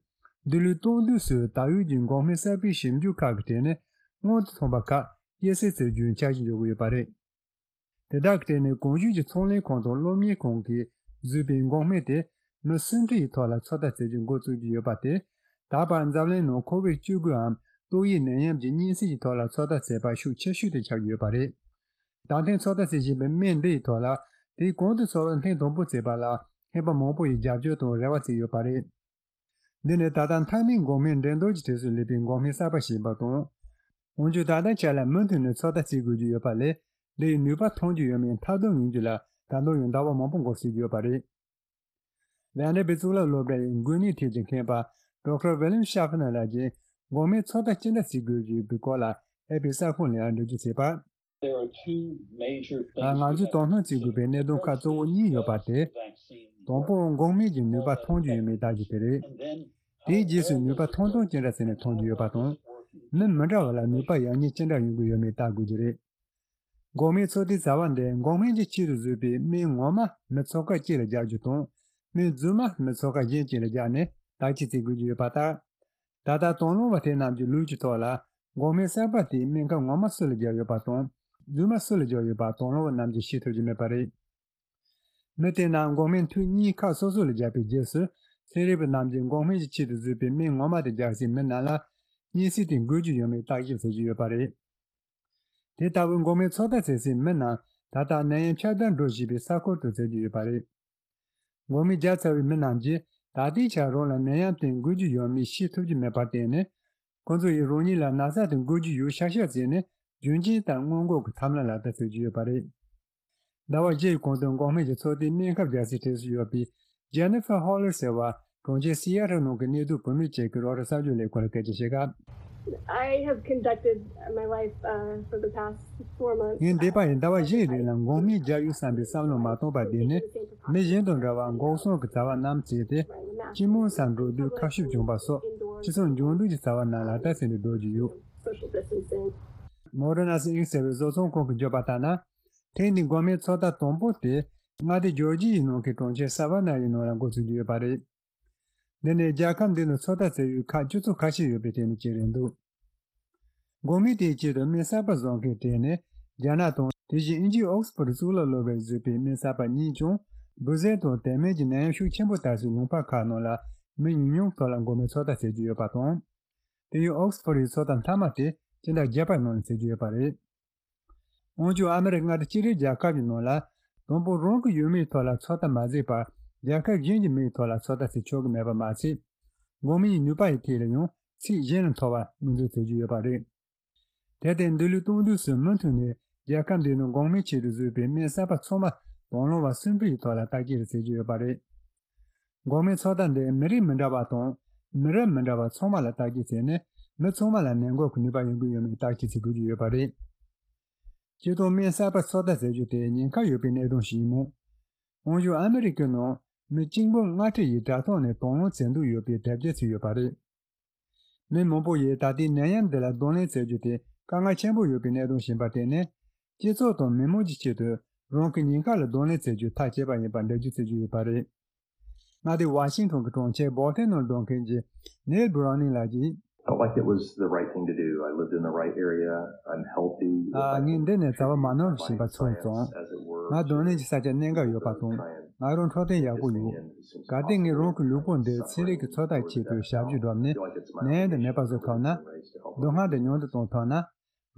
འདི་ལོའི་སྟོང་དུས་སུ་ད་ཡོད་ཀྱི་འགོག་སྨན་གསར་པའི་ཞིབ་འཇུག་ཁག་གི་གྲས་ནས་སྔོན་དུ་ཐོན་པ་ཁག་སྐྱེད་སྲིང་བྱེད་རྒྱུའི་འཆར་གཞི་འཇོག་གི་ཡོད་པ་རེད། དེ་དག་གི་གྲས་ནས་གོང་ཞུས་ཀྱི་ཚོང་ལས་ཁང་དང་སློབ་གཉེར་ཁང་གིས་བཟོས་པའི་འགོག་སྨན་དེ་མི་སུམ་ཁྲི་ཡི་ཐོག་ལ་ཚོད་ལྟ་བྱེད་རྒྱུ་འགོ་བཙུགས་ཀྱི་ཡོད་པ་དེ། ད་བར་འཛམ་གླིང་ནང་ཁོ་བིད་བཅུ་དགུའམ་ཏོག་དབྱིབས་ནད་ཡམས་ཀྱི་གཉན་སྲིན་གྱི་ཐོག་ལ་ཚོད་ལྟ་བྱས་པ་ཤུགས་ཆེ་ཤོས་དེ་ཆགས་ཀྱི་ཡོད་པ་རེད། ད་ཐེངས་ཚོད་ལྟ་བྱེད་བཞིན་པའི་སྨན་འདི་ཡི་ཐོག་ལ་དེའི་གོང་དུ་ཚོད་ལྟ་ཐེངས་དང་པོ་བྱས་པ་ལ་མཁས་པ་མང་པོ་ཡི་རྒྱབ་སྐྱོར་དང་རེ་བ་བྱས་ཡོད་པ་རེད། འདི་ནི་ད་ལྟ་མཐའ་མའི་འགོག་སྨན་འགྲན་བསྡུར་གྱི་གྲས་སུ་སླེབས་པའི་འགོག་སྨན་གསར་པ་ཞིག་ཡིན་པ་དང་། འོན་ཀྱང་ད་ལྟའི་ཆ་ལ་མུ་མཐུད་ནས་ཚོད་ལྟ་བྱེད་དགོས་ཀྱི་ཡོད་པ་ལས། འདི་ཡི་ནུས་པ་ཐོན་གྱི་ཡོད་མེད་མཐའ་འཁྱོངས་ཡོང་རྒྱུ་ལ་ད་དུང་ཡང་ཟླ་བ་མང་པོ་འགོར་སྲིད་ཀྱི་ཡོད་པ་རེད། ཝན་ཌར་བིལ་གཙུག་ལག་སློབ་གྲྭ་ཡི་འགོས་ནད་ཐད་ཀྱི་མཁས་པ་ཌོག་ཊར་ཝི་ལིམ་ཤ་ཕ་ནར་ལགས་ཀྱིས་འགོག་སྨན་ཚོད་ལྟ་ཅི་འདྲ་བྱེད་དགོས་ཀྱི་ཡོད་པའི་སྐོར་ལ་ཨེ་པི་གསར་ཁང་ལ་འགྲེལ་བརྗོད་བྱས་པ། There are two major things ང་ཚོས་དོ་སྣང་བྱེད་དགོས་པའི་གནད་དོན་ཁག་གཙོ་བོ་གཉིས་ཡོད་པ་སྟེ། དང་པོ་འགོག་སྨན་གྱི་ནུས་པ་ཐོན་རྒྱུ་ཡོད་མེད་བལྟ་རྒྱུ་དེ་རེད། དེའི་རྗེས་སུ་ནུས་པ་ཐོན་སྟངས་ཅི་འདྲ་བྱས་ནས་ཐོན་རྒྱུ་ཡོད་པ་དང་། མི་མི་འདྲ་བ་ལ་ནུས་པ་ཡག་ཉེས་ཅི་འདྲ་ཡོང་གི་ཡོད་མེད་བལྟ་དགོས་ཀྱི་རེད། འགོག་སྨན་ཚོད་ལྟའི་བྱ་བ་འདིར་འགོག་སྨན་གྱི་ཆེད་དུ་བཟོས་པའི་སྨན་ངོ་མ་མི་ཚོགས་ཁག་གཅིག་ལ་རྒྱག་རྒྱུ་དང་། སྨན་རྫུན་མ་མི་ཚོགས་ཁག་གཞན་གཅིག་ལ་རྒྱག་ནས་བརྟག་དཔྱད་བྱེད་དགོས་ཀྱི་ཡོད་པ་ལྟར། ད་ལྟ་དང་བླངས་པ་དེ་རྣམས་ཀྱི་ལུགས་ཀྱི་ཐོག་ལ། འགོག་སྨན་གསར་པ་དེའི་སྨན་ཁབ་ངོ་མ་སུ་ལ་བརྒྱབ་ཡོད་པ་དང་། རྫུན་མ་སུ་ལ་བརྒྱབ་ཡོད་པ་དང་བླངས་པ་རྣམས་ཀྱིས་ཤེས་ཐུབ་ཀྱི་མེད་པ་རེད། མི་དེ་རྣམས་འགོག་སྨན་ཐུན་གཉིས་ཁག་སོ་སོ་ལ་བརྒྱབ་པའི་རྗེས་སུ། ཚན་རིག་པ་རྣམས་ཀྱིས་འགོག་སྨན་གྱི་ཆེད་དུ་བཟོས་པའི་སྨན་ངོ་མ་དེ་རྒྱག་སའི་མི་རྣམས་ལ། གཉན་སྲིན་དེ་འགོས་ཀྱི་ཡོད་མེད་བརྟག་ཞིབ་བྱེད་ཀྱི་ཡོད་པ་རེད། དེ་ལྟ་བུའི་འགོག་སྨན་ཚོད་ལྟ་བྱེད་སའི་མི་རྣམས་ད་ལྟ་ནད་ཡམས་ཁྱབ་གདལ་འགྲོ་བཞིན་པའི་ས་ཁུལ་དུ་བྱེད་ཀྱི་ཡོད་པ་རེད། འགོག་སྨན་བརྒྱབ་ཚར་བའི་མི་རྣམས་ཀྱིས་ད་ལྟའི་ཆར་རང་ལ་ནད་ཡམས་དེ་འགོས་ཀྱི་ཡོད་མེད་ཤེས་ཐུབ་ཀྱི་མེད་པར་བརྟེན་ནས། ཁོ་ཚོ་ཡིས་རང་ཉིད་ལ་ན་ཚ་དེ་འགོས་ཀྱི་ཡོད་ཤག་ཤག་བྱས་ནས་རྒྱུན་གཅིག་ལྟར་སྔོན་འགོག་གི་ཐབས་ལམ་ལག་བསྟར་བྱེད་ཀྱི་ཡོད་པ་རེད། ཟླ་བ་བཞི་ཡི་གོང་དུ་འགོག་སྨན་གྱི་ཚོད་ལྟའི་སྨན་ཁབ་རྒྱག་སའི་གྲས་སུ་ཡོད་པའི་Jennifer Holler ཟེར་བ། གྲོང་ཁྱེར་སི་ཡ་ཊལ་ནང་གི་གནས་སྡོད་བུད་མེད་ཅིག་གིས་རོའི་ཊར་གསར་འགྱུར་ལས་ཁུངས་ལ་སྐད་ཆ་བཤད་སྐབས། I have conducted my life, uh, for the past four months. ངས་འདས་པ་ཡི་ཟླ་བ་བཞིའི་རིང་ལ་འགོག་སྨན་རྒྱག་ཡོད་བསམ་པའི་བསམ་བློ་མ་བཏང་བར་བསྡད་ནས། མི་གཞན་དང་འདྲ་བར་འགོག་སྲུང་གི་བྱ་བ་རྣམས་བྱས་ཏེ། སྤྱི་དམངས་སར་འགྲོ་དུས་ཁ་ཤུབས་གྱོན་པ་སོགས་སྤྱི་ཚོགས་འབྱོར་འབྲིང་གི་བྱ་བ་རྣམས་ལ་ལྟ་ཚུལ་འདི་སྡོད་ཀྱི་ཡོད། Moderna Inc ཟེར་བའི་བཟོ་ཚོང་ཁང་གིས་བརྗོད་པ་ལྟར་ན། ཐེངས་འདིའི་འགོག་སྨན་ཚོད་ལྟ་དང་པོ་དེ་མངའ་སྡེ་ཇོར་ཇི་ཡའི་ནང་གི་གྲོང་ཁྱེར་སཱ་ཝ་ན་ཡའི་ནང་ལ་འགོ་ཚུགས་ཀྱི་ཡོད་པ་རེད། འདི་ནི་རྒྱལ་ཁབ་འདི་ནང་ཚོད་ལྟ་བྱེད་ཡུལ་ཁག་བཅུ་ཚོ་ཁ་ཤས་ཡོད་པའི་གྲས་ནས་གཅིག་རེད་འདུག་འགོག་སྨན་དེའི་ཆེད་དུ་སྨན་གསར་པ་བཟོ་མཁན་གྲས་ནས་རྒྱ་ནག་དང་། དེ་བཞིན་དབྱིན་ཇིའི་ཨོག་སི་ཕོར་གཙུག་ལག་སློབ་གྲྭས་བཟོས་པའི་སྨན་གསར་པ་གཉིས་ཀྱང་། འབུ་གཟན་དང་དེ་མིན་གྱི་ནད་ཡམས་ཤུགས་ཆེན་པོ་དར་སའི་ལུང་པ་ཁག་ནང་ལ་མི་ཉུང་ཉུང་ཐོག་ལ་འགོག་སྨན་ཚོད་ལྟ་བྱེད་ཀྱི་ཡོད་པ་དང་། དེ་ཡང་ཨོག་སི་ཕོར་ཡི་ཚོད་ལྟ་མཐའ་མ་དེ་སྤྱི་ཟླ་བརྒྱད་པའི་ནང་ལ་བྱེད་ཀྱི་ཡོད་པ་རེད། འོན་ཀྱང་ཨ་མི་རི་ཀ་མངའ་སྡེ་གཅིག་རེ་རྒྱལ་ཁབ་ཀྱི་ནང་ལ། དང་པོ་རང་གི་ཡུལ་མིའི་ཐོག་ལ་ཚོད་ལྟ་མ་བྱས་པར། རྒྱལ་ཁབ་གཞན་གྱི་མིའི་ཐོག་ལ་ཚོད་ལྟ་བྱེད་ཆོག་གི་མེད་པ་མ་ཟད། འགོག་སྨན་གྱི་ནུས་པ་ཡི་ཐད་ལ་ཡང་ཚིག་གཞན་ལ་མཐོ་བ་ངོས་འཛིན་བྱེད་ཀྱི་ཡོད་པ་རེད། དེར་བརྟེན་འདི་ལོའི་སྟོང་དུས་སུ་མུ་མཐུད་ནས་རྒྱལ་ཁབ་འདིའི་ནང་འགོག་སྨན་ཆེད་དུ་བཟོས་པའི་སྨན་གསར་པ་ཚང་མ་དང་བླངས་པ་གསུམ་པའི་ཐོག་ལ་བརྟག་དཔྱད་བྱེད་ཀྱི་ཡོད་པ་རེད། འགོག་སྨན་ཚོད་ལྟ་འདི་མི་རིགས་མི་འདྲ་བ་དང་། མི་རབས་མི་འདྲ་བ་ཚང་མ་ལ་བརྟག་དཔྱད་བྱས་ནས། མི་ཚང་མ་ལ་ནད་འགོག་གི་ནུས་པ་ཡོང་གི་ཡོད་མེད་བརྟག་དཔྱད་བྱེད་དགོས་ཀྱི་ཡོད་པ་རེད། སྤྱིར་བཏང་སྨན་གསར་པ་ཚོད་ལྟ་བྱེད་རྒྱུ་དེ་ཉེན་ཁ་ཡོད་པའི་གནད་དོན་ཞིག་ཡིན་མོད། འོན་ཀྱང་ཨ་མི་རི་ཀའི་ནང་མི་གཅིག་འབུམ་ལྔ་ཁྲི་ཡིས་དྲ་ཐོག་ནས་དང་བླངས་བྱེད་འདོད་ཡོད་པའི་གྲ་རྒྱས་ཚུད་ཡོད་པ་རེད། མི་མང་པོ་ཡིས་ད་ལྟའི་ནད་ཡམས་འདི་ལ་གདོང་ལེན་བྱེད་རྒྱུ་དེ་དཀའ་ངལ་ཆེན་པོ་ཡོད་པའི་གནད་དོན་ཞིག་ཡིན་པར་བརྟེན་ནས། སྤྱི་ཚོགས་དང་མི་མང་གི་ཆེད་དུ་རང་གི་ཉེན་ཁ་ལ་གདོང་ལེན་བྱེད་རྒྱུ་ཐག་བཅད་པ་ཡིན་པར་འགྲེལ་བརྗོད་བྱེད་ཀྱི་ཡོད་པ་རེད། མངའ་སྡེ་ཝ་ཤིང་ཊོན་གྱི་གྲོང་ཁྱེར་སྦོ་ཊན་ནང་འགྲོ་མཁན་གྱི་ནེལ་བྷུ་རོ་ནིང་ལགས་ཀྱིས། Felt like it was the right thing to do. I lived in the right area. I'm healthy. ཨ། ངས་འདི་ནས་བྱ་བ་མ་ནོར་བཞིན་པ་ཚོར་སོང་། ང་གདོང་ལེན་གྱི་ས་ཆ་གནད་འགག་ཡོད་པ་དང་། ང་རང་འཕྲོད་བསྟེན་ཡག་པོ་ཡོད། གལ་ཏེ་ངས་རང་གི་ལུས་པོ་འདི་ཚན་རིག་གི་ཚོད་ལྟའི་ཆེད་དུ་ཞབས་ཞུ་བསྒྲུབས་ནས་ནད་ཡམས་འདི་མེད་པ་བཟོ་ཐུབ་ན། སྡུག་བསྔལ་འདི་ཉུང་དུ་གཏོང་ཐུབ་ན།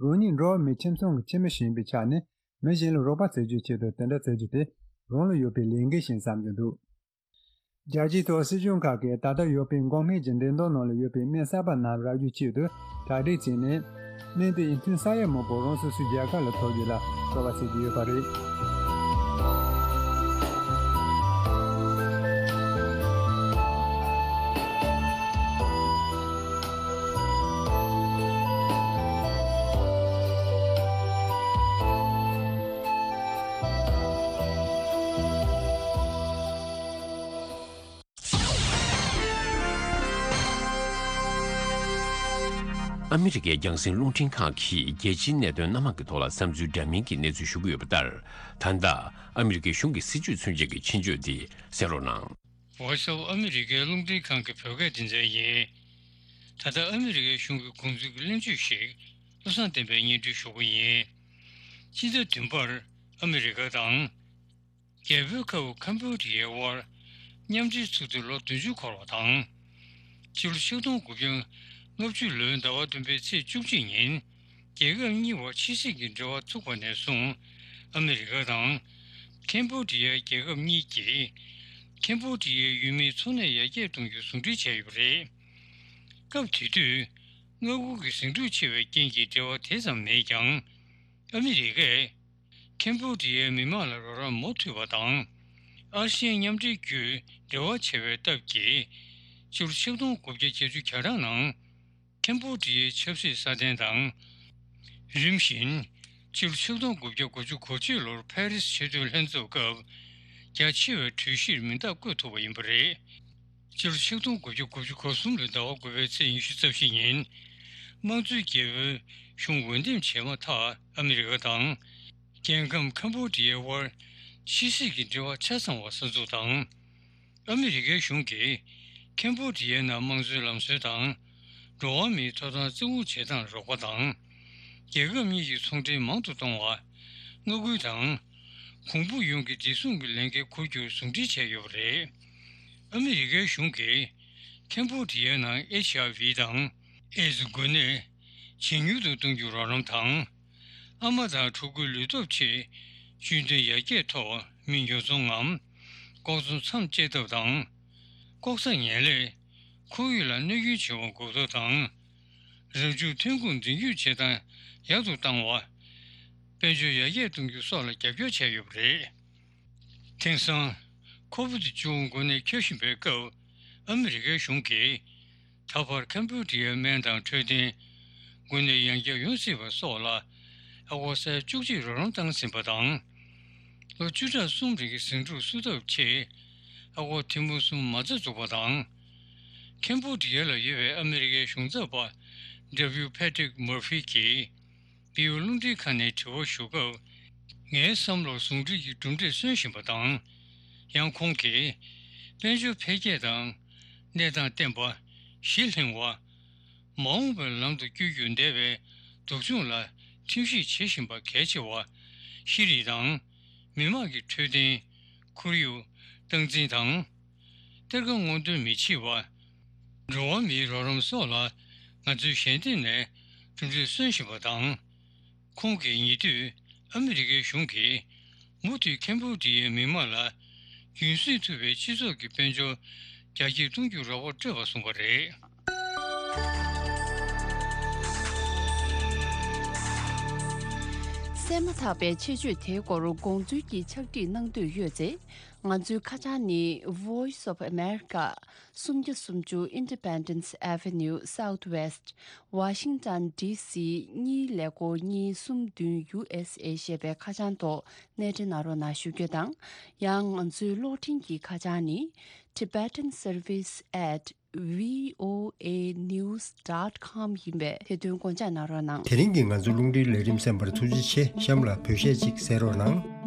རང་ཉིད་འགྲོ་བ་མིའི་ཁྱིམ་ཚང་གི་ཁྱིམ་མི་ཞིག་ཡིན་པའི་ཆ་ནས་མི་གཞན་ལ་རོགས་པ་བྱེད་རྒྱུའི་ཆེད་དུ་དེ་འདྲ་བྱེད་རྒྱུ་དེ་རང་ལ་ཡོད་པའི་ལས་འགན་ཞིག་བསམ་གྱི་འདུག་རྒྱལ་སྤྱིའི་ཐོག་སྲིད་གཞུང་ཁག་གིས་ད་ལྟ་ཡོད་པའི་འགོག་སྨན་གྱི་འགྲན་བསྡུར་ནང་ལ་ཡོད་པའི་སྨན་གསར་པ་རྣམས་རག་རྒྱུའི་ཆེད་དུ་གྲ་སྒྲིག་བྱས་ནས། སྨན་དེ་ཡི་མཐུན་ས་ཡ་མང་པོ་རང་སོ་སོའི་རྒྱལ་ཁབ་ལ་ཐོབ་རྒྱུ་ལ་རྩོལ་བ་བྱེད་ཀྱི་ཡོད་པ་རེད། ཨ་མི་རི་ཀའི་རྒྱང་སྲིང་རླུང་འཕྲིན་ཁང་གིས་རྒྱལ་སྤྱིའི་གནད་དོན་སྣ་མང་གི་ཐོག་ལ་བསམ་ཚུལ་འདྲ་མིན་གྱི་གནས་ཚུལ་ཞུ་གི་ཡོད་པ་ལྟར། ད་ལྟ་ཨ་མི་རི་ཀའི་གཞུང་གི་སྲིད་ཇུས་མཚོན་བྱེད་ཀྱི་ཆེད་བརྗོད་འདི་གསན་རོགས་གནང་། ཝོ་ཤལ་ཨ་མི་རི་ཀའི་རླུང་འཕྲིན་ཁང་གི་བོད་སྐད་སྡེ་ཚན་ཡིན། ད་ལྟ་ཨ་མི་རི་ཀའི་གཞུང་གི་དགོངས་ཚུལ་གྱི་གླེང་བརྗོད་ཞིག་བློ་བཟང་བསྟན་པས་སྙན་སྒྲོན་ཞུ་གི་ཡིན། སྤྱི་ཟླ་བདུན་པར་ཨ་མི་རི་ཀ་དང་། རྒྱལ་པོའི་ཁབ་ཁམ་བྷོ་ཌི་ཡའི་དབར་མཉམ་འབྲེལ་ཚུགས་དུས་ལོ་བདུན་ཅུ་འཁོར་བ་དང་། སྤྱི་ལོ་ཆིག་སྟོང་དགུ་བརྒྱ་ལྔ་བཅུ་ལོའི་ཟླ་བ་བདུན་པའི་ཚེས་བཅུ་གཅིག་ཉིན་རྒྱལ་ཁབ་གཉིས་བར་ཕྱི་སྲིད་ཀྱི་འབྲེལ་བ་ཚུགས་པ་ནས་བཟུང་ཨ་མི་རི་ཀ་དང་ཁམ་བྷོ་ཌི་ཡ་རྒྱལ་ཁབ་གཉིས་ཀྱིས་ཁམ་བྷོ་ཌི་ཡའི་ཡུལ་མིའི་འཚོ་གནས་ཡར་རྒྱས་གཏོང་རྒྱུ་ཟུང་འབྲེལ་བྱས་ཡོད་པ་རེད། སྐབས་དེ་དུས་མངའ་ཁུལ་གྱི་ཟིང་འཁྲུག་ཆེ་བའི་རྐྱེན་གྱིས་འབྲེལ་བ་དེ་ཙམ་མེད་ཀྱང་། ཨ་མི་རི་ཀས་ཁམ་བྷོ་ཌི་ཡའི་མི་དམངས་ལ་རོགས་རམ་མུ་མཐུད་པ་དང་། ཨ་ཤེ་ཡན་མཉམ་འབྲེལ་བརྒྱུད་འབྲེལ་བ་བྱས་པའི་སྟབས་ཀྱིས། སྤྱི་ལོ་ཆིག་སྟོང་དགུ་བརྒྱ་བརྒྱད་ཅུ་གྱ་གྲངས་ནང་ཁམ་བྷོ་ཌི་ཡའི་ཆབ་སྲིད་སྲ་བརྟན་དང་། རིམ་བཞིན་སྤྱི་ལོ་ཆིག་སྟོང་དགུ་བརྒྱ་དགུ་བཅུ་གོ་གཅིག་ལོར་ཕ་རི་སི་ཆེས་མཐོའི་ལྷན་ཚོགས་སྐབས་རྒྱ་ཆེ་བའི་གྲོས་གཞིར་མིང་རྟགས་བཀོད་ཐུབ་པ་ཡིན་པ་རེད། སྤྱི་ལོ་ཆིག་སྟོང་དགུ་བརྒྱ་དགུ་བཅུ་གོ་གསུམ་ལོའི་ཟླ་བ་དགུ་པའི་ཚེས་ཉི་ཤུ་རྩ་བཞི་ཉིན། དམངས་གཙོའི་རྒྱལ་པོའི་གཞུང་འོས་འདེམས་བྱས་མ་ཐག་ཨ་མི་རི་ཀ་དང་། རྒྱལ་ཁམས་ཁམ་བྷོ་ཌི་ཡའི་དབར་ཕྱི་སྲིད་ཀྱི་འབྲེལ་བ་ཆ་ཚང་བ་གསར་འཛུགས་དང་། ཨ་མི་རི་ཀའི་གཞུང་གིས་ཁམ་བྷོ་ཌི་ཡའི་ནང་དམངས་གཙོའི་ལམ་སྲོལ་དང་། འགྲོ་བ་མིའི་ཐོབ་ཐང་བརྩི་བཀུར་བྱེད་སྟངས་རོགས་པ་དང་། རྒྱལ་ཁབ་གཉིས་ཀྱི་ཚོང་འབྲེལ་མང་དུ་གཏོང་བ། མངའ་ཁུལ་དང་། གོང་བུ་ཡོངས་ཀྱི་བདེ་སྲུང་གི་ལས་འགན་འཁུར་རྒྱུར་ཟུང་འབྲེལ་བྱས་ཡོད་པ་རེད། ཨ་མི་རི་ཀའི་གཞུང་གིས་ཁམ་བྷོ་ཌི་ཡའི་ནང་ཨེཆ་ཨའི་ཝི་དང་ཨེ་ཛི་འགོས་ནད་ཇེ་ཉུང་དུ་གཏོང་རྒྱུར་རོགས་རམ་དང་། ཨ་མ་དང་ཕྲུ་གུའི་ལུས་སྟོབས་ཆེད་སྤྱི་འདོད་ཡར་རྒྱས་ཐོག་མི་ཉོ་ཚོང་ངམ་ལྐོག་འཚོང་མཚམས་བཅད་ཐབས་དང་། ལྐོག་ཟ་ངན་ལས་ཁོར་ཡུག་ལ་གནོད་སྐྱོན་བྱེད་པ་འགོག་ཐབས་དང་། རང་བྱུང་ཐོན་ཁུངས་འཛིན་སྐྱོང་བྱེད་སྟངས་ཡག་ཏུ་བཏང་བ། དཔལ་འབྱོར་ཡར་རྒྱས་གཏོང་རྒྱུ་སོགས་ལ་རྒྱབ་སྐྱོར་བྱས་ཡོད་པ་རེད། དེང་སང་ཁོ་བིད་བཅུ་དགུ་འགོས་ནད་ཁྱབ་བཞིན་པའི་སྐབས། ཨ་མི་རི་ཀའི་གཞུང་གིས་ད་བར་ཁམ་བྷོ་ཌི་ཡའི་སྨན་དང་འཕྲོད་བསྟེན། འགོས་ནད་ཡང་བསྐྱར་ཡོང་སྲིད་པ་སོགས་ལ་ཨ་སྒོར་ས་ཡ་བཅུ་གཅིག་རོགས་རམ་བཏང་ཟིན་པ་དང་། ལོ་བཅུ་ཕྲག་གསུམ་རིང་གི་ཟིང་འཁྲུག་བསུབ་ཐབས་ཆེད་ཨ་སྒོར་ཐེར་འབུམ་གསུམ་མ་རྩ་འཛུགས་པ་དང་། ཁམ་བྷོ་ཌི་ཡ་ལ་ཡོད་པའི་ཨ་མི་རི་ཀའི་གཞུང་ཚབ་པ་ཌབ་ལིའུ་ཕེ་ཏྲིག་མར་ཕི་གིས་བི་ཨོ་རླུང་འཕྲིན་ཁང་ནས་དྲི་བ་ཞུ་སྐབས། ངའི་བསམ་བློར་ཟུང་འབྲེལ་གྱི་གྲུབ་འབྲས་སོན་བཞིན་པ་དང་། ཡང་ཁོང་གིས་དཔལ་འབྱོར་འཕེལ་རྒྱས་དང་། གནས་སྟངས་བརྟན་པ། ཞི་ལྷིང་བ། མ་འོངས་པའི་ལམ་དུ་བསྐྱོད་རྒྱུར་འདས་པའི་སྡུག་སྦྱོང་ལ་ཁྲིམས་ཞིབ་བྱེད་བཞིན་པ་གལ་ཆེ་བ། ཤེས་རིག་དང་། མི་དམངས་ཀྱི་འཕྲོད་བསྟེན། ཁོར་ཡུག་སྟངས་འཛིན་དང་། གཏེར་ཁ་སྔོག་འདོན་མི་བྱེད་པ། འགྲོ་བ་མིའི་རོགས་རམ་སོགས་ལ་ང་ཚོས་གཞན་དོན་ནས་གྲུབ་འབྲས་སོན་བཞིན་པ་དང་། ཁོང་གིས་ཉེ་དུས་ཨ་མི་རི་ཀའི་གཞུང་གིས་མུ་མཐུད་ཁམ་བྷོ་ཌི་ཡའི་མི་དམངས་ལ་རྒྱུན་སྲིང་ཐུབ་པའི་སྤྱི་ཚོགས་ཀྱི་དཔལ་འབྱོར་རྒྱ་སྐྱེད་གཏོང་རྒྱུར་རོགས་པ་སྤྲོད་པ་གསུངས་པ་རེད། གསན་མ་ཐག་པའི་ཆེད་བརྗོད་དེའི་སྐོར་དགོངས་ཚུལ་གྱི་ཕྱག་བྲིས་གནང་འདོད་ཡོད་ཚེ། ང་ཚོའི་ཁ་བྱང་ནི། Voice of America། སུམ་བརྒྱ་སུམ་ཅུ་Independence Avenue Southwest། Washington D C གཉིས་ཀླད་ཀོར་གཉིས་གསུམ་བདུན། U S A ཞེས་པའི་ཁ་བྱང་ཐོག་གནས་འབྲེལ་གནང་རོགས་གནང་ཞུ་རྒྱུ་དང་། ཡང་ང་ཚོའི་གློག་འཕྲིན་གྱི་ཁ་བྱང་ནི། Tibetan Service at V O A news dot com ཡིན་པས་དེ་དོན་དགོངས་འཇགས་གནང་རོགས་གནང་། དེ་རིང་གི་ང་ཚོ་རླུང་འཕྲིན་ལས་རིམ་གསན་པར་ཐུགས་རྗེ་ཆེ། གཤམ་ལ་བོད་གཞས་ཅིག་གསན་རོགས་གནང་།